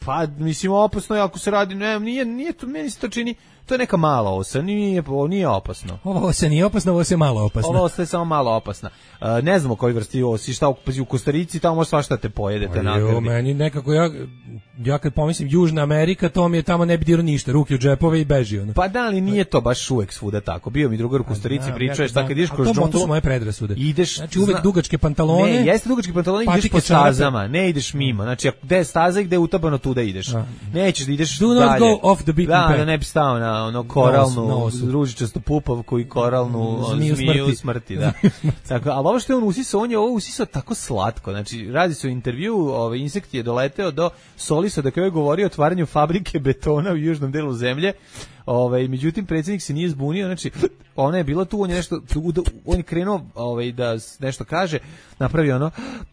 Pa, mislim, opasno je ako se radi, ne, nije, nije to, meni se to čini, to je neka mala osa, nije, nije opasno. Ova osa nije opasna, ovo je malo opasna. Ova osa je samo malo opasna. Uh, ne znamo koji vrsti osi, šta u, u Kostarici, tamo može svašta te pojedete. Jo, meni nekako, ja, ja kad pomislim Južna Amerika, to mi je tamo ne bi dirao ništa, ruke u džepove i beži. Ono. Pa da, ali nije to baš uvek svuda tako. Bio mi drugar u Kostarici, pričaš, tako kad ideš kroz džunglu. To su moje predrasude. Ideš, znači uvek dugačke pantalone. Ne, jeste dugačke pantalone, ideš po stazama, ne ideš mimo. Znači, gde je staza i gde je utabano, tuda ideš. A. Nećeš da ideš Do dalje. not go off the beaten da, path. Da ne bi stao na ono koralnu, ružičastu pupavku i koralnu zmiju, zmiju smrti. smrti da. Tako, ali ovo što je on usisao, on je ovo usisao tako slatko. Znači, radi se o intervju, ovaj insekt je doleteo do Solisa da je govorio o otvaranju fabrike betona u južnom delu zemlje. Ovaj, međutim, predsjednik se nije zbunio, znači, ona je bila tu, on je nešto, on je krenuo ovaj, da nešto kaže, napravio ono,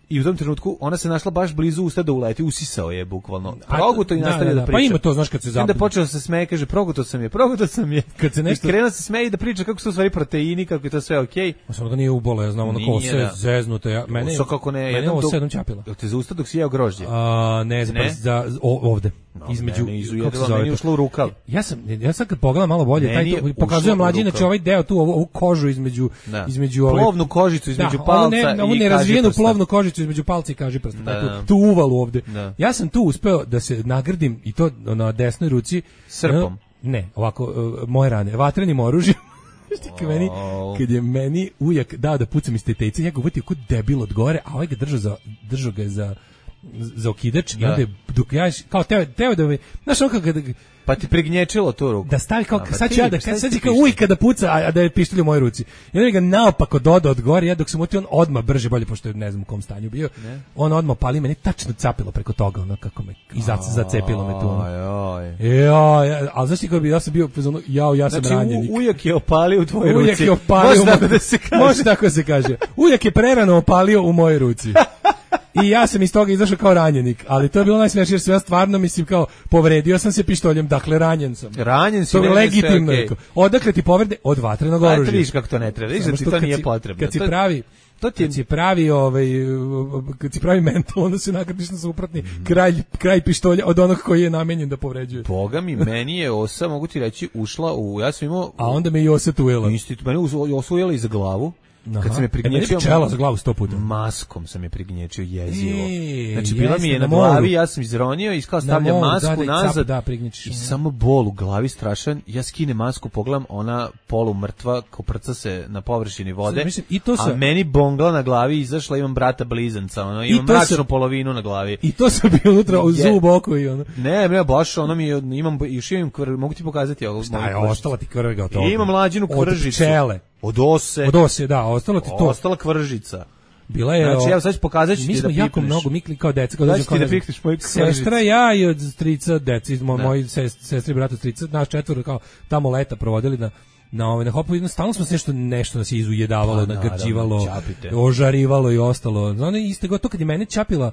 i u tom trenutku ona se našla baš blizu usta da uleti, usisao je bukvalno. Proguto i nastavio da, da, da priča. Pa ima to, znaš, kad se zapne. Onda počeo se smeje, kaže, proguto sam je, proguto sam je. Kad se nešto... I krenuo se smeje i da priča kako su stvari proteini, kako je to sve okej. Okay. Samo da nije ubolo, ja znam, ono kose, da. Zeznuto. Ja, mene, so kako ne, mene ovo sedam čapila. Te za usta dok si jeo grožđe? A, ne, za, ne? za o, ovde. No, između, ne, izu jedva, meni ušlo u rukav. Ja sam, ja sam kad pogledam malo bolje, taj to, pokazujem mlađi, znači ovaj deo tu, ovu, ovu kožu između, da. između ove... Plovnu kožicu između da, palca ne, i ovu nerazvijenu plovnu kožicu između palca i kažiprsta, da, tu, tu uvalu ovde. Da. Ja sam tu uspeo da se nagrdim i to na desnoj ruci. Srpom? Ne, ovako, uh, moje rane, vatrenim oružjem. Kad, meni, kad je meni ujak dao da pucam iz te tejce, ja ga uvatio kod debil od gore, a ovaj ga držao za, držao ga za za okidač i onda je, dok ja, kao teo, teo da me, znaš ono kako da... Pa ti pregnječilo tu ruku. Da stavi kao, a, sad ću ja da, sad će kao ujka da puca, a, a da je pištolj u mojoj ruci. I onda ga naopako dodao od gore, ja dok sam utio on odmah brže bolje, pošto je ne znam u kom stanju bio, ne? On odmah pali, mene tačno capilo preko toga, ono kako me, i zacepilo me tu. Ono. Ja, ja, ali znaš ti kako bi, ja sam bio, ono, jao, ja sam znači, ranjenik. Znači ujak je opalio u tvojoj ruci. Ujak je opalio, može tako da se kaže. Može tako se kaže. Ujak je prerano opalio u mojoj ruci. I ja sam iz toga izašao kao ranjenik, ali to je bilo najsmešnije jer sam ja stvarno mislim kao povredio sam se pištoljem, dakle ranjen sam. Ranjen si. To je legitimno. Okay. Odakle ti povrede? Od vatrenog oružja. Vidiš kako to ne treba, vidiš da ti to nije potrebno. Kad si pravi, to ti kad si pravi ovaj kad si pravi mental, onda se nagradiš na suprotni mm. kraj kraj pištolja od onog koji je namenjen da povređuje. Boga mi, meni je osa, mogu ti reći, ušla u, ja sam imao, a onda me i osa tujela. Isti, meni osa ujela iza glavu. Kad sam je prignječio pčela za glavu sto puta. Maskom sam je prignječio jezivo. E, znači bila mi je na, na glavi, ja sam izronio i kao stavljam masku da, nazad da, i samo bol u glavi strašan. Ja skinem masku, pogledam, ona polu mrtva, koprca se na površini vode. Mislim, i to sa... A meni bongla na glavi izašla, imam brata blizanca, ono, imam mračnu sa... polovinu na glavi. I to sam bio unutra u zub oko i ono. Ne, ne, baš ono mi je, imam i šivim krv, mogu ti pokazati ovo. Šta je ostala ti krvega od toga? Imam mlađinu kržicu. Od ose. Od ose, da, ostalo ti to. Ostala kvržica. Bila je. Znači, evo sad ću pokazat ću ti da pipneš. Mi smo jako mnogo mikli kao deca, kao dođe kao da pipneš moju kvržicu. Sestra, ja i od strica, deca, moj, moj sestri i brata strica, naš četvoro kao tamo leta provodili na na ovaj na hopu, jedno stalno smo se nešto nešto nas izujedavalo, pa, nagrđivalo, ožarivalo i ostalo. Ono iste gotovo kad je mene čapila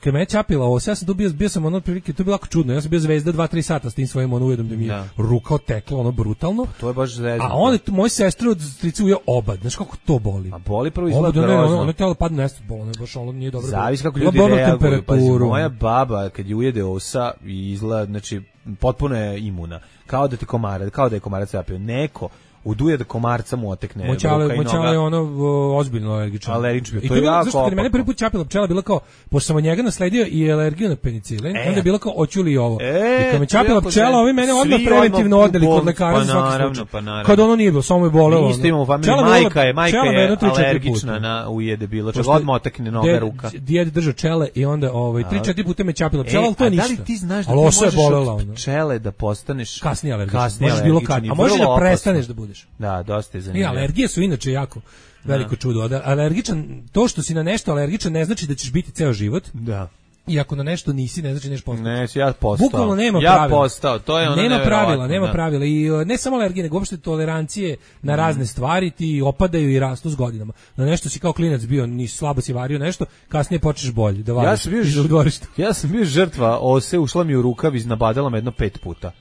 kad me je čapila ovo, ja sam tu bio, bio sam ono prilike, to je bilo jako čudno, ja sam bio zvezda dva tri sata s tim svojim ono ujedom da mi je da. ruka otekla, ono brutalno. Pa to je baš zvezda. A on je moj sestru od stricu ujeo obad, znaš kako to boli. A boli prvo izgleda grozno. Ono, ono telo padne nešto bolo, ne, baš ono nije dobro. Zavisi kako ljudi reaguju, pa moja baba kad je ujede osa i izgleda, znači potpuno je imuna, kao da ti komarac, kao da je komarac zapio. Neko uduje da komarca mu otekne. Moćale, moćale je ono o, ozbiljno alergičan. Alergičan, to, to je jako zašto kad je mene prvi put čapila pčela, bila kao, pošto sam od njega nasledio i alergiju na penicilin, e. onda je bila kao, oću li ovo? E, I kad me čapila pčela, ovi mene odmah preventivno odneli kod lekara pa za svaki naravno, slučaj. Pa naravno. Kad ono nije bilo, samo je bolelo. Mi isto imamo u familiji, majka je, majka je alergična na ujede bilo, čak odmah otekne noga, ruka. Djed držao čele i onda ovaj, tri četiri puta me čapila pčela, ali to je ništa. Da li ti znaš da ti možeš od pčele da postaneš kasnije alergičan? A možeš da prestaneš da budeš. Da, dosta je zanimljivo. I alergije su inače jako veliko čudo. Da, alergičan, to što si na nešto alergičan ne znači da ćeš biti ceo život. Da. I ako na nešto nisi, ne znači neš postati. Ne, ja postao. Bukvalno nema ja pravila. Ja postao, to je ono nema pravila, nema da. pravila. I uh, ne samo alergije, nego uopšte tolerancije na razne stvari ti opadaju i rastu s godinama. Na nešto si kao klinac bio, ni slabo si vario nešto, kasnije počneš bolje da variš. Ja sam bio, u dvorištu. Ja sam bio žrtva ose, ušla mi u rukav, iznabadala me jedno pet puta.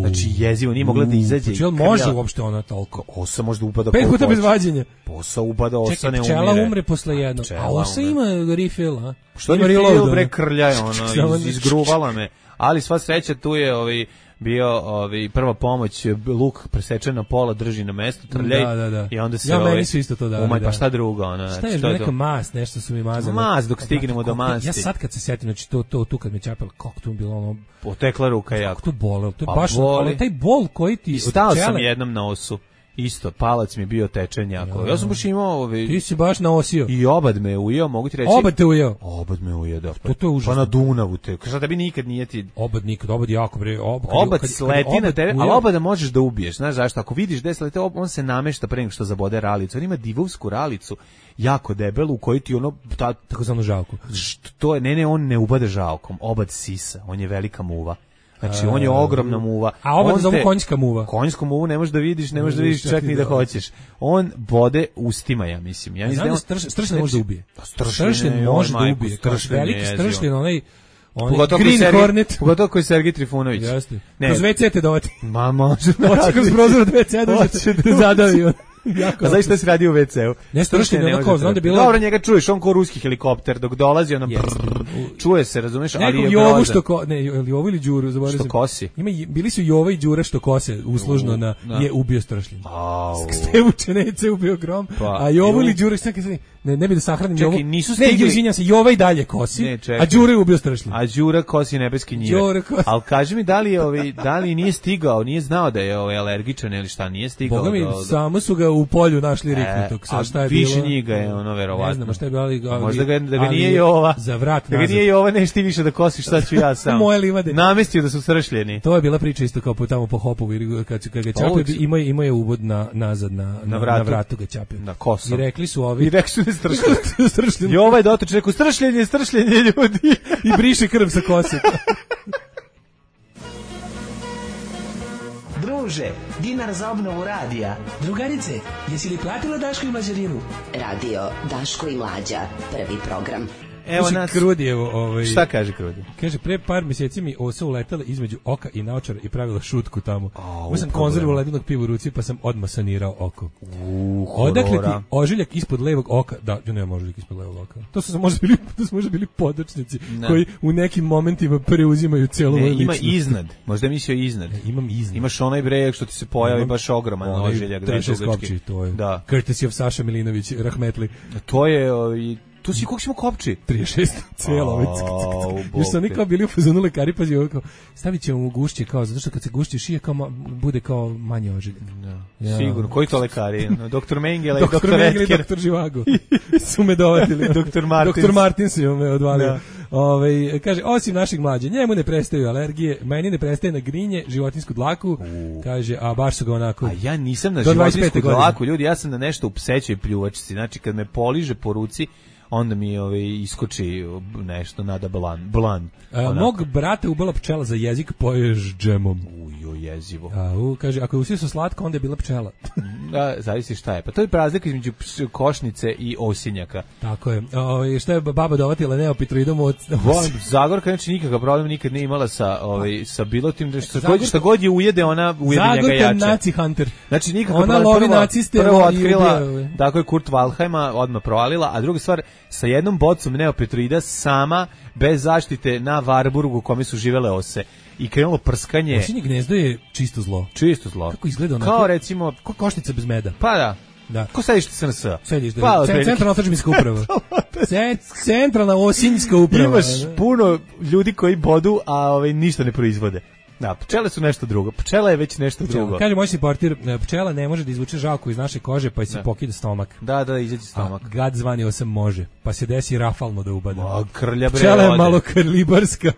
Znači jezivo, nije mogla da izađe. Znači, jel može uopšte ona toliko? Osa možda upada pet puta bez vađenja. Osa upada, osa Čekaj, ne umire. pčela umre posle jednog. A osa ima refill, a? Što ima refill, bre, krljaje, ono, iz, izgruvala me. Ali sva sreća tu je ovaj bio ovaj prva pomoć, luk presečen na pola, drži na mestu, trljaj da, da, da. I onda se ja, ovaj, meni su isto to dali, umaj, da. Pa šta drugo, ona. Šta je neka mast, nešto su mi mazali. Mast dok stignemo do masti. Ja sad kad se setim, znači to to tu kad me čapalo, kako to bilo ono, potekla ruka jako. Kako to bolelo, to je pa baš ono, taj bol koji ti I stao sam jednom na osu. Isto, palac mi je bio tečen jako. Ja, ja sam baš imao... Ovaj, ti si baš naosio. I obad me ujeo, mogu ti reći... Obad te ujeo? Obad me ujeo, da. To, to je užasno. Pa na Dunavu te. Šta tebi nikad nije ti... Obad nikad, obad jako bre. Ob, obad kad, sleti kad na tebe, ujeo, ali obada možeš da ubiješ. Znaš zašto? Ako vidiš gde slete, on se namešta pre nego što zabode ralicu. On ima divovsku ralicu, jako debelu, u kojoj ti ono... Ta, takozvanu žalku. To je, ne, ne, on ne ubade žalkom. Obad sisa, on je velika muva. Znači, on je ogromna muva. A obad zovu konjska muva. Konjsku muvu ne možeš da vidiš, ne možeš da vidiš čak ni da hoćeš. On bode ustima, ja mislim. Ja mislim da stršljen može da ubije. Stršljen može da ubije. Veliki stršljen, onaj... Green Hornet. Pogotovo koji je Sergij Trifunović. Jeste. Kroz ve ce te dovati. Ma može. Hoće kroz prozor od ve ce da zadavio. A znaš šta si radio u ve ce-u? Ne stršljen, onako, znam da je bilo... Dobro, njega čuješ, on ko ruski helikopter, dok dolazi, ono brrr, čuje se, razumeš, ali je grozan. Jovu što ko... Ne, Jovu ili Đuru, zaboravio sam. Što kosi. Ima, bili su Jova i Đura što kose, uslužno na... Je ubio stršljen. Stevučenece ubio grom, a Jovu ili Đura, šta kaže... Ne, ne bi da sahranim Jovu. Čekaj, nisu stigli... Ne, izvinjam se, Jova i dalje kosi, ne, a Đura je ubio stršljen. A Đura kosi nebeski njive. Ali kaži mi, da li, je ovaj, da li nije stigao, nije znao da je ovaj alergičan ili šta, nije stigao. Boga mi, do... samo su ga u polju našli riknutog. A šta je više bilo? Njega je ono verovatno. Ne znam šta je bilo, ali, ali možda ga, da ga nije Jova. Za vrat da ga nije Jova, neš ti više da kosiš, šta ću ja sam. Moje livade. Namestio da su stršljeni. To je bila priča isto kao po tamo po Hopovu, kad kad ga čapio, ima ima je uvod na nazad na na, vratu. na vratu ga čapio. Na kosu. I rekli su ovi. I rekli su da stršljeni. stršljeni. Jova je dotoč rekao stršljenje, stršljenje ljudi i briše krv sa kose. Druže, dinar za obnovu radija. Drugarice, jesi li platila Daško i Mlađarinu? Radio Daško i Mlađa, prvi program. Evo nas Krudijevo, ovaj. Šta kaže Krudi? Kaže pre par mjeseci mi osa uletela između oka i naočara i pravila šutku tamo. Ja sam konzervu ledenog piva u ruci pa sam odmah sanirao oko. Uh, Odakle ti ožiljak ispod levog oka? Da, ja nemam ožiljak ispod levog oka. To su možda bili, to su možda bili podočnici ne. koji u nekim momentima preuzimaju celu moju ličnost. Ima iznad. Možda mislio iznad. Ne, imam iznad. Imaš onaj brejak što ti se pojavi baš ogroman ožiljak, da je kopči, to je. Da. Courtesy of Saša Milinović, rahmetli. To je i tu si koliko smo kopči? trideset šest cijelo već. Jer su oni kao bili u fazonu lekari, pazi ovo kao, stavit ćemo mu gušće kao, zato što kad se gušće šije kao ma, bude kao manje ožiljak. Ja. Sigurno, koji to lekari? doktor Mengele i doktor doktor Mengele i doktor Živago su me dovatili. doktor Martins. doktor Martins je me odvalio. Ove, kaže, osim našeg mlađe, njemu ne prestaju alergije, meni ne prestaje na grinje, životinsku dlaku, uh. kaže, a baš su ga onako... A ja nisam na životinsku dlaku, ljudi, ja sam na nešto u psećoj pljuvačici, znači kad me poliže po ruci, onda mi ovaj iskoči nešto nada blan blan. A, mog brata ubila pčela za jezik, poješ džemom. Ujo, jezivo. A u kaže ako je usio su slatko, onda je bila pčela. Da, zavisi šta je. Pa to je razlika između košnice i osinjaka. Tako je. O, šta je baba dovatila neopitroidom od Zagorka, znači nikakav problem nikad nije imala sa ovaj sa bilo tim što god šta god je ujede, ona ujede njega jače. Zagorka naci hunter. Znači nikakav ona lovi naciste, prvo otkrila, tako je Kurt Waldheima odmah provalila, a druga stvar sa jednom bocom neopitroida sama bez zaštite na Varburgu u kome su živele ose. I krenulo prskanje. Osinje gnezdo je čisto zlo. Čisto zlo. Kako izgleda onako? Kao recimo... Ko koštica bez meda. Pa da. Da. Ko sediš ti S N S? Sediš da. Pa, centralna otadžbinska uprava. Centralna osinjska uprava. Imaš puno ljudi koji bodu, a ovaj ništa ne proizvode. Da, pčele su nešto drugo. Pčela je već nešto pčela. drugo. Kaže moj si portir, pčela ne može da izvuče žalku iz naše kože, pa se pokida stomak. Da, da, izađe stomak. A gad zvani osam može, pa se desi rafalno da ubada. O, krlja bre. Pčela je malo kalibarska.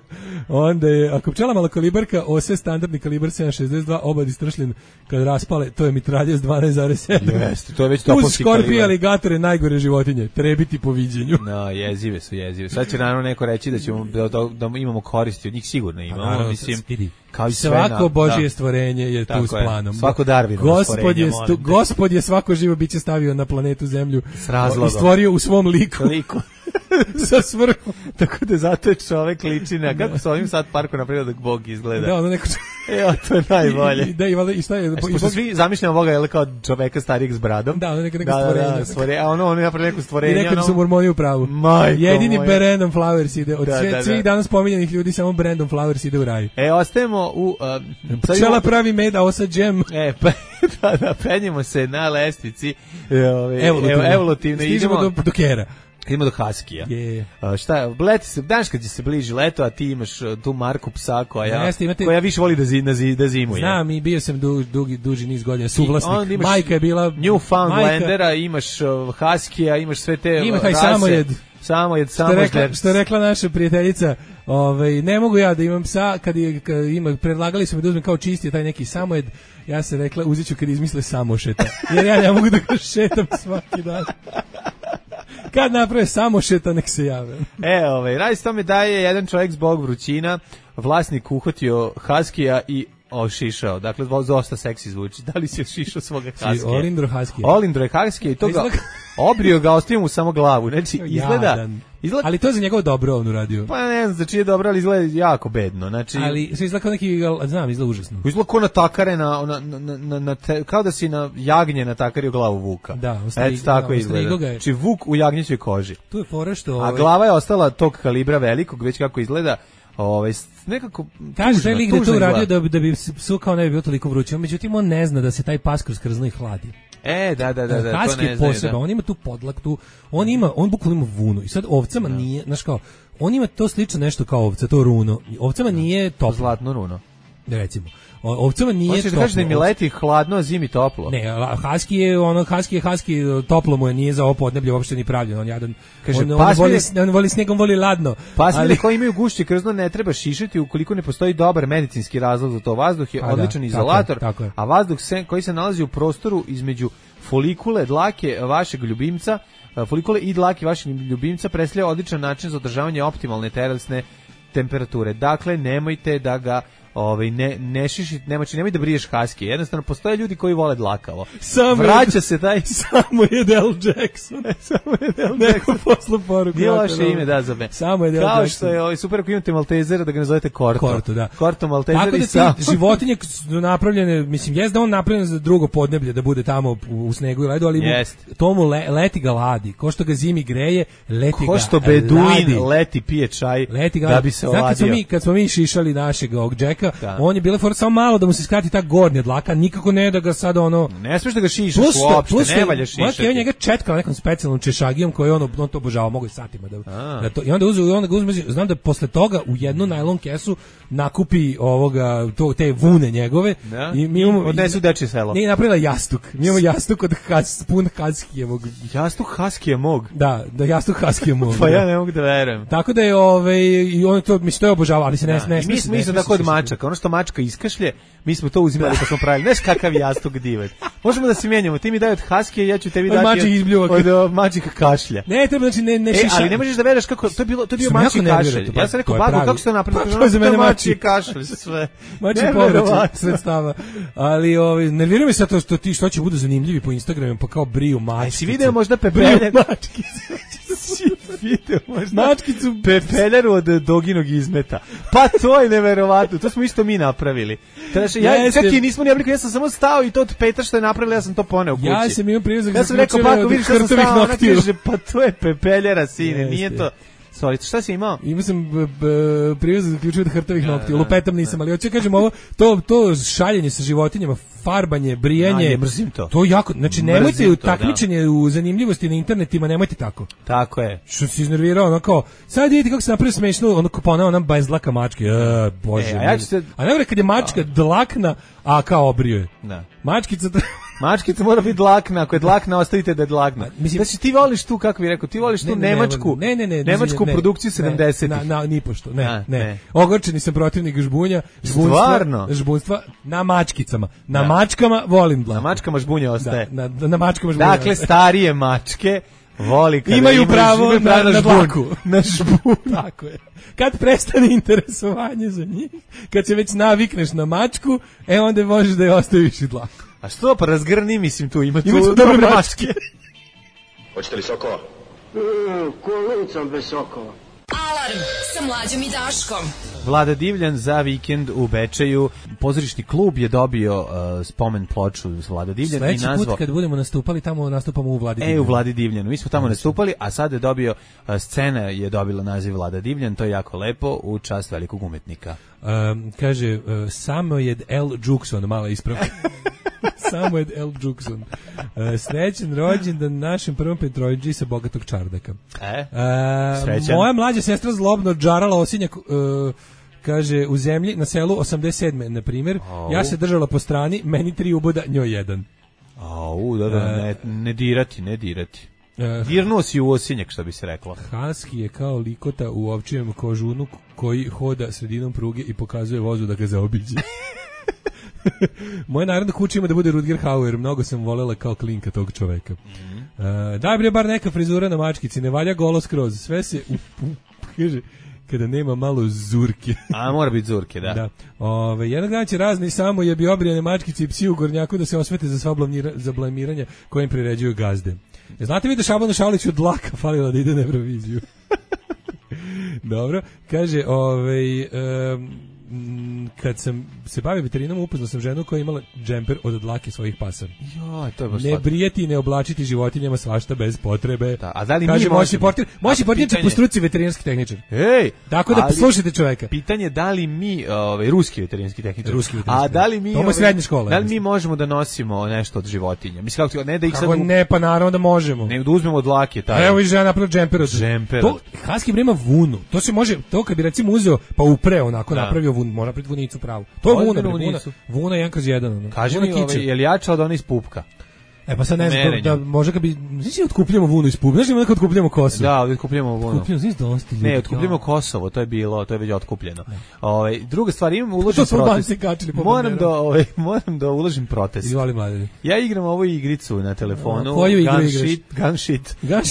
Onda je, ako pčela malo kalibarka, ose standardni kalibar sedam šezdeset dva, obadi stršljen kad raspale, to je mitraljez dvanaest zarez sedam. Jeste, to je već topovski kalibar. Uz škorpije, aligatore, najgore životinje, trebiti po viđenju. No, jezive su, jezive. Sad će naravno neko reći da ćemo da, da, da imamo koristi od njih, sigurno imamo, naravno, mislim. Stidi. Kao i svako na, Božje da. stvorenje je Tako tu s planom. Je. Svako Darwinovo Gospod stvorenje. Je stu, gospod je svako živo biće stavio na planetu Zemlju s razlogom. I stvorio u svom liku. liku. Sa svrhom. Tako da zato je čovek liči na kako sa ovim sad parku napravio da Bog izgleda. Da, ono neko... Evo, to je najbolje. I, da, i, i šta je... E, i Bog... svi zamišljamo Boga je kao čoveka starijeg s bradom. Da, ono neko, neko da, stvorenje. Da, da, stvore, a ono, ono je napravio neko stvorenje. I rekao da su mormoni u pravu. Majko jedini moja. Brandon Flowers ide. Od da, sve, da, da. svih danas pominjanih ljudi, samo Brandon Flowers ide u raj. E, ostajemo u... Uh, Pčela imamo... pravi med, a osa džem. E, pa, da, da, penjemo se na lestvici. Ove, evolutivno. Evolutivno. Stižemo idemo do, do kera. Idemo do Haskija. Yeah. Uh, šta je, leti se, danas kad se bliži leto, a ti imaš uh, tu marku psa koja, Jeste, imate... koja više voli da, zi, da, zi, da zimuje. Znam, i bio sam du, dugi, duži niz godina suvlasnik. Imaš majka je bila... Newfoundlandera, majka... imaš uh, Haskija, imaš sve te ima uh, taj rase. samojed. Samojed, samojed. Što rekla, što rekla naša prijateljica, ovaj, ne mogu ja da imam psa, kad, je, kad ima, predlagali su mi da uzmem kao čisti taj neki samojed, ja se rekla, uzet ću kad izmisle samošeta. Jer ja ne mogu da ga šetam svaki dan. Kad naprave samošeta, nek se jave. E, ovaj, radi se tome da je jedan čovjek zbog vrućina, vlasnik uhvatio Haskija i ošišao. Dakle, dosta seksi zvuči. Da li si ošišao svoga Haskija? Olindro Haskija. Olindro je Haskija i to ga obrio ga, ostavio mu samo glavu. Znači, izgleda... Izgleda... Ali to je za njegovo dobro on uradio. Pa ne znam, znači je dobro, ali izgleda jako bedno. Znači... Ali se izgleda kao neki, znam, izgleda užasno. Izgleda kao na takare, na, na, na, na, na te, kao da si na jagnje natakario glavu vuka. Da, ostavi, Eto tako da, izgleda. Znači vuk u jagnjećoj koži. Tu je fora što... A glava je ostala tog kalibra velikog, već kako izgleda. Ovaj nekako kaže taj lik da to uradio da, da bi psu kao ne bi bilo toliko vruće, međutim on ne zna da se taj pas kroz krzno i hladi. E, da, da, da, da, Haski to ne zna. Posebno, on ima tu podlak, tu, on ima, on bukvalno ima vunu. I sad ovcama da. nije, znaš kao, on ima to slično nešto kao ovca, to runo. Ovcama nije toplo. Zlatno runo. Recimo. Ovcama nije Hoćeš toplo. da kažeš da mi leti hladno, a zimi toplo? Ne, Haski je ono Haski je Haski, toplo mu je, nije za ovo podneblje uopšte ni pravljeno. On jadan. Kaže, on, on, voli, on voli snegom, voli ladno. Pasmine koji imaju gušće krzno ne treba šišati ukoliko ne postoji dobar medicinski razlog za to. Vazduh je a odličan da, izolator, tako je, tako je. A vazduh se, koji se nalazi u prostoru između folikule dlake vašeg ljubimca, folikule i dlake vašeg ljubimca predstavlja odličan način za održavanje optimalne telesne temperature. Dakle, nemojte da ga ovaj ne ne šišit, nemoj, nemoj da briješ Haski. Jednostavno postoje ljudi koji vole dlakavo. Samo vraća je, se taj samo je Del Jackson. samo je Del Neko poslu poruku. Nije loše ime da za me. Samo je Del Kao Jackson. što je ovaj super ako imate Maltezera da ga nazovete Korto. Korto, da. Korto Maltezer. Tako da i sam. životinje su napravljene, mislim jest da on napravljen za drugo podneblje da bude tamo u, u snegu i ledu, ali mu, tomu le, leti ga ladi. Ko što ga zimi greje, leti Ko ga što beduin ladi. leti pije čaj leti ga, da bi se oladio. Kad smo mi kad smo mi šišali našeg ovog Džeka, on je bila for samo malo da mu se skrati ta gornja dlaka, nikako ne da ga sad ono ne smiješ da ga šišaš uopšte, ne valja šišati. On njega četkao nekom specijalnom češagijom koji on, on to obožavao, mogu i satima da, da to, i onda uzu, i onda ga uzme, znam da posle toga u jednu najlon kesu nakupi ovoga to, te vune njegove da? I mi imamo odnesu dečje selo. Nije napravila jastuk. Mi imamo jastuk od has, pun Haskijevog. Jastuk Haskijevog. Da, da jastuk Haskijevog. Pa ja ne mogu da verujem. Tako da je ovaj i on to mi što je obožavao, ali se ne ne. Mi smo isto tako od mačaka, ono što mačka iskašlje, mi smo to uzimali kad smo pravili. Znaš kakav jastuk divan. Možemo da se mijenjamo. Ti mi daj od Haskija, ja ću tebi dati od, od mačika kašlja. Ne, treba znači ne ne šiša. E, ali ne možeš da veruješ kako to je bilo, to je bio mačji kašalj. Ja sam rekao bago kako ste to napravili? To je za mene mačji kašalj sve. Mačji povraćaj sredstava. Ali ovaj nervira me sad to što ti što će budu zanimljivi po Instagramu, pa kao briju mačkice. Jesi video možda pepeljer mačkice? Video možda mačkicu pepeljeru od doginog izmeta. Pa to je neverovatno. To smo isto mi napravili. Znači ja čak i nismo ni oblikovali, ja sam samo stao i to od Petra što je napravila, ja sam to poneo kući. Ja sam imao prilazak. Ja sam rekao pa ako vidiš što sam stao, ona kaže pa to je pepeljera sine, nije to. Sorry, šta si imao? Imao sam privez za ključeve od hrtavih noktiju. Lupetam nisam, ali hoću kažem ovo, to, to šaljenje sa životinjama, farbanje, brijanje. Ja, mrzim to. To jako, znači nemojte u takmičenje u zanimljivosti na internetima, nemojte tako. Tako je. Što se iznervirao, ono kao, sad vidite kako se napravio smešno, ono kao pa ona, ona bez dlaka mačke, e, bože. E, a ja ću se... A ne kad je mačka dlakna, a kao obrio je. Da. Mačkica... Mačkica mora biti dlakna, ako je dlakna, ostavite da je dlakna. Mislim, znači ti voliš tu, kako bih rekao, ti voliš tu ne, ne, nemačku, ne, ne, ne, nemačku ne, produkciju sedamdesetih. Na, na, ni pošto, ne, a, ne, ne. Ogorčeni sam protivnik žbunja, žbunstva, žbunstva na mačkicama. Na da. mačkama volim dlaku. Na mačkama žbunja ostaje. Da, na, na mačkama žbunja Dakle, ostaje. starije mačke voli kada imaju pravo imaju na, na, na dlaku. Na žbun. Tako je. Kad prestane interesovanje za njih, kad se već navikneš na mačku, e onda možeš da je ostaviš i dlaku. A što, pa razgrni, mislim, tu ima tu ima dobre mačke. mačke. Hoćete li sokova? Mm, kolicom bez sokova. Alarm sa Mlađom i Daškom. Vlada Divljan za vikend u Bečeju. Pozorišni klub je dobio uh, spomen ploču za Vlada Divljan. Sljedeći i nazvao... put kad budemo nastupali tamo, nastupamo u Vladi Divljan. E, u Vladi Divljanu. Mi smo tamo nastupali, a sad je dobio, uh, scena je dobila naziv Vlada Divljan, to je jako lepo, u čast velikog umetnika. Um, kaže, uh, Samoed L. Jukson, mala ispravka. Samoed L. Jukson. Uh, srećan rođendan našem prvom Petroviđi sa bogatog čardaka. E, uh, srećan. Moja mlađa sestra zlobno džarala osinjak, uh, kaže, u zemlji, na selu osamdeset sedme na primjer, oh. ja se držala po strani, meni tri uboda, njoj jedan. Au, da, da, uh, ne, ne dirati, ne dirati. Uh, Dirnuo si u osinjak, što bi se reklo. Husky je kao likota u ovčijem kožunu koji hoda sredinom pruge i pokazuje vozu da ga zaobiđe. Moje naravno kuće ima da bude Rutger Hauer, mnogo sam volela kao klinka tog čoveka. Mm-hmm. Uh, daj bre bar neka frizura na mačkici, ne valja golo skroz, sve se u, u, kaže, kada nema malo zurke. A mora biti zurke, da. Da. Ove, jednog dana će razni samo jebi obrijane mačkice i psi u Gornjaku da se osvete za sva blamira, za blamiranja kojim priređuju gazde. E, znate vi da Šabanu Šaliću od dlaka falila da ide na Euroviziju? Dobro, kaže, ovaj um, kad sam se bavio veterinom, upoznao sam ženu koja je imala džemper od dlake svojih pasa. Jo, to je baš ne brijeti i ne oblačiti životinjama svašta bez potrebe. Da, a da li kaže, mi možemo? Portir, moći portir po struci veterinarski tehničar. Ej, tako da poslušajte čoveka. Pitanje da li mi, ovaj ruski veterinarski tehničar. Ruski veterinarski. A da li mi, to je srednja škola. Da li mi možemo da nosimo nešto od životinja? Mislim kako ne da ih kako sad ne, pa naravno da možemo. Ne da uzmemo od dlake taj. Evo i žena napravila džemper od džemper. To Husky brema vunu. To se može, to kad bi recimo uzeo pa upreo onako da. Napravio vun, mora napraviti vunicu pravu. To je vuna, vuna, vuna jedan kroz jedan. Ono. Kaži mi, ovaj, je li jača od one iz pupka? E pa sad ne znam, da može kad bi, znači otkupljamo vunu iz pupka, znači da otkupljamo Kosovo. Da, otkupljamo vunu. Otkupljamo, znači dosta ljudi. Ne, otkupljamo Kosovo, to je bilo, to je već otkupljeno. Ovaj druga stvar, imam uložen protest. Moram da, ovaj, moram da uložim protest. Izvoli mladine. Ja igram ovu igricu na telefonu. Koju igru igraš? Gun shit. Gun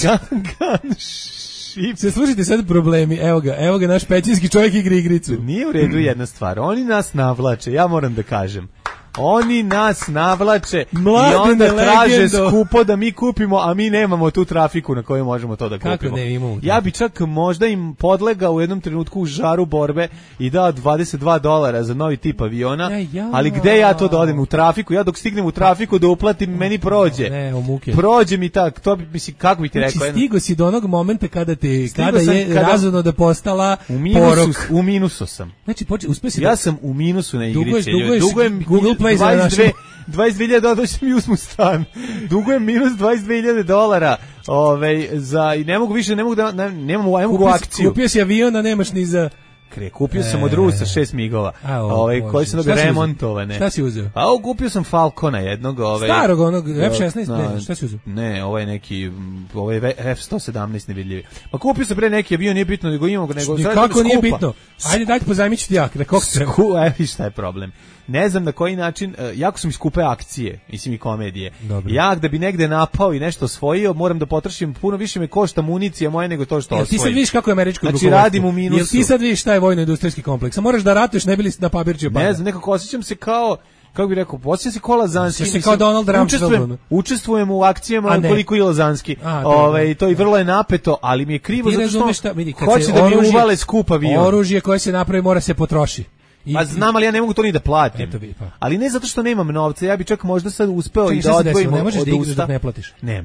shit. Se slušajte sad problemi, evo ga, evo ga naš pećinski čovjek igra igricu. Nije u redu jedna stvar, oni nas navlače, ja moram da kažem. Oni nas navlače Mladine, i onda traže legendo. skupo da mi kupimo, a mi nemamo tu trafiku na kojoj možemo to da kupimo. Kako ne, imamo. Ja bi čak možda im podlegao u jednom trenutku u žaru borbe i dao dvadeset dva dolara za novi tip aviona, ja, ja. Ali gde ja to da odem u trafiku? Ja dok stignem u trafiku da uplatim, meni prođe. Ne, o muke. Prođe mi tak, to bi, mislim, kako bi ti rekao? Znači, stigo si do onog momenta kada te, kada je kada, razumno da postala u minusu, porok. U minusu sam. Znači, poče, uspio si ja da... sam u minusu na igrice. Duguješ, duguješ Google Play za našem... dvadeset dve hiljade dolara mi uzmu stan. Dugujem minus dvadeset dve hiljade dolara. Ovaj za i ne mogu više, ne mogu da ne, nemamo ne mogu akciju. Kupio si avion, a nemaš ni za Kre, kupio sam od Rusa šest migova, ovaj koji su dobro remontovane. Šta si uzeo? A kupio sam Falcona jednog, ovaj starog onog F šesnaest, ne, šta si uzeo? Ne, ovaj neki, ovaj F sto sedamnaest nevidljivi. Pa kupio sam pre neki avion, nije bitno nego imamo nego sad kako nije bitno. Ajde dajte pozajmiću ti jak, da kako se. Evo šta je problem. Ne znam na koji način, uh, jako su mi skupe akcije, mislim i komedije. Dobro. Ja da bi negde napao i nešto osvojio, moram da potrošim, puno više me košta municija moja nego to što osvojim. Jel ti sad vidiš kako je američko rukovodstvo? Znači radim u minusu. Jel ti sad vidiš šta je vojno-industrijski kompleks? A moraš da ratuješ, ne bili na papirčiju pada. Ne znam, nekako osjećam se kao, kako bih rekao, osjećam se kao Lazanski. Osjećam se kao Donald Rumsfeld. Učestvujem, učestvujem u akcijama koliko i Lazanski. Ove, to i vrlo je napeto, ali mi je krivo ti zato što šta, vidi, hoće da mi uvale skup avion. Oružje koje se napravi mora se potroši. I, pa znam, ali ja ne mogu to ni da platim. Eto bi, pa. Ali ne zato što nemam novca, ja bi čak možda sad uspeo Čekaj, i da odvojim ne možeš od da igraš usta. dok ne platiš. Ne,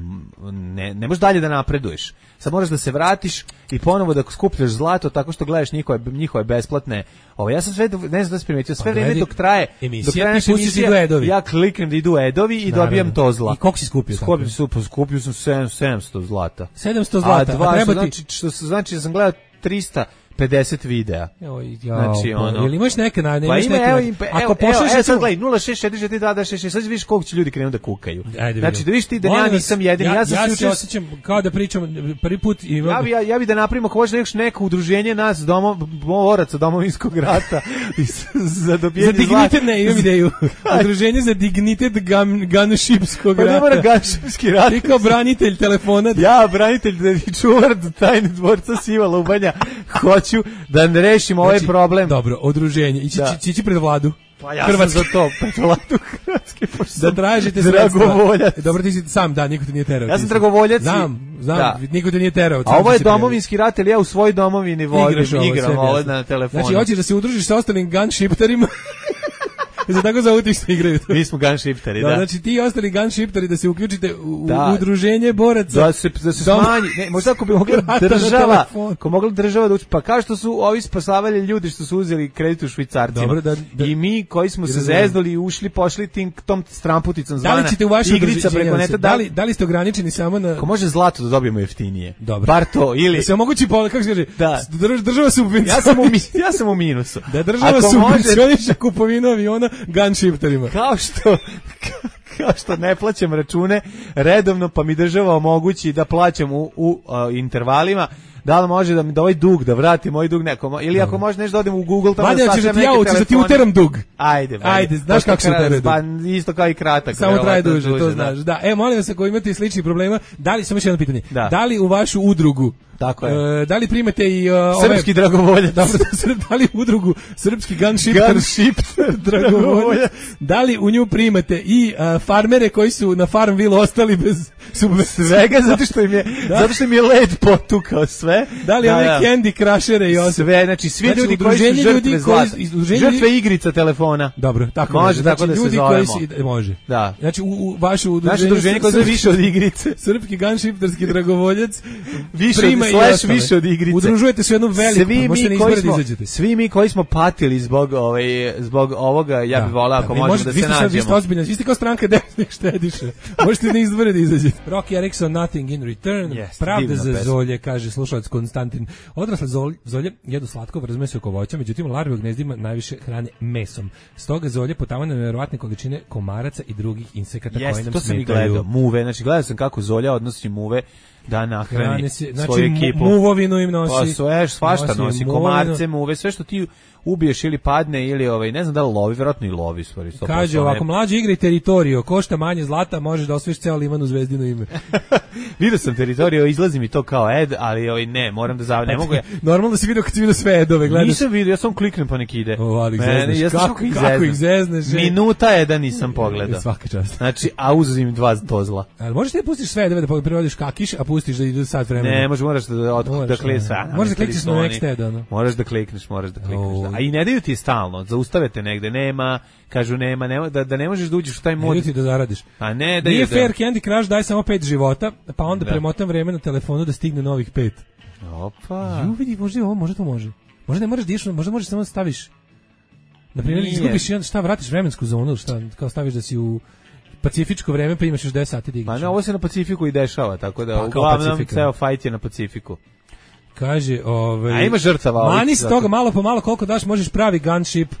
ne, ne možeš dalje da napreduješ. Sad moraš da se vratiš i ponovo da skupljaš zlato tako što gledaš njihove, njihove besplatne. Ovo, ja sam sve, ne znam da se primetio, sve pa, vreme dok traje, emisija, dok traje naša emisija, ja kliknem da idu edovi i naravno, dobijam to zla. I koliko si skupio? Skupio, super, skupio sam sedamsto zlata. sedamsto zlata, a, dva, a treba ti... Znači, što, znači da sam gledao trista pedeset videa. Joj, znači, jao, ono... Jel imaš neke na... Ne, pa imaš ima, neke evo, na... Im, Ako pošleš... Evo, sad gledaj, nula šest četiri četiri dva dva šest šest, sad vidiš koliko će ljudi krenu da kukaju. Ajde, znači, da vidiš ti da ja nisam jedini. Ja, ja, sam ja se učest... osjećam kao da pričam prvi put... I... Ja bi, ja, ja bi da napravimo, ako možeš neko udruženje nas, domo, boraca domovinskog rata, za dobijanje zlata. Za dignitet, ne, imam ideju. Udruženje za dignitet gunshipskog rata. Pa ne mora gunshipski rat. Ti kao branitelj telefona. Ja, branitelj i čuvar tajne dvorca Siva Lubanja, hoću da rešimo ovaj problem. Dobro, udruženje. Ići, da. Ići pred vladu. Pa ja Hrvatske. sam za to, pred vladu Hrvatske. Da tražite dragovoljac. Dobro, ti si sam, da, niko te nije terao. Ja sam dragovoljac. Znam, znam, da. Niko te nije terao. A ovo je domovinski rat, ali ja u svojoj domovini volim, igram ovo na telefonu. Znači, hoćeš da se udružiš sa ostalim gunshipterima? Za tako za utište igraju. Mi smo gunshifteri, da. da. Znači ti i ostali gunshifteri da se uključite u, da. u udruženje boraca. Da se, da se smanji. Ne, možda ako bi mogla država, ako mogla država da uči, pa kao što su ovi spasavali ljudi što su uzeli kredit u švicarcima. Dobro, da, da, I mi koji smo se zeznuli i ušli, pošli tim tom stramputicom zvana. Da li ćete u vašu igrica preko neta, da li, da li ste ograničeni samo na... Ako može zlato da dobijemo jeftinije. Dobro. Bar to, ili... Da se omogući, kako se kaže, da. država subvencioniše. Ja sam u, ja sam u minusu. Da država subvencioniše kupovinu aviona gunshifterima. Kao što kao što ne plaćam račune redovno, pa mi država omogući da plaćam u, u uh, intervalima, da li može da mi da ovaj dug, da vratim ovaj dug nekom, ili ako može nešto da odem u Google, tamo da sačem neke telefone. Da ti uteram dug. Ajde, ajde, znaš kako se utere dug. Pa isto kao i kratak. Samo traje duže, duže, to znaš. Da. da, e, molim vas, ako imate sličnih problema, da li, samo još jedno pitanje, da, da li u vašu udrugu tako je. Uh, da li primete i uh, srpski ove... dragovoljac? Dobro, da li u udrugu srpski gunshipter, gunshipter dragovoljac? Da li u nju primate i uh, farmere koji su na Farmville ostali bez subvencija? Svega, zato što im je, da. zato što im je led potukao sve. Da li da, ove da. Candy Crushere i ostalo? Sve, znači svi znači, ljudi koji su žrtve ljudi zlata. Koji, žrtve igrica telefona. Dobro, tako može, znači, tako da ljudi se zovemo. Koji si, može. Da. Znači u, u vašu udruženje, naše udruženje koje je više od igrice. Srpski gunshipterski dragovoljac više prima od, slash više od igrice. Udružujete se u jednu veliku, svi možete mi koji smo, svi mi koji smo patili zbog ovaj zbog ovoga, ja bih voleo ako možemo da se nađemo. Vi ste ozbiljni, vi ste kao stranka desnih štediše. Možete da izbore da izađete. Rocky Erickson, Nothing in Return. Yes, pravda za pesma. Zolje, kaže slušalac Konstantin. Odrasle zolje jedu slatko, razumije se oko voća, međutim larve u gnezdima najviše hrane mesom. Stoga zolje potavane na nevjerovatne količine komaraca i drugih insekata yes, koji nam to smetaju. To sam i gledao, muve, znači gledao sam kako zolja odnosi muve da nahrani si, znači, svoju ekipu. Muvovinu im nosi. Pa sve, svašta nosi, nosi komarce, muve, sve što ti ubiješ ili padne ili ovaj ne znam da li lovi, vjerojatno i lovi stvari. Kaže ovako, mlađi igra i Teritoriju, košta manje zlata, možeš da osvojiš ceo liman u Zvezdino ime. Vidio sam Teritoriju, izlazi mi to kao ed, ali ovaj ne, moram da zav, ne mogu ja. Normalno da si vidio kad si vidio sve edove, gledaš. Nisam vidio, ja sam kliknem pa nek ide. O, ali zezneš, ja kako, ih kako ih zezneš. Minuta je da nisam pogledao. Svaka čast. Znači, a uzim dva tozla. Ali možeš ti pustiš sve edove da prevodiš kakiš, a pustiš da ide sad vremena. Ne, možeš moraš da od da klikneš. Možeš da klikneš na next ed, ono. Možeš da klikneš, možeš da klikneš. A i ne daju ti stalno, zaustavete negde, nema, kažu nema, nema da, da ne možeš da uđeš u taj mod. Ne da zaradiš. A ne, da nije je fair, da... Candy Crush daj samo pet života, pa onda da. Premotam vreme na telefonu da stigne novih pet. Opa. Ju vidi, možda ovo, možda to može. Možda ne moraš da ideš, možda možeš samo da staviš. Na primjer, izgubiš jedan, šta, vratiš vremensku zonu, šta, kao staviš da si u pacifičko vreme, pa imaš još deset sati da igraš. Pa ne, ovo se na Pacifiku i dešava, tako da pa, uglavnom ceo fight je na Pacifiku. Kaže, ovaj, a ima žrtava. Mani se toga malo po malo koliko daš, možeš pravi gunship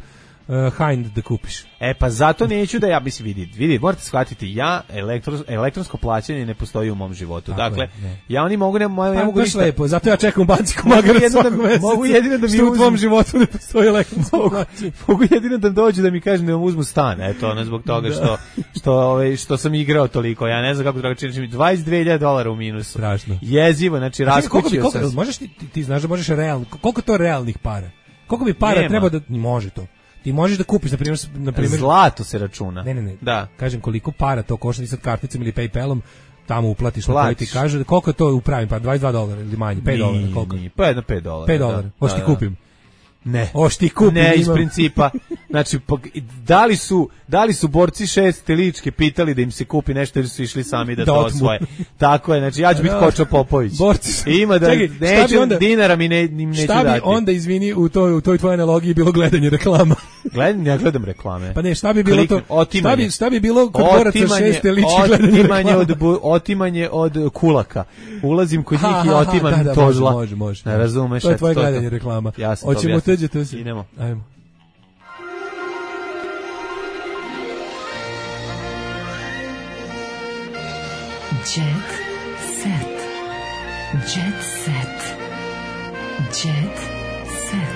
uh, Hind da kupiš. E pa zato neću da ja mislim vidi, vidi, morate shvatiti, ja elektro, elektronsko plaćanje ne postoji u mom životu. Tako dakle, je, ja oni mogu ne, mogu, pa, ne mogu ništa. Lepo, zato ja čekam u banci komagara svakog meseca. Mogu jedino da mi u tvom životu ne postoji elektronsko plaćanje. Mogu jedino da dođe da mi kaže da vam uzmu stan, eto, ono zbog toga što što ovaj što sam igrao toliko. Ja ne znam kako da čini mi dvadeset dve hiljade dolara u minusu. Strašno. Jezivo, znači raskućio sam. Možeš ti, ti znaš da možeš realno, koliko to realnih para? Koliko bi para Nema. treba da može to? Ti možeš da kupiš, na primjer, na primjer zlato se računa. Ne, ne, ne. Da. Kažem koliko para to košta, ti sad karticom ili PayPalom tamo uplatiš na koji ti kaže, koliko je to u pravim, pa dvadeset dva dolara ili manje, pet dolara, koliko? Ni, pa jedno pet dolara. pet dolara. Hoćeš ti kupim. Ne. O, što ti kupim, ne, iz imam. principa. Znači, da li su, da li su borci šeste ličke pitali da im se kupi nešto ili su išli sami da, da to osvoje. Tako je, znači ja ću biti Kočo Popović. Borci. Ima da Čekaj, neću, onda, dinara mi ne, im neću dati. Šta bi onda, izvini, u toj, u toj tvojoj analogiji bilo gledanje reklama? Gledanje, ja gledam reklame. Pa ne, šta bi bilo Kliknem, to? Otimanje. Šta bi, šta bi bilo kod boraca šeste ličke gledanje otimanje reklama? Od, otimanje od kulaka. Ulazim kod njih i otimam da, da, to zla. Može, može. Ne razumeš. To je tvoje gledanje reklama. Ja sam Hoćemo tuđete se. Idemo. Ajmo. Jet set. Jet set. Jet set.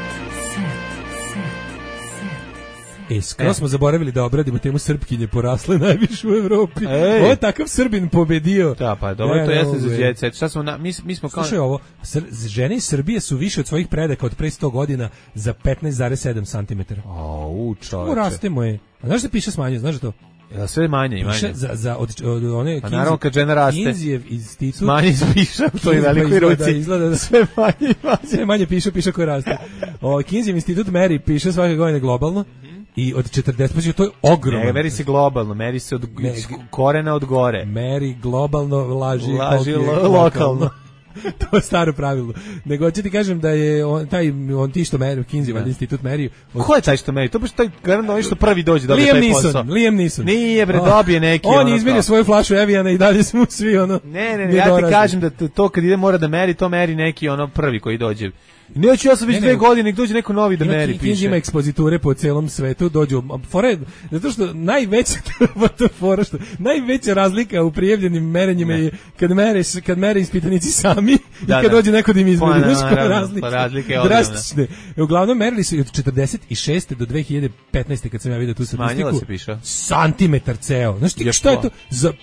E, skoro smo zaboravili da obradimo temu Srpkinje porasle najviše u Evropi. Ej. Ovo je takav Srbin pobedio. Da, pa dobro, ne, to jeste za jet set. Šta smo na, mi, mi smo kao... Slušaj ovo, sr, žene iz Srbije su više od svojih predaka od pre sto godina za petnaest zarez sedam centimetara. Au, čoveče. Rastemo je. A znaš da piše smanjuje, znaš da to? Ja, sve manje i manje. Piše za, za od, od one... Pa naravno kad žena raste. Kinzijev institut... Manje piše u toj velikoj ruci. Izgleda da sve manje i manje. Sve manje piše, piše koji raste. O, Kinzijev institut meri, piše svake godine globalno. I od četrdeset, pa to je ogromno. Ne, meri se globalno, meri se od ne, korena od gore. Meri globalno, laži, laži lo, lokalno. lokalno. To je staro pravilo. Nego ću ti kažem da je on, taj, on ti što meri, Kinsey institut meri. Od... Ko je taj što meri? To baš taj garantno što prvi dođe da dobije taj posao. Liam Neeson. Nije bre, dobije neki. On je izmerio svoju flašu Eviana i dalje smo svi ono. Ne, ne, ne, ja ti kažem da to kad ide mora da meri, to meri neki ono prvi koji dođe. Neću, ja sam već ne, dve ne, godine, nek dođe neko novi da meri, piše. Kinzi ima ekspoziture po celom svetu, dođu, fore, zato što najveća, fora što, najveća razlika u prijavljenim merenjima je kad mere, kad mere ispitanici sami da, i kad da. dođe neko da im izmeri. Pa, na, razlika, pa razlika je drastične. Uglavnom merili su od četrdeset šeste do dve hiljade petnaeste kad sam ja vidio tu statistiku. Se piše. Santimetar ceo. Znaš ti šta je to za...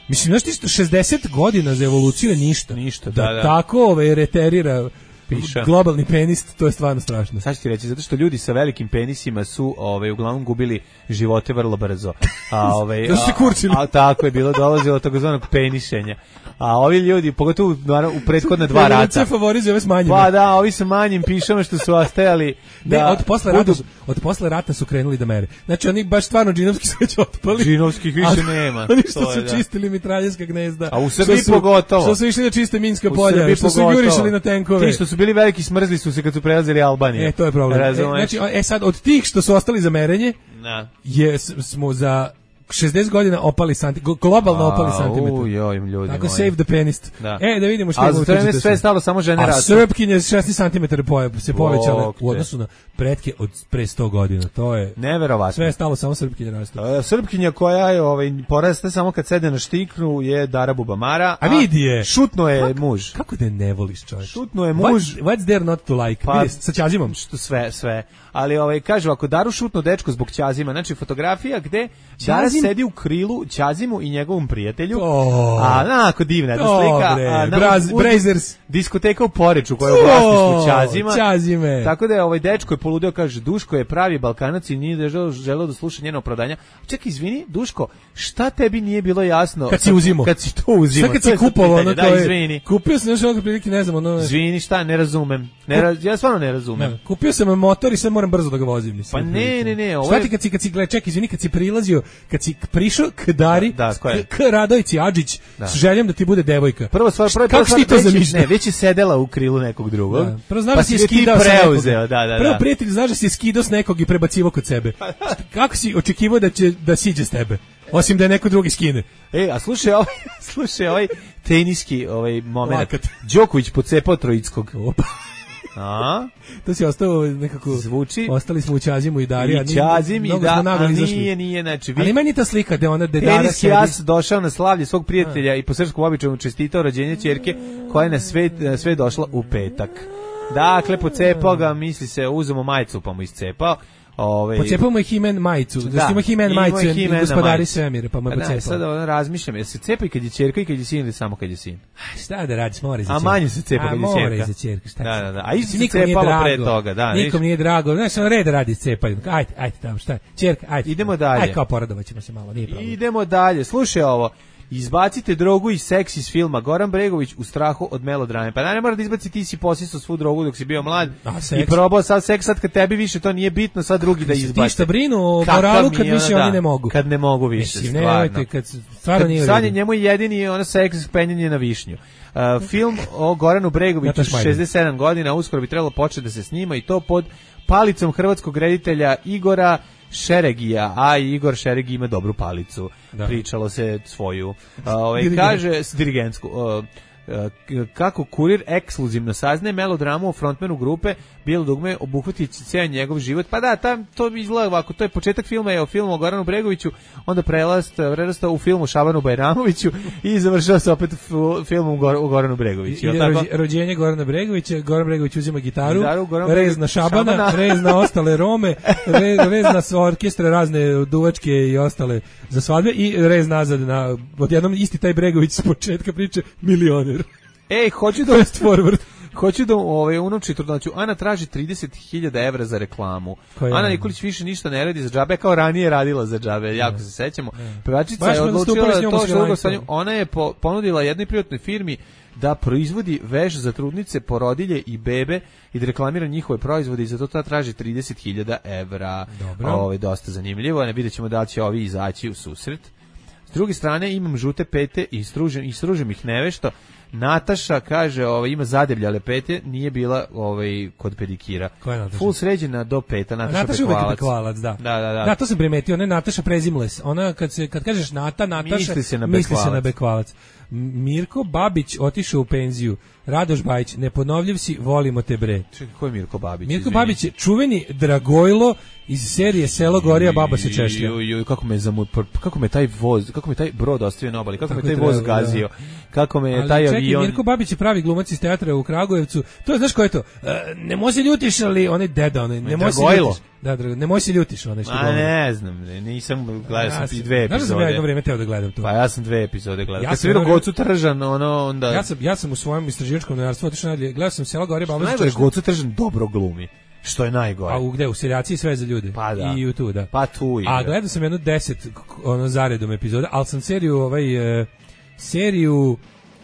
Mislim, znaš ti šezdeset godina za evoluciju je ništa. Ništa, da, da. da. Tako ove reterira piša. Globalni penis, to je stvarno strašno. Sad ću ti reći, zato što ljudi sa velikim penisima su ovaj, uglavnom gubili živote vrlo brzo. A, ovaj, da su se kurčili. A, a, tako je bilo, dolazilo takozvanog penišenja. A ovi ljudi, pogotovo u prethodna dva rata. Se favorizuje ove s manjim. Pa da, ovi sa manjim pišama što su ostajali. Da, ne, od posle budu... rata, od posle rata su krenuli da mere. Znači oni baš stvarno džinovski su već otpali. Džinovskih više nema. Oni što su da. čistili mitraljska gnezda. A u Srbiji pogotovo. Što su išli da čiste minska polja, što su jurišali na tenkove. Ti što su bili veliki smrzli su se kad su prelazili Albaniju. E, to je problem. E, znači, e sad, od tih što su ostali za merenje, da. je, smo za šezdeset godina opali santimetar, globalno A, opali santimetar. U, joj, ljudi Tako moji. save the penis. Da. E, da vidimo što je. A za to sve stalo samo žene rastu. A Srpkinje šesnaest centimetara se povećale u odnosu na pretke od pre sto godina. To je neverovatno. Sve je stalo samo Srpkinje rastu. A, Srpkinja koja je ovaj poraste samo kad sede na štiknu je Dara Bubamara. A, a vidi je. Šutno je kako, muž. Kako da ne voliš, čovjek? Šutno je muž. What's, what's there not to like? Pa, vidi, sa Ćazimom. Što sve, sve. Ali ovaj kaže ako Daru šutno dečko zbog Ćazima, znači fotografija gde Dara sedi u krilu Ćazimu i njegovom prijatelju. Oh. A onako divna je slika. A, na, Braz, u, Brazers. Diskoteka u Poreču koja je u vlasništvu Ćazima. Ćazime. Tako da je ovaj dečko je poludeo, kaže Duško je pravi Balkanac i nije želeo, želeo da sluša njeno opravdanja. Čekaj, izvini, Duško, šta tebi nije bilo jasno? Kad si uzimo. Kad si to uzimo. Šta kad si kupovao ono da, to je. Izvini. Kupio sam nešto prilike, ne znam, ono. Izvini, šta, ne razumem. Ne raz, ja stvarno ne razumem. Ne, kupio sam motor i sad moram brzo da ga vozim. Pa ne, ne, ne. Šta ti kad si, kad si, gledaj, čekaj, izvini, kad si prilazio, kad si prišao k Dari, da, da, k, k Radojci Adžić, da. s željom da ti bude devojka. Prvo stvar, prvo kako si to zamišljao? Ne, već je sedela u krilu nekog drugog. Da. Prvo znaš pa da si skidao preuzeo, da, da, da. Prvo prijatelj, znaš da si skidao s nekog i prebacivo kod sebe. Kako si očekivao da će da siđe s tebe? Osim da je neko drugi skine. E, a slušaj ovaj, slušaj ovaj teniski ovaj moment. Đoković pocepao Trojickog. Opa. A? To si ostao nekako zvuči. Ostali smo u Ćazimu i Darija. I Ćazim i da, a nije, nije, znači. Ali meni ta slika da ona da Dara teniski sedi. As došao na slavlje svog prijatelja a. i po srpskom običaju čestitao rođenje ćerke koja je na sve, na sve došla u petak. Dakle, pocepao ga, misli se, uzemo majicu pa mu iscepao. Ove, pocepao mu je He-Man majicu, da, da ima He-Man majicu i gospodari svemira, pa mu je pocepao. Sad ono razmišljam, jel se cepa i kad je ćerka i kad je sin ili samo kad je sin? Šta da radiš, mora i za ćerka. A manje se cepa kad je ćerka. A mora i za ćerka, šta da, da, da. A isto se cepalo pre toga. Da, nikom nije drago, znaš, on red radi cepaju. Ajde, ajde tamo, šta je, ćerka, ajde. Idemo dalje. Ajde, kao poradovat ćemo se malo, nije problem. Idemo dalje, slušaj ovo. Izbacite drogu i seks iz filma. Goran Bregović u strahu od melodrame. Pa ne mora da izbaci, ti si posisao svu drogu dok si bio mlad i probao sad seks, sad kad tebi više to nije bitno, sad drugi da izbaci. Ti šta brinu o moralu kad više oni ne mogu. Kad ne mogu više, Mislim, stvarno. Ne, kad stvarno nije. Sad je njemu jedini ono seks penjanje na višnju. Uh, film o Goranu Bregoviću, šezdeset sedam godina, uskoro bi trebalo početi da se snima i to pod palicom hrvatskog reditelja Igora Šeregija, a Igor Šeregi ima dobru palicu. Da. Pričalo se svoju. Uh, ovaj, kaže, dirigentsku. Uh, kako kurir ekskluzivno saznaje melodramu o frontmenu grupe Bilo dugme obuhvati ceo njegov život. Pa da, tam to izgleda ovako, to je početak filma, je o filmu o Goranu Bregoviću, onda prelast, prelasta u filmu Šabanu Bajramoviću i završava se opet u filmu o Goranu Bregoviću. I, tako? Rođenje Gorana Bregovića, Goran Bregović uzima gitaru, gitaru rez na Šabana, Šabana. rez na ostale Rome, rez, rez na orkestre razne duvačke i ostale za svadbe i rez nazad na, odjednom isti taj Bregović s početka priče milioner. Ej, hoću da fast forward. Hoću da ovaj unuči trudnoću. Ana traži trideset hiljada evra za reklamu. Ana Nikolić više ništa ne radi za džabe, kao ranije radila za džabe, jako se sećamo. Pevačica je odlučila da to što dugo stanju. Ona je po, ponudila jednoj privatnoj firmi da proizvodi veš za trudnice, porodilje i bebe i da reklamira njihove proizvode i zato ta traži trideset hiljada evra. Ovo je dosta zanimljivo. Ne vidjet ćemo da će ovi izaći u susret. S druge strane imam žute pete i stružem, i stružem ih nevešto. Nataša kaže, ovaj ima zadebljale pete, nije bila ovaj kod pedikira. Koja je Nataša? Full sređena do peta, Nataša, Nataša Bekvalac. Bekvalac, da. Da, da, da. Da, to sam primetio, ne Nataša Prezimles. Ona kad se kad kažeš Nata, Nataša, misli se na misli Bekvalac. Se na Bekvalac. Mirko Babić otišao u penziju. Radoš Bajić, neponovljiv si, volimo te bre. Čekaj, ko je Mirko Babić? Mirko izvini. Babić je čuveni Dragojlo iz serije Selo Gorija, baba se češlja. Joj, joj, kako me zamu, kako me taj voz, kako me taj brod ostavio na obali, kako Tako me taj treba, voz gazio, da. Kako me ali taj čekaj, avion. Mirko Babić je pravi glumac iz teatra u Kragujevcu. To je, znaš ko je to? Uh, ne može ljutiš, ali onaj deda, onaj, ne može ljutiš. Da, drago, ne može se ljutiš, onaj što A ne znam, nisam gledao sam ja, dve epizode. Znaš da sam ja jedno vrijeme teo da gledam to. Pa ja sam dve epizode gledao. Ja Kad sam vidio Gocu Tržan, ono onda Ja sam ja sam u svojem istraživačkom novinarstvu otišao na gledao sam Selo Gorija, baba se češlja. Gocu Tržan dobro glumi. Što je najgore. A u gde? U Seljaci i sve za ljude. Pa da. I u tu, da. Pa tu i. A gledao sam jedno deset ono zaredom epizoda, ali sam seriju ovaj uh, seriju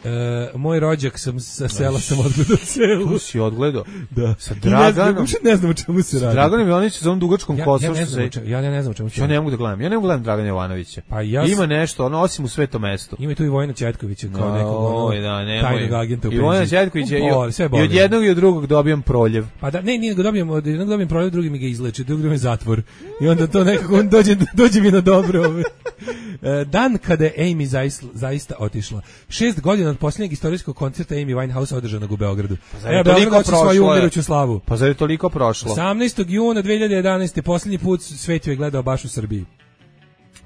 Uh, moj rođak sam sa sela sam odgledao celu. Tu si odgledao? Da. Sa Draganom. Ne, ne znam o čemu se radi. Sa Draganom Jovanovićem za ovom dugačkom ja, kosom. Ja ne znam, se... ja, ja ne znam o čemu se radi. Ja ne mogu da gledam. Ja ne mogu da gledam Dragana Jovanovića. Pa ja Ima nešto, ono osim u Svetom mestu. Ima tu i Vojina Ćetkovića kao no, nekog ono, da, ne, tajnog agenta u penziji. I Vojina Ćetković je i, i od jednog i od drugog dobijam proljev. Pa da, ne, nije ga dobijem, od jednog dobijem proljev, drugi mi ga izleči, drugi dobijem zatvor. I onda to nekako on dođe, dođe mi na dobro. Dan kada je Amy zaista, zaista otišla. Šest godina od posljednjeg istorijskog koncerta Amy Winehouse održanog u Beogradu. Pa zar je toliko prošlo? Svoju umiruću slavu. Pa zar je toliko prošlo? osamnaestog juna dve hiljade jedanaeste posljednji put svet je gledao baš u Srbiji.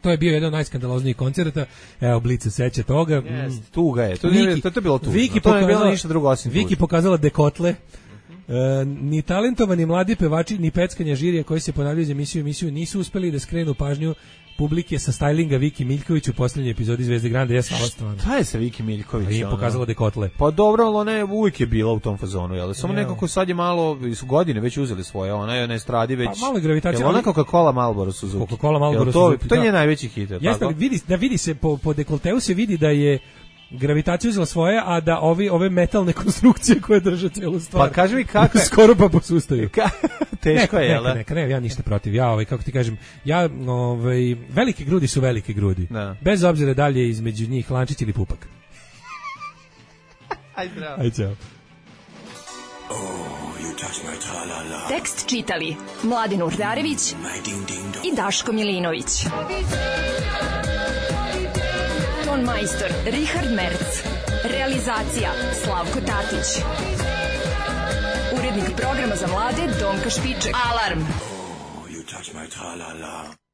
To je bio jedan od najskandaloznijih koncerta. Evo, Blic se seća toga. Yes, tuga je. To, Viki, to, to je bilo tužno. Viki to je bilo ništa drugo osim Viki pokazala dekotle. E, ni talentovani mladi pevači, ni peckanja žirija koji se ponavljaju iz emisiju emisiju nisu uspeli da skrenu pažnju publike sa stylinga Viki Miljković u posljednjoj epizodi Zvezde Grande. Ja sam stvarno. Šta je sa Viki Miljković? Nije pokazala dekotle. Pa dobro, ali ona je uvijek je bila u tom fazonu, jel? Samo ja. Nekako sad je malo, su godine već uzeli svoje, ona je na estradi već. Pa malo gravitacija. Jel ona Coca-Cola Marlboro Suzuki? Coca-Cola Marlboro Suzuki. To je njen najveći hit, jeste, tako? Vidi, da vidi se po, po dekolteu se vidi da je gravitacija uzela svoje, a da ovi ove metalne konstrukcije koje drže celu stvar. Pa kaži mi kako skoro pa posustaju. Ka, teško je, neka, neka, ne, ja ništa protiv. Ja ovaj kako ti kažem, ja ovaj velike grudi su velike grudi. Da. Bez obzira da li je između njih lančić ili pupak. Aj zdravo. Aj ćao. Oh, you touch my tra-la-la. Tekst čitali Mladin Urdarević i Daško Milinović. Ton majstor Richard Merc. Realizacija Slavko Tatić. Urednik programa za mlade Donka Špiček. Alarm! Oh, you touch my tra-la-la.